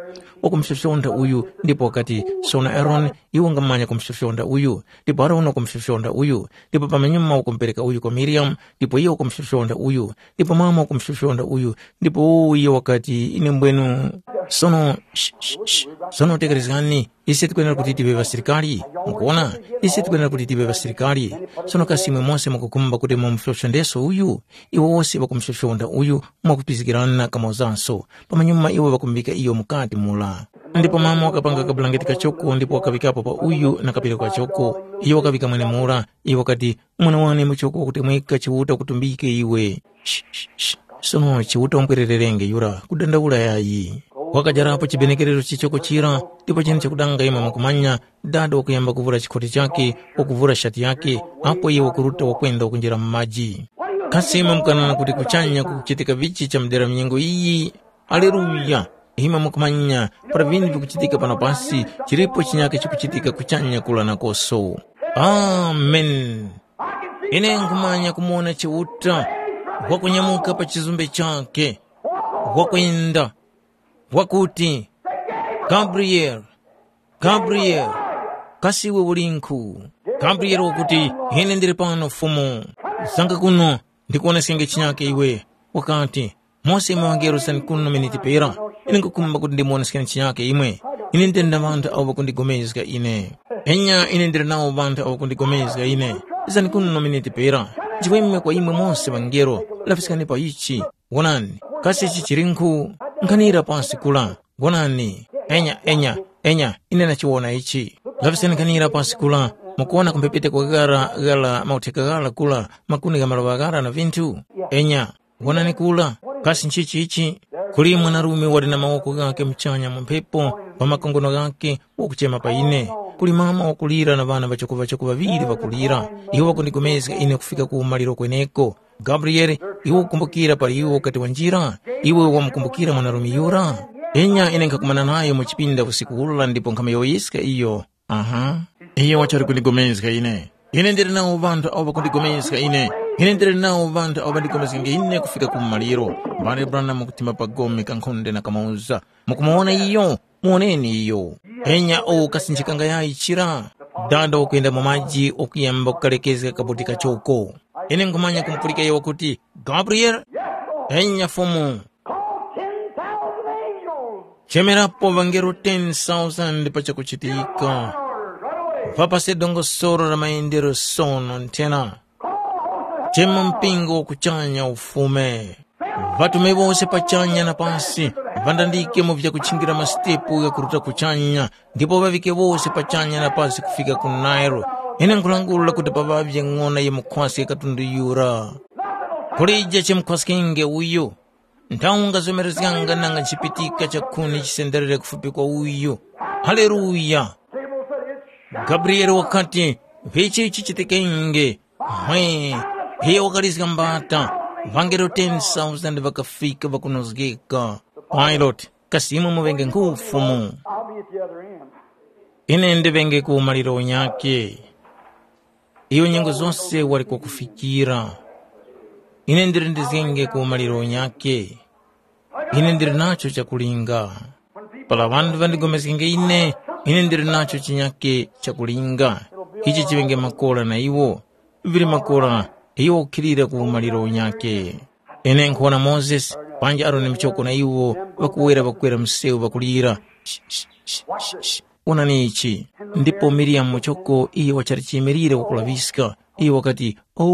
Wakumfyofyonda uyu, ndipo wakati, sono Aroni, iwe ungamanya kumfyofyonda uyu, ndipo Aroni wakumfyofyonda uyu, ndipo pamanyuma wakumupereka uyu kwa Miriyamu, ndipo iyo wakumfyofyonda uyu, ndipo mama wakumfyofyonda uyu, ndipo uwo iyo wakati, ine mbwenu, sono, sh, sh, sh, sono tekerezgani, ise tikwenera kuti tive ŵasilikali. Mukuona, ise tikwenera kuti tive ŵasilikali. Sono kasi imwe mose mukukhumba kuti mumufyofyondeso uyu? Iwo wose ŵakumufyofyonda uyu mwakupizgikirana kamozanso. Pamanyuma iwo ŵakumuŵika iyo mukati mura. Ndipo mama wakapanga kabulangeti kachoko ndipo wakaŵikapo pa uyu na kapiro kachoko. Iyo wakaŵika mwenemura. Iyo wakati, mwana wane muchoko wakutemweka Chiuta wakutumbike iwe. Sh, sh, sh. Sono Chiuta wampwererenge yura, kudandaula yayi. Wakajarapo chibenekerero chichoko chira, ndipo chene chakudanga imwe mukumanya, dada wakuyamba kuvura chikhoti chakhe, wakuvura shati yakhe, apo iye wakuruta wakwenda wakunjira mu maji. Kasi imwe mukanana kuti kuchanya kukuchitika vichi cha mdera minyengo iyi? Aleluya! Imwe mukumanya, para vinthu vikuchitika pano pasi, chilipo chinyake chikuchitika kuchanya kula nakoso. Amen. Ine nkhumanya kumuwona Chiuta wakunyamuka pa chizumbe chakhe, wakwenda, wakuti, Gabriel, Gabriel, kasi iwe ulinkhu? Gabriel wakuti, ine ndili pano Fumu. Zanga kuno, ndikuwoneske chinyake iwe. Wakati, mose imwe ŵangelo zani kuno miniti pera, ine nkhukhumba kuti ndimuwoneskeni chinyake imwe. Ine ndili na ŵanthu awo ŵakundigomezga ine. Enya ine ndili nawo ŵanthu awo ŵakundigomezga ine. Zani kuno miniti pera, nchiweme kwa imwe mose ŵangelo, lafiskani pa ichi. Wonani, kasi ichi chilinkhu? Nkhanira pansi kula. Wonani, enya, enya, enya, ine ndachiwona ichi. Lafiskani nkhanira pansi kula, mukuwona kumphepete kwa ghara, ghara mautheka ghara kula, makuni gha maluŵa ghara na vinthu? Enya, wonani kula, kasi nchichi ichi? Kuli mwanarume wali na mawoko ghakhe muchanya mu mphepo, pa makongono ghakhe, wakuchema pa ine. Kuli mama wakulira na ŵana ŵachokoŵachoko ŵaŵiri ŵakulira. Iwo ŵakundigomezga ine kufika ku umaliro kweneko. Gabriyele, iwe ukukumbukira pali iwe ukati wanjira? Iwe wamukumbukira mwanarume yura? Enya ine nkhakumana nayo mu chipinda usiku ula ndipo nkhamuyowoyeska iyo. Aha. Iyo wachali kundigomezga ine. Ine ndili nawo ŵanthu awo ŵakundigomezga ine. Ine ndili nawo ŵanthu awo ŵandigomezgenge ine kufika ku maliro. Mbale Branham kuthima pa gome kankhonde na kamoza. Mukumuwona iyo? Muwoneni iyo. Enya uwu kasinjikanga yayi chira. Dada wakuyenda mu maji wakuyamba kukalekezga kabuti kachoko. Ine nkhumanya kumupulika iyo wakuti, Gabriel? Enya Fumu. Call ten thousand angels. Chemerapo ŵangelo ten thousand pa chakuchitika. Run away. Vapase dongosolo la mayendero sono nthena. Chema mpingo wa kuchanya ufume. Ŵatume wose pachanya na pasi, ŵandandike mu vyakuchingira masitepu ghakuruta kuchanya, ndipo ŵaŵike wose pachanya na pasi kufika ku Nile. Ine nkhulangula kuti paŵavye ng'ona yimukhwaske katundu yura. Kulije chimukhwaskenge uyu. Nthaunga zomerezganga nanga nchipitika chakhuni chisenderere kufupi kwa uyu. Haleluya! Gabriyele wakati, mphitchi chichitikenge. Hwe, iyo wakalizga mbata, ŵangelo ten thousand ŵakafika ŵakunozgeka. Pilate, kasi imwe muŵenge nkhu Fumu? I'll be at the other end. Ine ndiŵenge ku maliro unyake. Iyo nyengo zose wali kwakufikira. Ine ndilindizgenge ku maliro unyake. Ine ndili nacho chakulinga. Para ŵanthu ŵandigomezgenge ine, ine ndili nacho chinyake chakulinga. Ichi chiŵenge makora na iwo. Vili makora, iwo ukhilira ku umaliro unyake. Ine nkhuwona Mozesi, panji Aroni muchoko na iwo ŵakuwera ŵakukwera msewu ŵakulira. Sh, sh, sh, sh, sh. Wonani ichi. Ndipo Miriyamu muchoko iyo wachali chiyimilire wakulaŵiska. Iyo wakati, “Oh,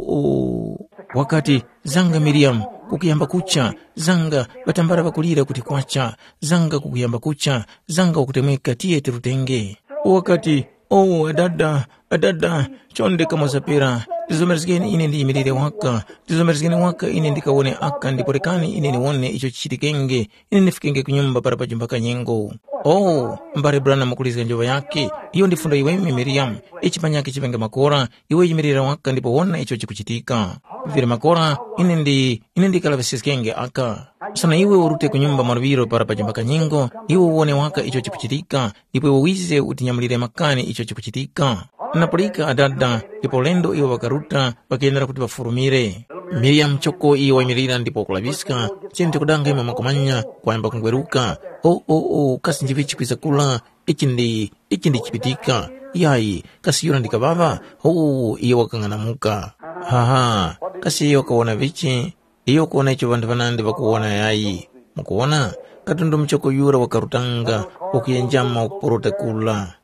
oh.” Wakati, “Zanga Miriyamu, kukuyamba kucha, zanga ŵatambala ŵakulira kuti kwacha, zanga kukuyamba kucha, zanga wakutemweka tiye tirutenge.” Wakati, “Oh, adada, Adada, chonde kamozapera, tizomerezgeni ine ndiyimirire waka, tizomerezgeni waka ine ndikawone aka ndipo rekani ine niwone icho chichitikenge, ine ndifikenge ku nyumba para pajumba kanyengo. Oh, mbale Branham wakulizga njoŵa yakhe, iyo ndi fundo yiweme Miriyamu, ichi panyakhe chipenge makora, iwe yimirira waka ndipo wona icho chikuchitika. Vili makora, ine ndi ine ndikalaŵisiskenge aka. Sono iwe urute ku nyumba mwaluŵiro para pajumba kanyengo, iwe uwone waka icho chikuchitika, ndipo iwe wize utinyamulire makani icho chikuchitika. Napulika adada, ndipo ulendo iwo ŵakaruta ŵakayendera kuti ŵafurumire. Miriyamu choko iyo wayimilira ndipo wakulaŵiska, chinthu kudanga imwe mwakumanya kwayamba kungweruka. O o o, kasi njivichi kwiza kula? Ichi ndi ichi ndi chipitika. Yayi, kasi yura ndi kaŵaŵa? Ho, iyo wakang'anamuka. Haha, kasi iyo wakawona vichi? Iyo kuwona icho ŵanthu ŵanandi ŵakuwona yayi. Mukuwona, katundu muchoko yura wakarutanga, wakuyenjama wakuporota kula.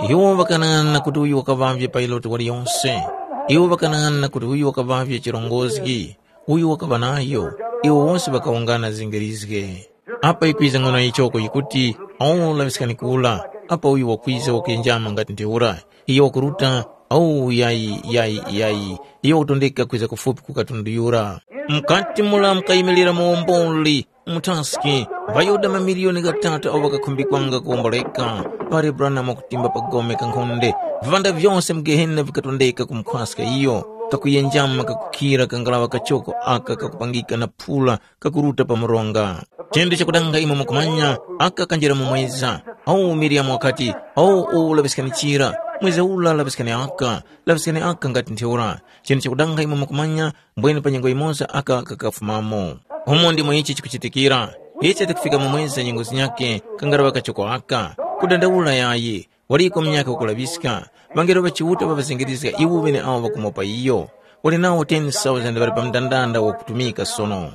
Iwo ŵakanang'ana kuti uyu wakaŵavye Payilote waliyonse. Iwo ŵakanang'ana kuti uyu wakaŵavye chirongozgi, uyu wakaŵa nayo. Iwo wose ŵakawungana zingirizge. Apa yikwiza ng'ono yichoko yikuti, awu laŵiskani kula, apa uyu wakwiza wakuyenjama ngati ntheura. Iyo wakuruta, awu yayi, yayi, yayi, iyo wakutondeka kwiza kufupi ku katundu yura. Mukati mura mukayimilira muwomboli, muthaski, ŵaYuda mamiliyoni ghatatu awo ŵakakhumbikwanga kuwomboleka. Pali Branham wakutimba pa gome kankhonde, vivanda vyose mu Gehena vikatondeka kumukhwaska iyo, kakuyenjama kakukhira kangalaŵa kachoko aka kakupangika na phula kakuruta pa mronga. Chinthu chakudanga imwe mukumanya, aka kanjira mu mweza. Awu Miriyamu wakati, awu uwu laŵiskani chira, mweza ula laŵiskani aka, laŵiskani aka ngati ntheura. Chinthu chakudanga imwe mukumanya, mbwene pa nyengo yimoza aka kakafumamo. Umo ndimo ichi chikuchitikira. Ichi tikufika mu mweza nyengo zinyakhe, kangaraŵa kachoko aka. Kudandaula yayi, waliko munyakhe wakulaŵiska. Ŵangelo ŵa Chiuta ŵaŵazengerezga iwo ŵeneawo ŵakumopa iyo. Wali nawo ten thousand ŵali pa mndandanda wakutumika sono.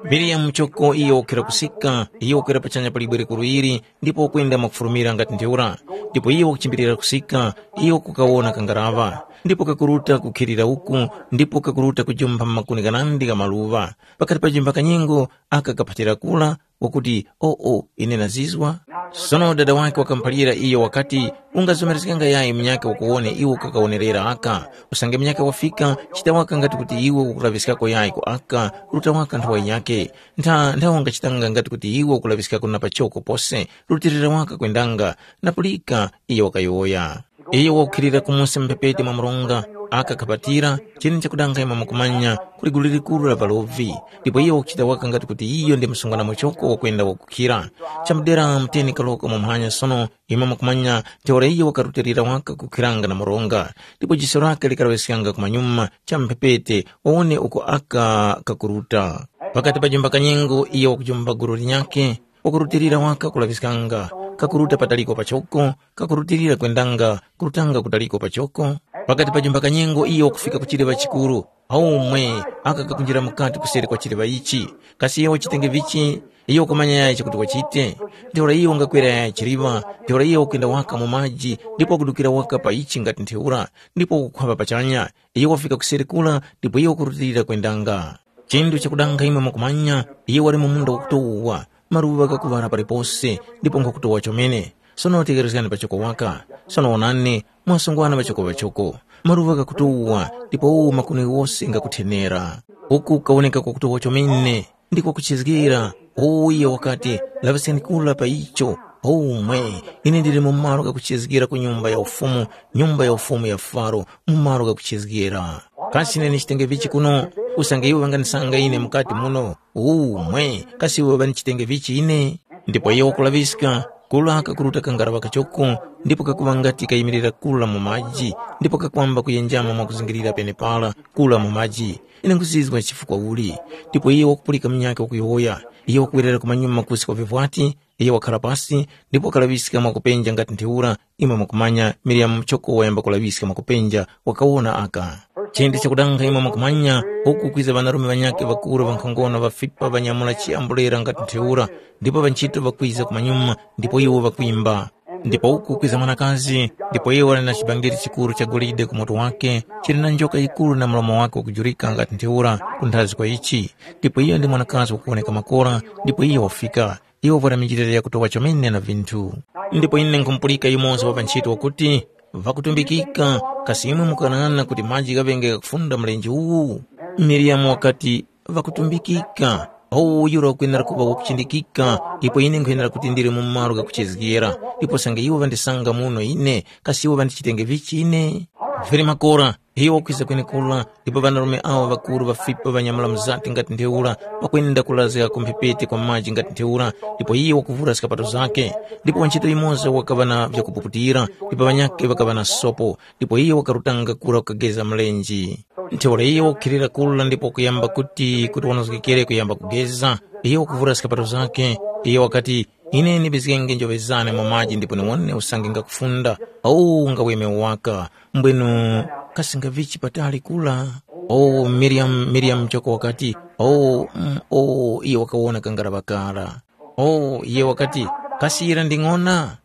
Miriyamu choko iyo wakukhira kusika, iyo wakwera pachanya pa libwe likuru ili, ndipo wakwenda mwakufurumira ngati ntheura. Ndipo iyo wakuchimbilira kusika, iyo kukawona kangaraŵa, ndipo kakuruta kukhilira uku, ndipo kakuruta kujumpha makuni ghanandi gha maluŵa. Pakati pa jumba kanyengo aka kaphatira kura, wakuti, “Oo, ine ndazizwa.” Sono dada wakhe wakamuphalira iyo wakati, “Ungazomerezganga yayi munyakhe wakuwone iwe ukakawonerera aka. Usange munyakhe wafika, chita waka ngati kuti iwe ukulaŵiskako yayi ku aka, ruta waka nthowa yinyakhe. Ntha nthawe ungachitanga ngati kuti iwe ukulaŵiskako na pachoko pose, rutilira waka kwendanga.” Na pulika iyo wakayowoya. Iyo wakukhilira kumusi mphepete mwa mronga, aka kapatira, chine chakudanga imwe mukumanya, kuli gulu likuru la ŵalovi. Ndipo iyo wakuchita waka ngati kuti iyo ndi msungwana muchoko wakwenda wakukhira. Chamudera muteni kaloko mwamuhanya sono, imwe mukumanya, ntheura iyo wakarutilira waka kukhiranga na mronga. Ndipo jiso lake likalaŵiskanga kumanyuma, cha mphepete, wawone uko aka kakuruta. Pakati pa jumba kanyengo, iyo wakujumba gulu linyakhe, wakurutilira waka kulaŵiskanga, kakuruta pataliko pachoko, kakurutilira kwendanga, kurutanga kutaliko pachoko. Pakati pa jumba kanyengo iyo wakufika ku chiliŵa chikuru, aumwe aka kakunjira mukati kuseri kwa chiliŵa ichi. Kasi iyo wachitenge vichi? Iyo wakumanya yayi chakuti wachite. Ntheura iyo wangakwera yayi chiliŵa, ntheura iyo wakwenda waka mu maji, ndipo wakudukira waka pa ichi ngati ntheura, ndipo wakukhwapa pachanya. Iyo wafika kuseri kura, ndipo iyo wakurutilira kwendanga. Chinthu chakudanga imwe mukumanya, iyo wali mu munda wakutowa, maluŵa ghakuŵala palipose, ndipo nkhakutowa chomene. Sono tegherezgani pachoko waka. Sono wonani, mwasungwana pachoko pachoko. Maluŵa ghakutowa, ndipo makuni ghose ghakuthenera. Uku kawoneka kwakutowa chomene, ndi kwakuchezgera. Uwo iyo wakati, “Laŵiskani kura pa icho.” Omwe, ine ndili mu malo ghakuchezgera ku Nyumba ya Ufumu, Nyumba ya Ufumu ya Faro, mu malo ghakuchezgera. Kasi ine ndichitenge vichi kuno? Usange iwo ŵanganisanga ine mukati muno, umwe, kasi iwo ŵandichitenge vichi ine? Ndipo iyo wakulaŵiska, kura kakuruta kangaraŵa kachoko, ndipo kakuŵa ngati kayimirira kura mu maji, ndipo kakwamba kuyenjama mwakuzingirira penepara, kura mu maji. Ine nkhuzizwa chifukwa uli. Ndipo iyo wakupulika munyakhe wakuyowoya, iyo wakuwerera kumanyuma kusi kwa vivwati, iyo wakhala pasi, ndipo wakalaŵiska mwakupenja ngati ntheura, imwe mwakumanya, Miriyamu choko wayamba kulaŵiska mwakupenja, wakawona aka. Chinthu chakudanga imwe mwakumanya, uku kwiza ŵanarume ŵanyakhe ŵakuru ŵankhongono ŵafipa ŵanyamula chiyambulira ngati ntheura, ndipo ŵanchito ŵakwiza kumanyuma, ndipo iwo ŵakwimba. Ndipo uku kwiza mwanakazi, ndipo iyo wali na chibangiri chikuru cha golide ku mutu wake, chili na njoka yikuru na mlomo wake wakujurika ngati ntheura, kunthazi kwa ichi. Ndipo iyo ndi mwanakazi wakuwoneka makora, ndipo iyo wafika. Iwo vwara minjilira yakutowa chomene na vinthu. Ndipo ine nkhumupulika yumoza wa ŵanchito wakuti, Ŵakutumbikika, kasi imwe mukanang'ana kuti maji ghaŵenge ghakufunda mlenje uwu? Miriyamu wakati, ŵakutumbikika. Owu yura wakwenera kuŵa wakuchindikika, ipo ine nkhwenera kuti ndili mu malo ghakuchezgera, ndipo sange iwo ŵandisanga muno ine, kasi iwo ŵandichitenge vichi ine? Vili makora, iyo wakwiza kwenekura, ndipo ŵanarume awo ŵakuru ŵafipa ŵanyamula mzati ngati ntheura, pakwenda kulazga ku mphepete kwa maji ngati ntheura, ndipo iye wakuvura skapato zakhe. Ndipo wantchito yumoza wakaŵa na vyakupuputira, ndipo ŵanyakhe ŵakaŵa na sopo, ndipo iye wakarutanga kura kukageza mlenje. Ntheura iye wakukhilira kura ndipo wakuyamba kuti kuti wanozgekere kuyamba kugeza, iye wakuvura skapato zakhe, iye wakati, ine ndibizgenge njoŵe zane mu maji ndipo niwone usange ngakufunda, owu ngaweme waka, mbwenu kasi ngavichi patali kura? Owu Miriyamu, Miriyamu choko wakati, owu, mm, owu iye wakawona kangaraŵa kara. Owu iye wakati, kasi yira ndi ng'ona?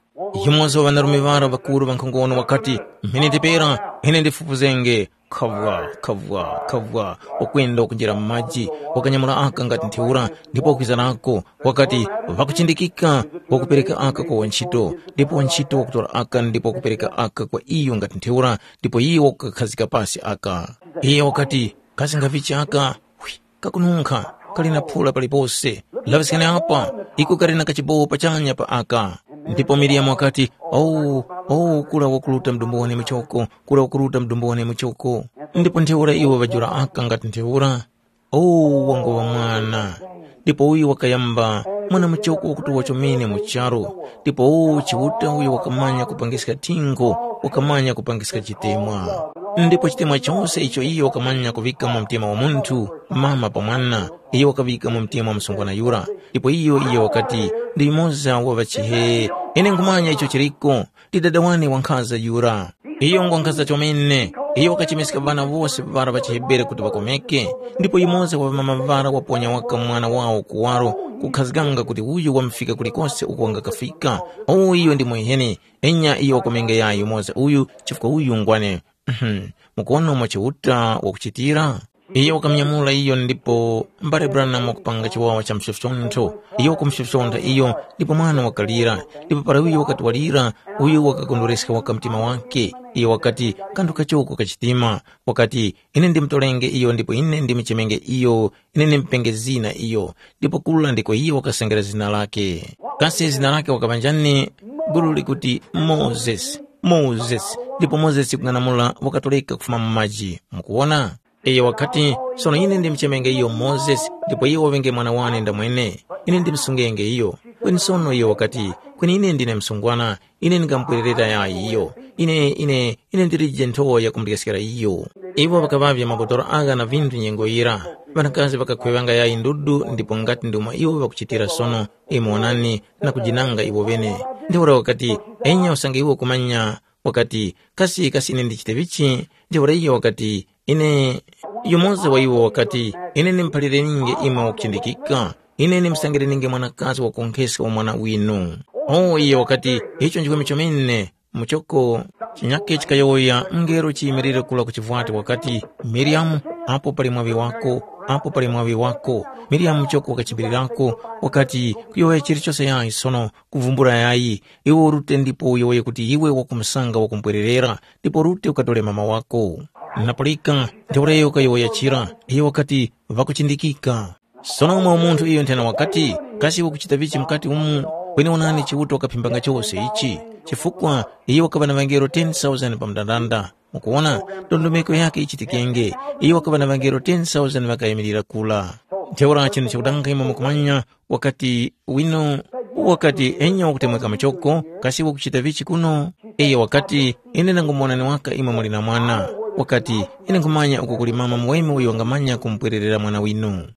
Yumoza wa ŵanarume ŵara ŵakuru ŵankhongono wakati, mphindi pera, ine ndifufuzenge. Khavwa, khavwa, khavwa, wakwenda wakunjira mu maji, wakanyamula aka ngati ntheura, ndipo wakwiza nako, wakati, ŵakuchindikika, wakupereka aka kwa wantchito, ndipo wantchito wakutora aka ndipo wakupereka aka kwa iyo ngati ntheura, ndipo iyo wakukakhazika pasi aka. Iyo wakati, kasi ngavichi aka? Hwi, kakununkha, kali na phula palipose. Laŵiskani apa, iko kali na kachibowo pachanya pa aka. Ndipo Miriyamu wakati, owu, owu kura wakuruta mdumbu wane muchoko, kura wakuruta mdumbu wane muchoko. Ndipo ntheura iwo ŵajula aka ngati ntheura, owu wangoŵa mwana. Ndipo uyu wakayamba mwana muchoko wakutuwa chomene mu charu, ndipo owu Chiuta uyo wakamanya kupangiska thingo, wakamanya kupangiska chitemwa. Ndipo chitemwa chose icho iyo wakamanya kuŵika mu mtima wa munthu, mama pa mwana, iyo wakaŵika mu mtima wa msungwana yura. Ndipo iyo iyo wakati, ndi yumoza wa ŵachihe, ine nkhumanya icho chiriko, ndi dada wane wankhaza yura. Iyo ngwankhaza chomene, iyo wakachemeska ŵana wose ŵara ŵa chiHebere kuti ŵakomeke, ndipo yumoza wa ŵamama ŵara waponya waka mwana wawo kuwaro, kukhazganga kuti uyu wamufika kulikose uko wangakafika. Uwu iyo ndi mweheni, enya iyo wakomengeya yumoza uyu, chifukwa uyu ngwane. Mhm. Mukuwona umo Chiuta wakuchitira? Iyo wakamunyamula iyo ndipo mbale Branham wakupanga chiwawa cha msofyontho. Iyo wakumsofyontha iyo ndipo mwana wakalira. Ndipo para uyo wakati walira, uyo wakakondwereska waka mtima wake. Iyo wakati, kanthu kachoko kachitima. Wakati, ine ndimutolenge iyo ndipo ine ndimuchemenge iyo, ine ndimupenge zina iyo. Ndipo kula ndiko iyo wakasengera zina lake. Kasi zina lake wakaŵa njani? Gulu likuti Mozesi. Mozesi. Ndipo Mozesi kung'anamula wakatoleka kufuma mu maji. Mukuwona? Iyo wakati, sono ine ndimuchemenge iyo Mozesi, ndipo iyo waŵenge mwana wane ndamwene. Ine ndimusungenge iyo. Kweni sono iyo wakati, kweni ine ndine msungwana, ine ndingamupwererera yayi iyo. Ine, ine, ine ndilije nthowa yakumulyaskira iyo. Iwo ŵakaŵavya mabotoro agha na vinthu nyengo yira. Ŵanakazi ŵakakhweŵanga yayi ndudu ndipo ngati ndi umo iwo ŵakuchitira sono. Imwe wonani na kujinanga iwo ŵene. Ntheura wakati, enya usange iwe ukumanya, wakati, kasi kasi ine ndichite vichi? Ntheura iyo wakati, ine, yumoza wa iwo wakati, ine ndimuphalirenge imwe wakuchindikika, ine ndimsangirininge mwanakazi wakonkheska wa mwana winu. O iyo wakati, icho nchikumi chomene, muchoko chinyakhe chikayowoya mngelo chiyimilire kula ku chivwati wakati, miriamu, apo pali mwaŵi wako, apo pali mwaŵi wako. Miriamu muchoko wakachimbirirako, wakati, kuyowoya chilichose yayi sono, kuvumbula yayi, iwe urute ndipo uyowoye kuti iwe wakumusanga wakumupwererera, ndipo urute ukatore mama wako. Napulika, ntheura iyo ukayowoya chira, iyo wakati, ŵakuchindikika. Sono umo munthu iyo nthena wakati, kasi wakuchita vichi mukati umu? Kweni onani Chiuta wakaphimbanga chose ichi, chifukwa iyo wakaŵa na ŵangelo ten thousand pa mndandanda. Mukuwona, ndondomeko yake ichitikenge, iyo wakaŵa na ŵangelo ten thousand ŵakayimirira kula. Ntheura chinthu chakutanga imwe mukumanya, wakati, wino, wakati, enya wakutemweka muchoko, kasi wakuchita vichi kuno? Iyo wakati, ine ndangomuwonani waka imwe muli na mwana. Wakati, ine nkhumanya uko kuli mama muweme uyo wangamanya kumupwererera mwana winu.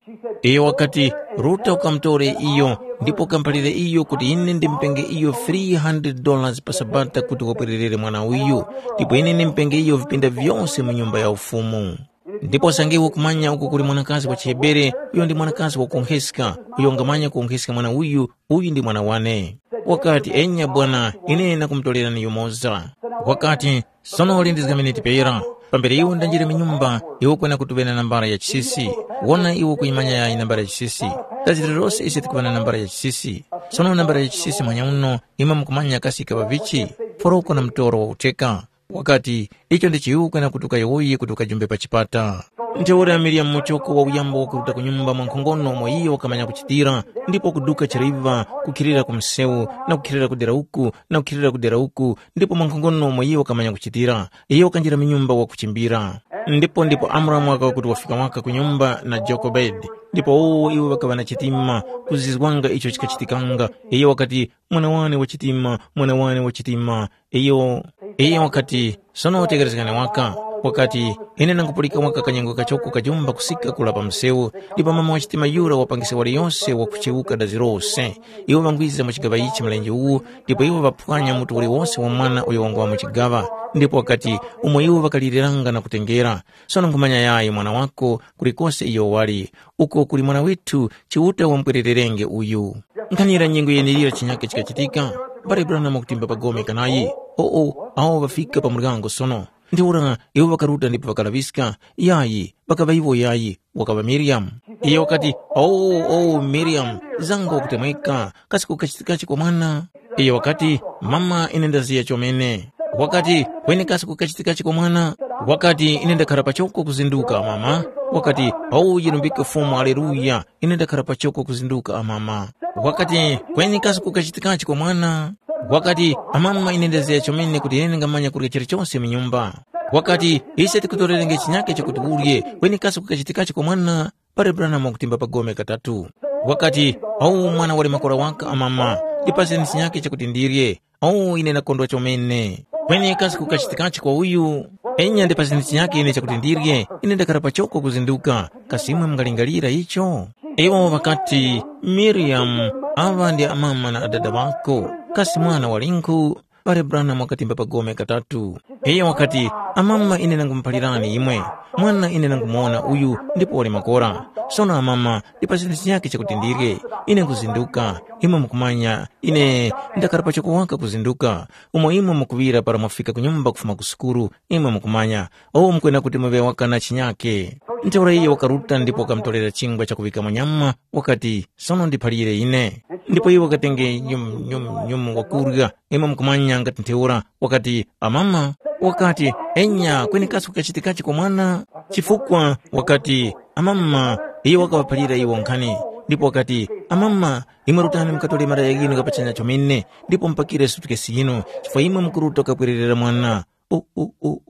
Iyo wakati, ruta ukamutore iyo, ndipo ukamuphalire iyo kuti ine ndimupenge iyo three hundred dollars pa sabata kuti wapwererere mwana uyu, ndipo ine ndimupenge iyo vipinda vyose mu nyumba ya ufumu. Ndipo usange iwe ukumanya uko kuli mwanakazi wa chiHebere, uyo ndi mwanakazi wakunkheska, uyo wangamanya kunkheska mwana uyu, uyu ndi mwana wane. Wakati, enya bwana, ine ndakumutorerani yumoza. Wakati, sono lindizga miniti pera. Pambere iwe undanjire mu nyumba, iwe ukwena kuti ŵe na nambala ya chisisi. Wona iwe ukuyimanya yayi nambala ya chisisi. Tachitire lose ise tikuŵa na nambala ya chisisi. Sono nambala ya chisisi mwanya uno, imwe mukumanya kasi ikaŵa vichi? Foroko na mutoro wa utheka. Wakati, icho ndi chiwuka na kuti ukayowoye kuti ukajumbe pa chipata. Ntheura Miriyamu muchoko wa uyambo wakuruta ku nyumba mwankhongono umo iyo wakamanya kuchitira, ndipo kuduka chiraiva, kukhilira ku msewu, na kukhilira kudera uku, na kukhilira kudera uku, ndipo mwankhongono umo iyo wakamanya kuchitira. Iyo wakanjira mu nyumba wakuchimbira. Ndipo ndipo Amuramu wakaŵa kuti wafika waka ku nyumba na Jokobedi, ndipo wowo iwo ŵakaŵa na chitima, kuzizwanga icho chikachitikanga. Iyo wakati, mwana wane wa chitima, mwana wane wa chitima. Iyo, iyo wakati, sono tekerezgani waka. Wakati, ine nangupulika waka kanyengo kachoko kajumba kusika kula pa msewu, ndipo mama wa chitima yura wapangisa waliyose wakuchewuka dazi lose. Iwo ŵangwiza mu chigaŵa ichi mlenje uwu, ndipo iwo ŵaphwanya mutu uliwose wa mwana uyo wangwa mu chigaŵa. Ndipo wakati, umo iwo ŵakaliliranga na kutengera. Sono nkhumanya yayi mwana wako kulikose iyo wali, uko kuli mwana withu Chiuta wamupwerererenge uyu. Nkhanira nyengo yeneyira chinyake chikachitika, mbale Branham wakutimba pa gome kanayi. Oo, awo ŵafika pa muryango sono. Ntheura iwo ŵakaruta ndipo ŵakalaŵiska, yayi, ŵakaŵa iwo yayi, wakaŵa Miriyamu. Iyo wakati, "Oo, oo, Miriyamu, zango wakutemweka, kasi kukachitikachi kwa mwana?" Iyo wakati, "Mama, ine ndaziya chomene." Wakati, "Kweni kasi kukachitikachi kwa mwana?" Wakati, "Ine ndakhara pachoko kuzinduka, mama." Wakati, "Awu yilumbike Fumu, aleluya, ine ndakhara pachoko kuzinduka, amama." Wakati, "Kweni kasi kukachitikachi kwa mwana?" Wakati, "Amama, ine ndaziya chomene kuti ine ndingamanya kurya chilichose mu nyumba." Wakati, "Ise tikutorerenge chinyake chakuti urye, kweni kasi kukachitikachi kwa mwana?" Pali Branham wakutimba pa gome katatu. Wakati, "Awu mwana wali makora waka, amama, ndipaseni chinyake chakuti ndirye. Awu ine ndakondwa chomene. Kweni kasi kukachitikachi kwa uyu? Enya ndipaseni chinyake ine chakuti ndirye, ine ndakhara pachoko kuzinduka. Kasi imwe mungalingalira icho?" Iwo ŵakati, "Miriyamu, aŵa ndi amama na adada ŵako. Kasi mwana walinkhu?" Pali Branham wakatimba pa gome katatu. Iyo wakati, "Amama ine nangumuphalirani imwe, mwana ine nangumuwona uyu ndipo wali makora. Sono amama, ndipaseni chinyake chakuti ndirye, ine nkuzinduka, imwe mukumanya, ine ndakhara pachoko waka kuzinduka, umo imwe mukuŵira para mwafika ku nyumba kufuma ku sukulu, imwe mukumanya, uwo mukwena kuti muŵe waka na chinyake." Ntheura iyo wakaruta ndipo wakamutorera chingwa chakuŵikamo nyama, wakati, "Sono ndiphalire ine." Ndipo iwo wakatenge nyum, nyum, nyum wakurya, imwe mukumanya ngati ntheura, wakati, "Amama," wakati, "Enya, kweni kasi kukachitikachi kwa mwana?" Chifukwa wakati, "Amama," iyo wakaŵaphalira iwo nkhani, ndipo wakati, "Amama, imwe rutani mukatore malaya ghinu ghapachanya chomene, ndipo mupakire sutukesi yinu, chifukwa imwe mukuruta kukapwererera mwana." U, u, u.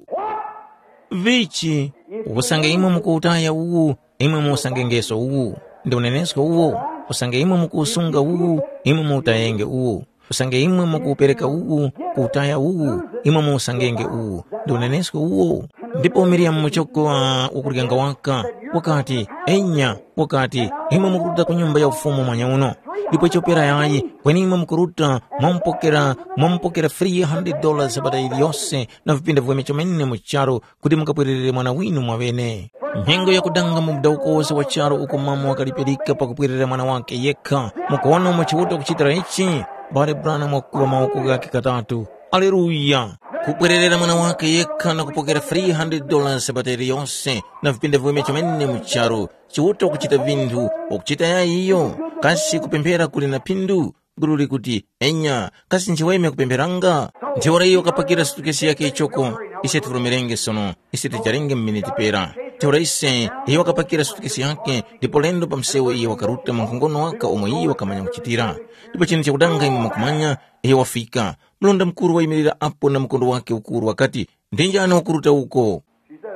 Vichi, usange imwe mukuwutaya uwu, imwe muwusangengeso uwu, ndi unenesko uwo. Usange imwe mukuwusunga uwu, imwe muwutayenge uwu. Usange imwe mukuwupereka uwu, kuwutaya uwu, imwe muwusangenge uwu, ndi unenesko uwo. Ndipo Miriyamu muchoko wa wakuryanga waka, wakati, "Enya," wakati, "imwe mukuruta ku nyumba ya ufumu mwanya uno, ndipo chopera yayi, kweni imwe mukuruta mwamupokera, mwamupokera three hundred dollars sabata yiliyose na vipinda viweme chomene mu charu kuti mukapwererere mwana winu mwaŵene." Nyengo yakudanga mu mudawuko wose wa charu uko mama wakalipirika pakupwerera mwana wake yekha. Mukuwona umo Chiuta wakuchitira ichi? Bale Branham wakukuŵa mawoko ghakhe katatu. Aleluya! Kupwererera mwana wake yekha na kupokera three hundred dollars sabata yiliyose na vipinda viweme chomene mu charu. Chiuta wakuchita vinthu, wakuchita yayi iyo? Kasi kupemphera kuli na phindu? Gulu likuti, enya, kasi nchiweme kupempheranga? Ntheura iyo wakapakira sutukesi yakhe ichoko. Ise tipurumirenge sono, ise tijarenge mu miniti pera. Ntheura ise, iyo wakapakira sutukesi yakhe, ndipo lendo pa msewu iyo wakaruta mwa nkhongono waka omwe iyo wakamanya kuchitira. Ndipo chinthu chakudanga imwe mukumanya, iyo wafika. Mlonda mukuru wayimirira apo na mkondo wakhe ukuru wakati, ndi njani wakuruta uko?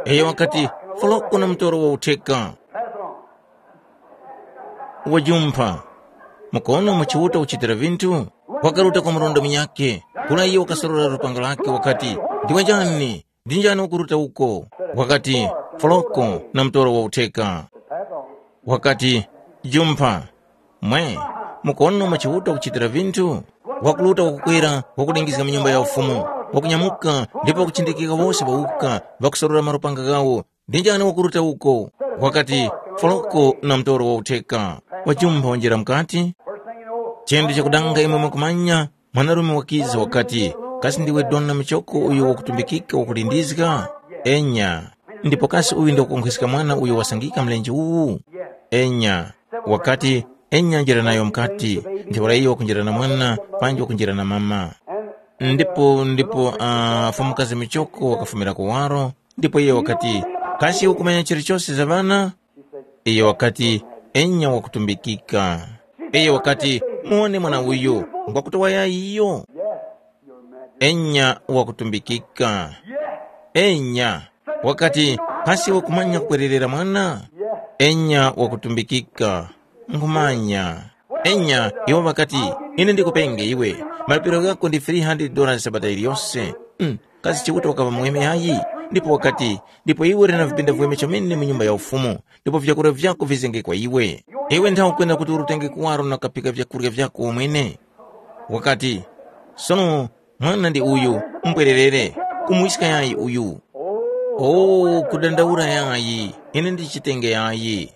Iyo wakati, foloko na mtoro wa utheka. Wajumpha. Mukuwona umo Chiuta uchitira vinthu? Wakaruta kwa murunda munyakhe, kula iyo wakasorora lupanga lakhe wakati, ndiwe njani? Ndi njani ukuruta uko? Wakati, foloko na mtoro wa utheka. Wakati, jumpha. Mwe, mukuwona umo Chiuta ukuchitira vinthu? Wakuruta wakukwera, wakulingizga mu nyumba ya ufumu, wakunyamuka ndipo wakuchindikika wose wawuka, wakusorora malupanga ghawo, ndi njani wakuruta uko? Wakati, foloko na mtoro wa utheka. Wajumpha wanjira mukati. Chinthu chakudanga imwe mukumanya, mwanarume wakiza wakati, kasi ndiwe dona muchoko uyo wakutumbikika wakulindizga? Enya. Ndipo kasi uyu ndi wakukonkhweska mwana uyo wasangika mlenje uwu? Enya. Wakati, enya njira nayo mukati. Ntheura iyo wakunjira na mwana, panji wakunjira na mama. Ndipo ndipo uh, Fumu Kazi Michoko wakafumira kuwaro, ndipo iye wakati, kasi ukumanya chilichose za ŵana? Iye wakati, enya wakutumbikika. Iye wakati, muwone mwana uyu, ngwakutowa yayi iyo? Enya wakutumbikika. Enya. Wakati, kasi ukumanya kukwererera mwana? Enya wakutumbikika. Nkhumanya. Enya, iwo ŵakati, ine ndikupenge iwe. Malipiro ghako ndi three hundred dollars sabata iliyose. Mm, kasi Chiuta wakaŵa muweme yayi? Ndipo wakati, ndipo iwe uli na vipinda viweme chomene mu nyumba ya ufumu, ndipo vyakurya vyako vizenge kwa iwe. Iwe nthawe ukwenda kuti urutenge kuwaro na kaphika vyakurya vyako wamwene. Wakati, sono mwana ndi uyu, mbwererere, kumuwiska yayi uyu. O, kudandaula yayi, ine ndichitenge yayi.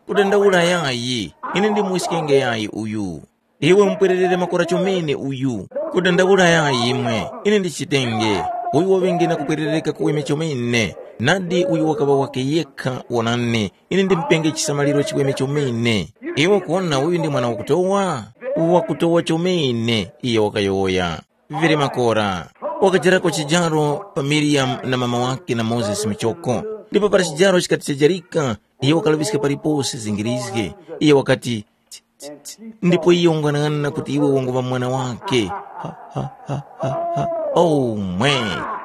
Kudandaula yayi, ine ndimuwiskenge yayi uyu. Iwe umupwererere makora chomene uyu. Kudandaula yayi imwe, ine ndichitenge. Uyu waŵenge na kupwerereka kuweme chomene. Nadi uyu wakaŵa wake yekha, wonani, ine ndimupenge chisamaliro chiweme chomene. Iwe ukuwona uyu ndi mwana wakutowa? Wakutowa chomene, iyo wakayowoya. Vili makora. Wakajarako chijaro pa Miriyamu na mama wake na Mozesi muchoko. Ndipo para chijaro chikati chajarika, iyo wakalaŵiska paliponse zingirizge. Iyo wakati, ndipo iyo wang'anang'ana kuti iwe wanguŵa mwana wake. Ha, ha, ha, ha, ha. Oh mwe,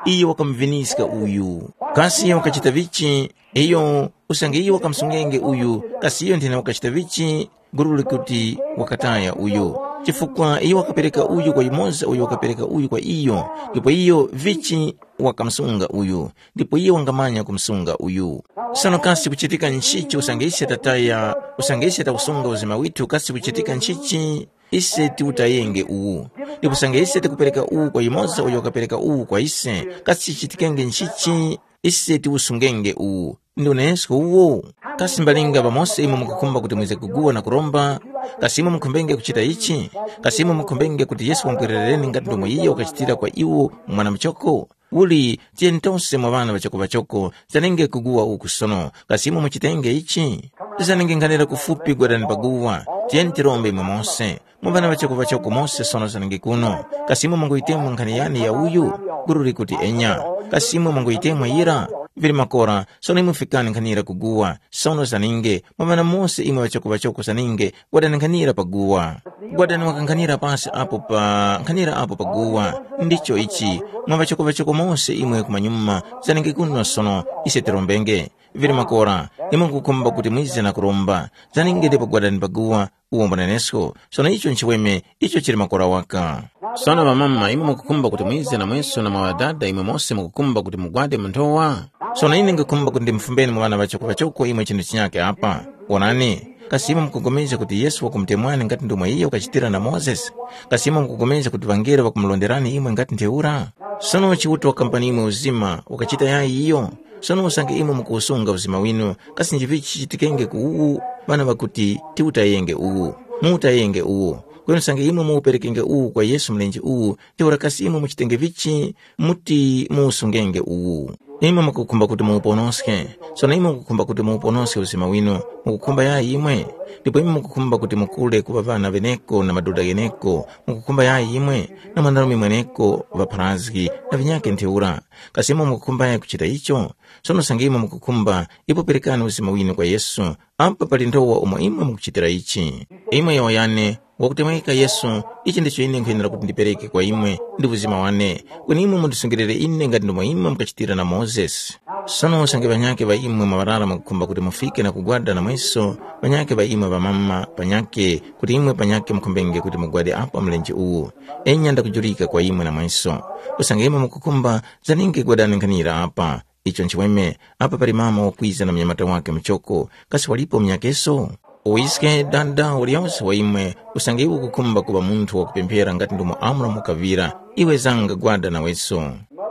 iyo wakamuviniska uyu. Kasi iyo wakachita vichi? Iyo usange iyo wakamsungenge uyu, kasi iyo nthena wakachita vichi? Gululi kuti wakataya uyu, chifukwa iyo wakapereka uyu kwa yumoza uyo wakapereka uyu kwa iyo, ndipo iyo vichi wakamsunga uyu, ndipo iyo wangamanya kumsunga uyu. Sono kasi kuchitika nchichi usange ise tataya, usange ise takusunga uzima withu, kasi kuchitika nchichi? Ise tiutayenge uwu. Ndipo usange ise tikupereka uwu kwa yumoza uyo wakapereka uwu kwa ise, kasi chichitikenge nchichi? Ise tiusungenge uwu. Ndi unenesko uwo. Kasi mbalinga pamosi imwe mukukhumba kuti mwize kuguwa na kuromba? Kasi imwe mukhumbenge kuchita ichi? Kasi imwe mukhumbenge kuti Yesu wamupwerereni ngati ndomwe iyo wakachitira kwa iwo mwana muchoko? Uli, tiyeni tose mwa ŵana ŵachoko-ŵachoko, zanenge kuguwa uku sono. Kasi imwe muchitenge ichi? Zanenge nkhanira kufupi gwadani paguwa. Tiyeni tirombe imwe mose. Mwa ŵana ŵachoko-ŵachoko mose sono zanenge kuno. Kasi imwe munguyitemwa nkhani yani ya uyu? Guru likuti enya. Kasi imwe munguyitemwa yira? Vili makora, sono imwe fikani nkhanira kuguwa. Sono zaninge, mwa ŵana mose imwe ŵachoko-ŵachoko zaninge, gwadani nkhanira pa guwa. Gwadani wakankhanira pasi apo pa nkhanira apo pa guwa. Ndicho ichi, mwa ŵachoko-ŵachoko mose imwe kumanyuma, zaninge kuno sono, ise tirombenge. Vili makora, imwe mukukhumba kuti mwize na kuromba, zaninge ndipo gwadani pa guwa, uwo mbunenesko. Sono icho nchiweme, icho chili makora waka. Sono ŵamama, imwe mukukhumba kuti mwize na mweso na mwa ŵadada imwe mose mukukhumba kuti mugwade mu nthowa? Sono ine ngikhumba kuti ndimufumbeni mu ŵana ŵachoko-ŵachoko imwe chinthu chinyakhe apa. Wonani, kasi imwe mukupulikana kuti Yesu wakumutemwani ngati ndomwe iyo wakachitira na Mozesi? Kasi imwe mukupulikana kuti ŵangelo ŵakumulonderani imwe ngati ntheura? Sono Chiuta wakampani imwe uzima, wakachita yayi iyo? Sono usange imwe mukuwusunga uzima winu, kasi nchivichi chichitikenge ku uwu, ŵana ŵakuti, tiutayenge uwu, muutayenge uwu. Kweni usange imwe muuperekenge uwu kwa Yesu mlenje uwu, ntheura kasi imwe muchitenge vichi? Muti muuwusungenge uwu. Imwe mukukhumba kuti muuponoske. Sono imwe mukukhumba kuti muuponoske uzima winu, mukukhumba yayi imwe? Ndipo imwe mukukhumba kuti mukule kuŵa ŵana ŵeneko na madoda gheneko, mukukhumba yayi imwe? Na mwanarume mweneko ŵapharazgi, na vinyakhe ntheura. Kasi imwe mukukhumba yayi kuchita icho? Sono usange imwe mukukhumba, ipo perekani uzima winu kwa Yesu. Apa pali nthowa umo imwe mukuchitira ichi. Imwe yowoyani, wakutemweka Yesu, ichi ndicho ine nkwenera kuti ndipereke kwa imwe, ndi uzima wane. Kweni imwe mundisungirire ine ngati ndomwe imwe mukachitira na Mozesi. Sono usange ŵanyakhe ŵa imwe mwaŵarara mukukhumba kuti mufike na kugwada na mweso, ŵanyakhe ŵa imwe ŵamama, panyakhe, kuti imwe panyakhe mukhumbenge kuti mugwade apa mlenje uwu. Enya ndakujulika kwa imwe na mweso. Usange imwe mukukhumba, zaninge gwadani nkhanira apa. Icho nchiweme, apa pali mama wakwiza na munyamata wake muchoko, kasi walipo munyakeso? Uwiske dada waliyose wa imwe, usange iwe ukukhumba kuŵa munthu wakupemphera ngati ndomwe Amuramu wakaŵira, iwe zanga gwada naweso.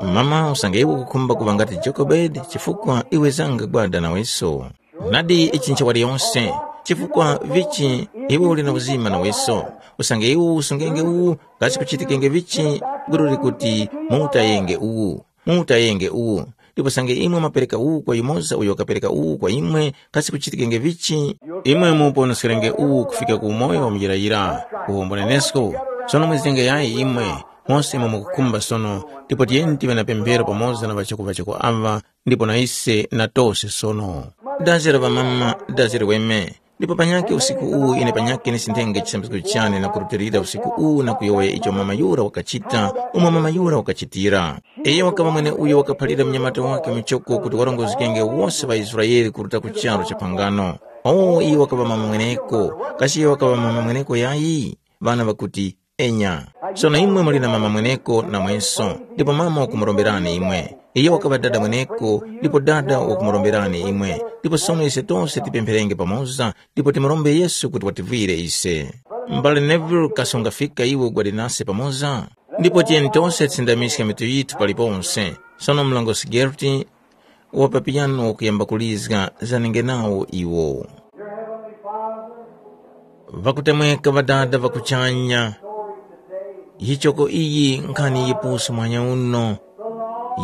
Mama, usange iwe ukukhumba kuŵa ngati Jokebedi, chifukwa iwe zanga gwada naweso. Nadi ichi ncha waliyose, chifukwa vichi iwe uli na uzima naweso. Usange iwe usungenge uwu, kasi kuchitikenge vichi? Guru likuti, muutayenge uwu. Muutayenge uwu, ndipo usange imwe mwapereka uwu kwa yumoza uyo wakapereka uwu kwa imwe, kasi kuchitikenge vichi? Imwe muuponoskerenge uwu kufika ku umoyo wa muyirayira, uwo mbunenesko. Sono mwizenge yayi imwe, Mose imwe mukukhumba sono, ndipo tiyeni tive na pemphero pamoza na ŵachoko-ŵachoko aŵa, ndipo na ise na tose sono. Dazi la ŵamama, dazi liweme. Ndipo panyakhe usiku uwu ine panyakhe ndisinthenge chisambizgo chane na kurutilira usiku uwu na kuyowoya icho mama yura wakachita, umo mama yura wakachitira. Iyo wakaŵa mweneuyo wakaphalira munyamata wakhe muchoko kuti warongozgenge wose ŵaIsraele kuruta ku charu cha phangano. O, iyo wakaŵa mama mweneko. Kasi iyo wakaŵa mama mweneko yayi? Ŵana ŵakuti, “Enya.” Sono imwe muli na mama mweneko namweso, ndipo mama wakumuromberani imwe. Iyo wakaŵa dada mweneko, ndipo dada wakumuromberani imwe. Ndipo sono ise tose tipempherenge pamoza, ndipo timurombe Yesu kuti wativwire ise. M'bale Neville, kasi ungafika iwe ugwade nase pamoza? Ndipo tiyeni tose tisindamiske mitu yithu paliponse. Sono mlongosi Gerti wa pa piyano wakuyamba kulizga, zanenge nawo iwo. Ŵakutemweka Ŵadada ŵa kuchanya, yichoko iyi nkhani yipusi muhanya uno,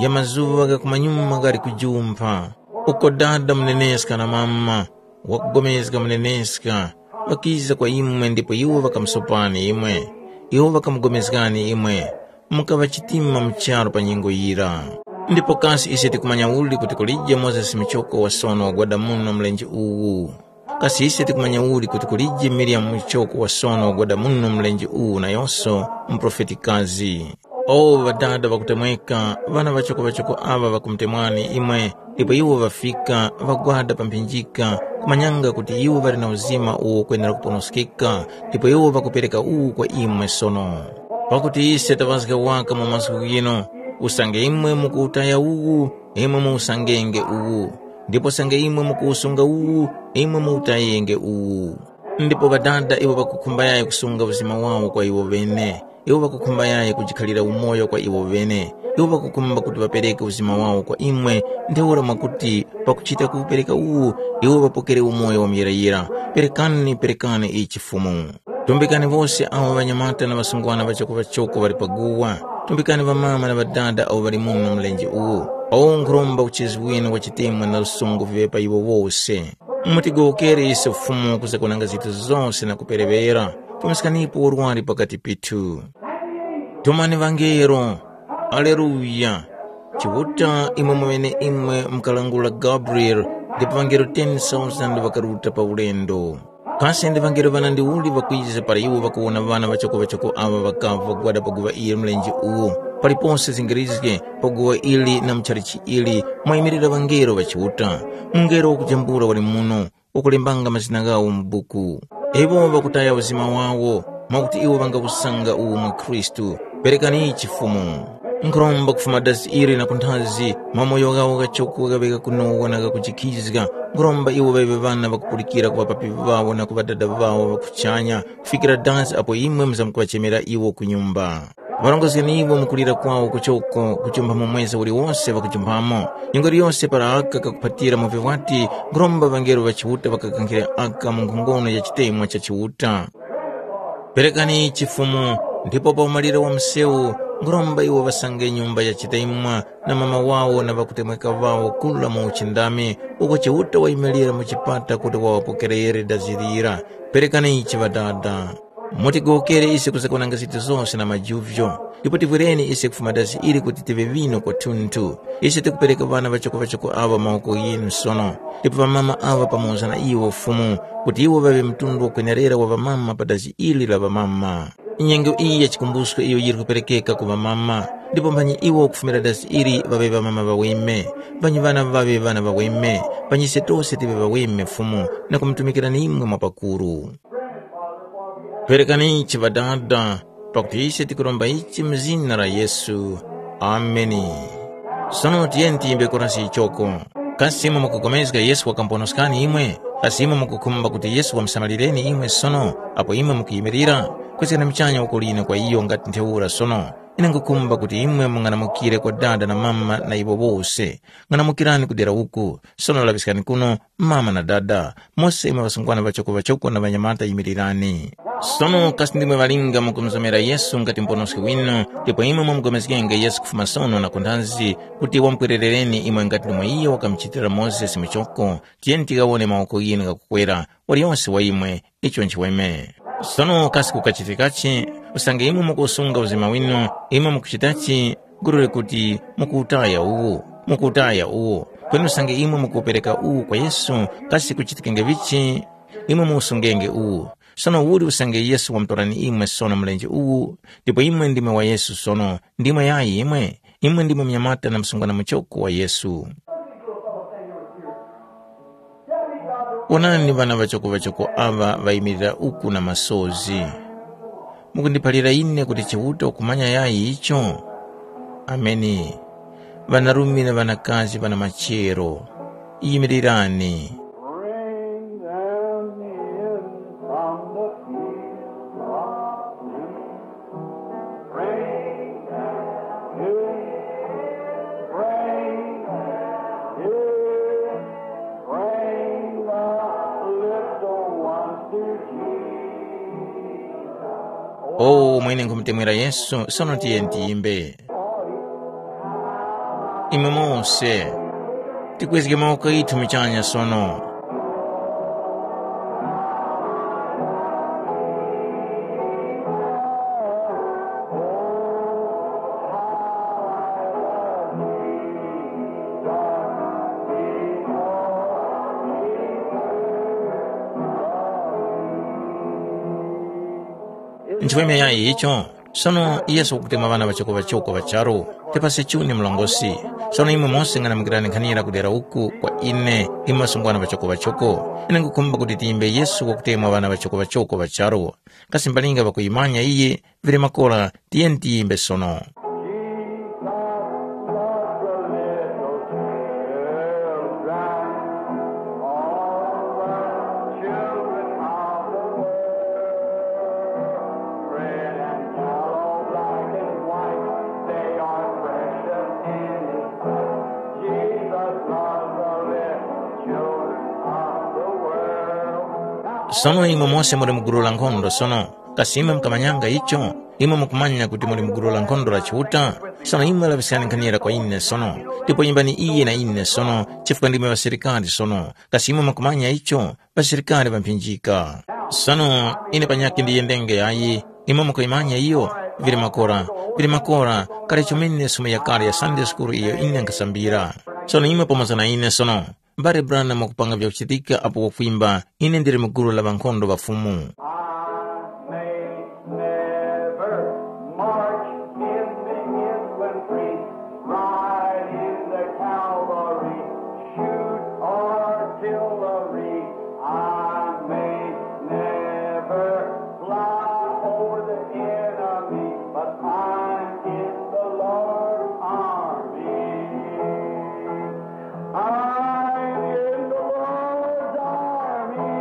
ya mazuŵa gha kumanyuma ghali kujumpha, uko dada muneneska na mama, wakugomezga muneneska, ŵakiza kwa imwe ndipo iwo ŵakamusopani imwe, iwo ŵakamugomezgani imwe, mukaŵa chitima mu charu pa nyengo yira. Ndipo kasi ise tikumanya uli kuti kulije Mozesi muchoko wa sono wagwada muno mlenje uwu? Kasi ise tikumanya uli kuti kulije Miriyamu muchoko wa sono wagwada muno mlenje uwu nayose muprofetikazi? O ŵadada ŵakutemweka, ŵana ŵachoko-ŵachoko aŵa ŵakumutemwani imwe, ndipo iwo ŵafika, ŵagwada pa mphinjika, kumanyanga kuti iwo ŵali na uzima uwo ukwenera kuponoskeka, ndipo iwo ŵakupereka uwu kwa imwe sono. Pakuti ise taŵazga waka mu masiku ghino, usange imwe mukuwutaya uwu, imwe muwusangenge uwu, ndipo usange imwe mukuwusunga uwu, imwe muwutayenge uwu. Ndipo Ŵadada iwo ŵakukhumba yayi kusunga uzima wawo kwa iwo ŵene, iwo ŵakukhumba yayi kujikhalira umoyo kwa iwo ŵene, iwo ŵakukhumba kuti ŵapereke uzima wawo kwa imwe, ntheura mwakuti pakuchita kuwupereka uwu, iwo ŵapokere umoyo wa muyirayira. Perekani, perekani ichi Fumu. Tumbikani wose awo ŵanyamata na ŵasungwana ŵachoko-ŵachoko ŵali pa guwa. Tumbikani ŵamama na ŵadada awo ŵali muno mlenje uwu. Awo nkhuromba uchezi winu wa chitemwa na lusungu viŵe pa iwo wose. Mutigowokere ise Fumu kuzagonanga zinthu zose na kupereŵera. Pumiskanipo urwari pakati pithu. Tumani ŵangelo. Aleluya! Chiuta imwe mweneimwe mukalangula Gabriele, ndipo ŵangelo ten thousand ŵakaruta pa ulendo. Kasi ndi ŵangelo ŵanandi uli ŵakwiza para iwo ŵakuwona ŵana ŵachoko-ŵachoko aŵa ŵakava ŵagwada pa guŵa ili mlenje uwu? Palipose zingirizge pa guŵa ili na mu chalichi ili mwayimirira ŵangelo ŵa Chiuta. Mungelo wakujambula wali muno, wakulembanga mazina ghawo mu buku. Iwo ŵakutaya uzima wawo, mwakuti iwo ŵangawusanga uwu mwa Khristu. Perekani ichi Fumu. Nkhuromba kufuma dasi ili na kunthazi, mamoyo ghawo ghachoko ghaŵe ghakunowa na ghakujikhizga. Nkhuromba iwo ŵaŵe ŵana ŵakupulikira ku ŵapapi ŵawo na ku Ŵadada ŵawo ŵa kuchanya, kufikira dasi apo imwe muzamkuŵachemera iwo ku nyumba. Ŵarongozgeni iwo mu kulira kwawo kuchoko, kujumpha mu mwezi uliwose ŵakujumphamo. Nyengo iliyose para aka kakuphatira mu vivwati, nkhuromba ŵangelo ŵa Chiuta ŵakakankhire aka mu nkhongono ya chitemwa cha Chiuta. Perekani ichi Fumu, ndipo pa umaliro wa msewu, nkhuromba iwo ŵasange nyumba ya chitemwa na mama wawo na ŵakutemweka ŵawo kura mu uchindami, uko Chiuta wayimilira mu chipata kuti waŵapokerere dazi lira. Perekani ichi Ŵadada. Mutigowokere ise kuzagonanga zinthu zose na majuvyo, ndipo tivwireni ise kufuma dasi ili kuti tive ŵino kwathunthu. Ise tikupereka ŵana ŵachoko-ŵachoko aŵa mu mawoko ghinu sono, ndipo ŵamama aŵa pamoza na iwo Fumu, kuti iwo ŵaŵe mtundu wakwenerera wa ŵamama pa dasi ili la ŵamama. Nyengo iyi ya chikumbusko iyo yili kuperekeka ku ŵamama, ndipo mphanyi iwo kufumira dasi ili ŵaŵe ŵamama ŵaweme, mphanyi ŵana ŵaŵe ŵana ŵaweme, mphanyi ise tose tive ŵaweme Fumu, na kumutumikirani imwe mwapakuru. Perekani ichi Ŵadada, pakuti ise tikuromba ichi mu zina la Yesu. Ameni. Sono tiyeni tiyimbe korasi ichoko. Kasi imwe mukupulikana Yesu wakamponoskani imwe? Kasi imwe mukukhumba kuti Yesu wamusamalireni imwe sono, apo imwe mukuyimirira? Kwezgani muchanya woko lino kwa iyo ngati ntheura sono. Ine nkhukhumba kuti imwe mung'anamukire kwa dada na mama na iwo wose. Ng'anamukirani kudera uku. Sono laŵiskani kuno, mama na dada, mose imwe ŵasungwana ŵachoko-ŵachoko na ŵanyamata yimirirani. Sono kasi ndimwe ŵalinga mukumuzomera Yesu ngati Muponoski winu, ndipo imwe mwamupulikana Yesu kufuma sono na kunthazi kuti wamupwererereni imwe ngati ndimo iyo wakamuchitira Mozesi muchoko, tiyeni tikawone mawoko ghinu ghakukwera, waliyose wa imwe, icho nchiweme. Sono kasi kukachitikachi? Usange imwe mukuwusunga uzima winu, imwe mukuchitachi gulure kuti mukuwutaya uwu, mukuwutaya uwu. Kweni usange imwe mukuwupereka uwu kwa Yesu, kasi kuchitikenge vichi? Imwe muwusungenge uwu. Sono uli usange Yesu wamutorani imwe sono mlenje uwu, ndipo imwe ndimwe wa Yesu sono, ndimwe yayi imwe? Imwe ndimwe munyamata na msungwana muchoko wa Yesu. Wonani ŵana ŵachoko-ŵachoko aŵa ŵayimirira uku na masozi. Mukundiphalira ine kuti Chiuta ukumanya yayi icho? Ameni. Ŵanarume na ŵanakazi ŵana machero, yimirirani. Bring them in from the field of sin. Bring them in, bring them in, bring the little ones to Jesus. O mwene nkhumutemwera Yesu, sono tiye tiyimbe. Imwe mose, tikwezge mawoko ghithu muchanya sono. Nchimwemwe yayi icho, sono Yesu wakutemwa ŵana ŵachoko-ŵachoko ŵa charu. Tipase chuni mlongosi. Sono imwe mose ng'anamukirani nkhanira kudera uku kwa ine, imwe ŵasungwana ŵachoko-ŵachoko. Ine nkhukhumba kuti tiyimbe Yesu wakutemwa ŵana ŵachoko-ŵachoko ŵa charu. Kasi mbalinga ŵakuyimanya iye, vili makora, tiyeni tiyimbe sono. Sono imwe mose muli mu gulu la nkhondo sono. Kasi imwe mukamanyanga icho? Imwe mukumanya kuti muli mu gulu la nkhondo la Chiuta? Sono imwe laŵiskani nkhanira kwa ine sono, ndipo yimbani iye na ine sono, chifukwa ndimwe ŵasilikari sono. Kasi imwe mukumanya icho? Ŵasilikari ŵamphinjika. Sono ine panyakhe ndiyendenge yayi, imwe mukuyimanya iyo? Vili makora, vili makora, kale chomene sumo yakale ya Sunday School iyo ine nkhasambira. Sono imwe pamoza na ine sono. Mbale Branham wakupanga vyakuchitika apo wakwimba, ine ndili mu gulu la ŵankhondo ŵa Fumu. I may never march in the infantry, ride in the cavalry, shoot artillery. I may never fly over the enemy, but I'm in the Lord's army. I'm in the Lord's army.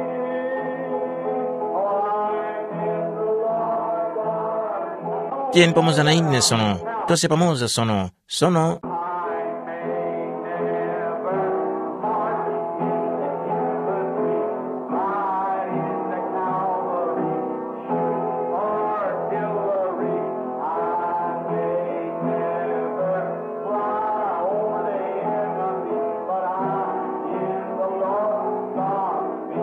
I'm in the Lord's army. Tiyeni pamoza na ine sono, tose pamoza sono, sono. I may never march in the infantry, ride in the cavalry, shoot artillery. I may never fly over the enemy, but I'm in the Lord's army.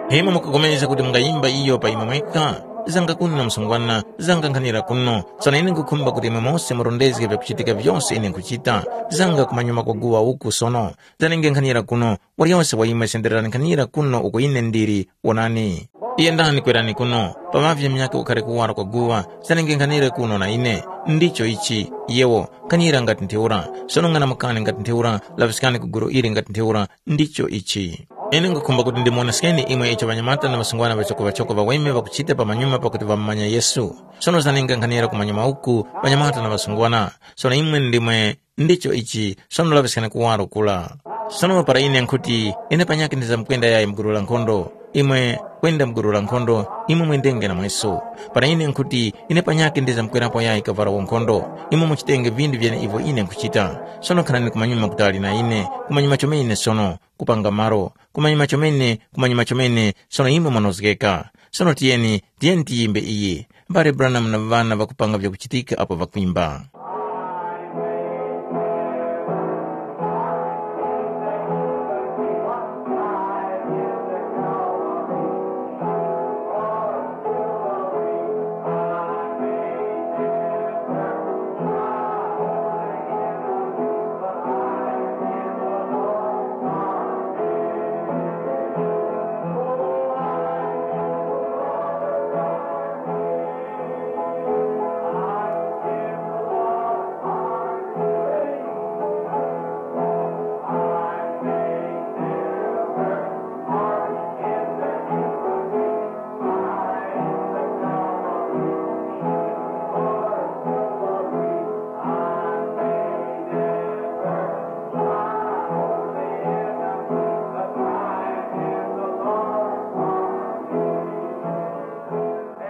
Imwe mukapulikana kuti mungayimba iyo pa imwe mwekha? Zanga kuno msungwana, zanga nkhanira kuno. Sono ine nkhukhumba kuti imwe mose murondezge vyakuchitika vyose ine nkhuchita. Zanga kumanyuma kwa guwa uku sono. Zanenge nkhanira kuno, waliyose wa imwe sendererani nkhanira kuno uko ine ndili, wonani. Yendani kwerani kuno, paŵavye munyakhe ukhare kuwaro kwa guwa, zanenge nkhanire kuno na ine. Ndicho ichi, yewo, nkhanira ngati ntheura, sono ng'anamukani ngati ntheura, laŵiskani ku gulu ili ngati ntheura, ndicho ichi. Ine nkhukhumba kuti ndimuwoneskeni imwe icho ŵanyamata na ŵasungwana ŵachoko-ŵachoko ŵaweme ŵakuchita pamanyuma pakuti ŵamumanya Yesu. Sono zanenge nkhanira kumanyuma uku, ŵanyamata na ŵasungwana. Sono imwe ndimwe Ndicho ichi, sono laŵiskani kuwaro kura. Sono para ine nkhuti, ine panyakhe ndizamkwenda yayi mu gulu la nkhondo, imwe kwenda mu gulu la nkhondo, imwe mwendenge namweso. Para ine nkhuti, ine panyakhe ndizamkwerapo yayi kavara wa nkhondo, imwe muchitenge vindu vyeneivo ine nkhuchita. Sono khanani kumanyuma kutali na ine, kumanyuma chomene sono, kupanga malo, kumanyuma chomene, kumanyuma chomene, sono imwe mwanozgeka. Sono tiyeni, tiyeni tiyimbe iyi. Mbale Branham na ŵana ŵakupanga vyakuchitika apo ŵakwimba.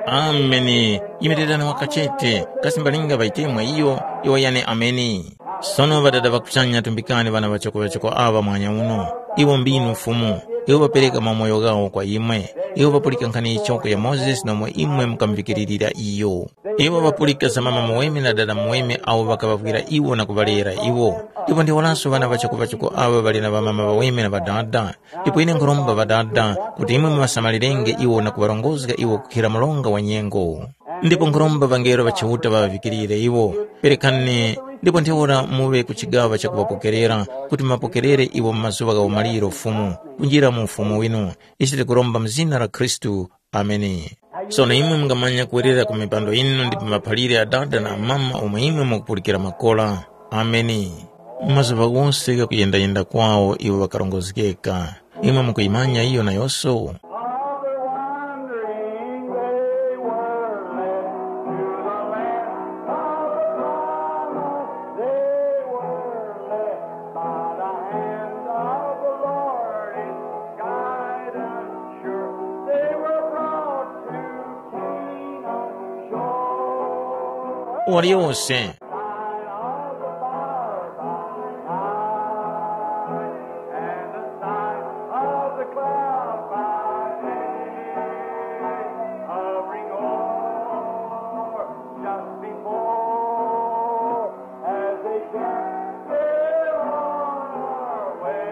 Ameni. Yimirirani wakachete, kasi mbalinga ŵaitemwa iyo, iwo yane ameni. Sono Ŵadada ŵa kuchanya, tumbikani ŵana ŵachoko-ŵachoko aŵa mwanya uno. Iwo mbinu Fumu, iwo ŵapereka mamoyo ghawo kwa imwe. Iwo ŵapulika nkhani yichoko ya Mozesi nomwe imwe mukamuvikiririra iyo. Iwo ŵapulika za mama muweme na dada muweme awo ŵakaŵavwira iwo na kuŵalera iwo. Ndipo ndiwolanso ŵana ŵachoko-ŵachoko aŵa ŵali na ŵamama ŵaweme na ŵadada. Ndipo ine nkhuromba Ŵadada kuti imwe muŵasamalirenge iwo na kuŵarongozga iwo kukhira mlonga wa nyengo. Ndipo nkhuromba ŵangelo ŵa Chiuta ŵaŵavikirire iwo. Perekani, ndipo ntheura muŵe ku chigaŵa cha kuŵapokerera, kuti muŵapokerere iwo mu mazuŵa gha umaliro Fumu, kunjira mu Ufumu winu. Ichi tikuromba mu zina la Khristu. Ameni. Sono imwe mungamanya kuwerera ku mipando yinu ndipo maphalire a dada na amama omwe imwe mukupulikira makora. Ameni. Mu mazuŵa ghose ghakuyendayenda kwawo iwo ŵakarongozgeka. Imwe mukuyimanya iyo nayose? All the wandering they were led to the land of the promise. They were led by the hand of the Lord in guidance sure. They were brought to Canaan shore. Waliyose. Sign of the fire by night, and the sign of the cloud by day, hovering o'er just before, as they cast their on our way.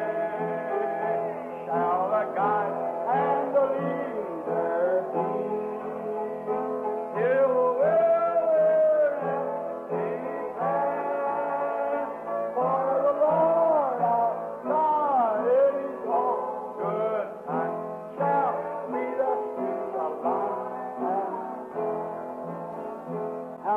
Shall the guide and the leader be? Till wherever he can, for the Lord our God is good, and shall lead us to the land.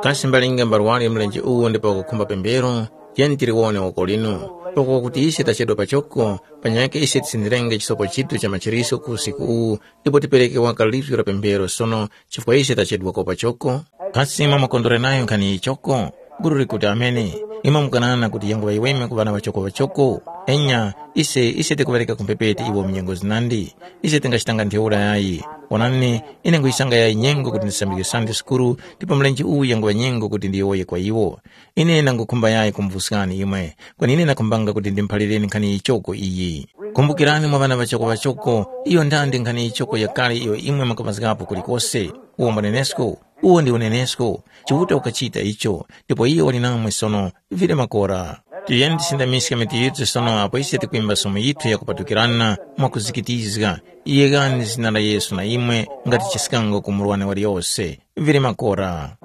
Kasi mbalinga mbarwari mlenje uwu ndipo wakukhumba pembero? Tiyeni tiliwone woko linu. Pakuti ise tachedwa pachoko, panyakhe ise tisindirenge chisopo chithu cha machiriso ku usiku uwu, ndipo tipereke waka lizgu la pemphero sono, chifukwa ise tachedwako pachoko. Kasi imwe mwakondwera nayo nkhani yichoko? Gulu likuti amene. Imwe mukanana kuti yango ŵayiweme ku ŵana ŵachoko ŵachoko? Enya, ise ise tikuŵareka ku mphepete iwo mu nyengo zinandi. Ise tingachitanga ntheura yayi. Onani, ine nguyisanga yayi nyengo kuti ndisambike Sunday school, ndipo mlenje uwu yanguŵa nyengo kuti ndiyowoye kwa iwo. Ine ndangukhumba yayi kumuvuskani imwe, kweni ine ndakhumbanga kuti ndimuphalireni nkhani yichoko iyi. Kumbukirani mwa ŵana ŵachoko ŵachoko, iyo ndandi nkhani yichoko yakale iyo imwe mwakamazgapo kulikose. Uwo mwanenesko, uwo ndi unenesko. Chiuta ukachita icho, ndipo iyo wali namwe sono, vile makora. Tiyeni tisindamiske mitu yithu sono apo ise tikwimba somo yithu yakupatukirana mwakuzikitizga. Yegani zina la Yesu na imwe ngati chiskango ku murwani waliyose. Vile makora.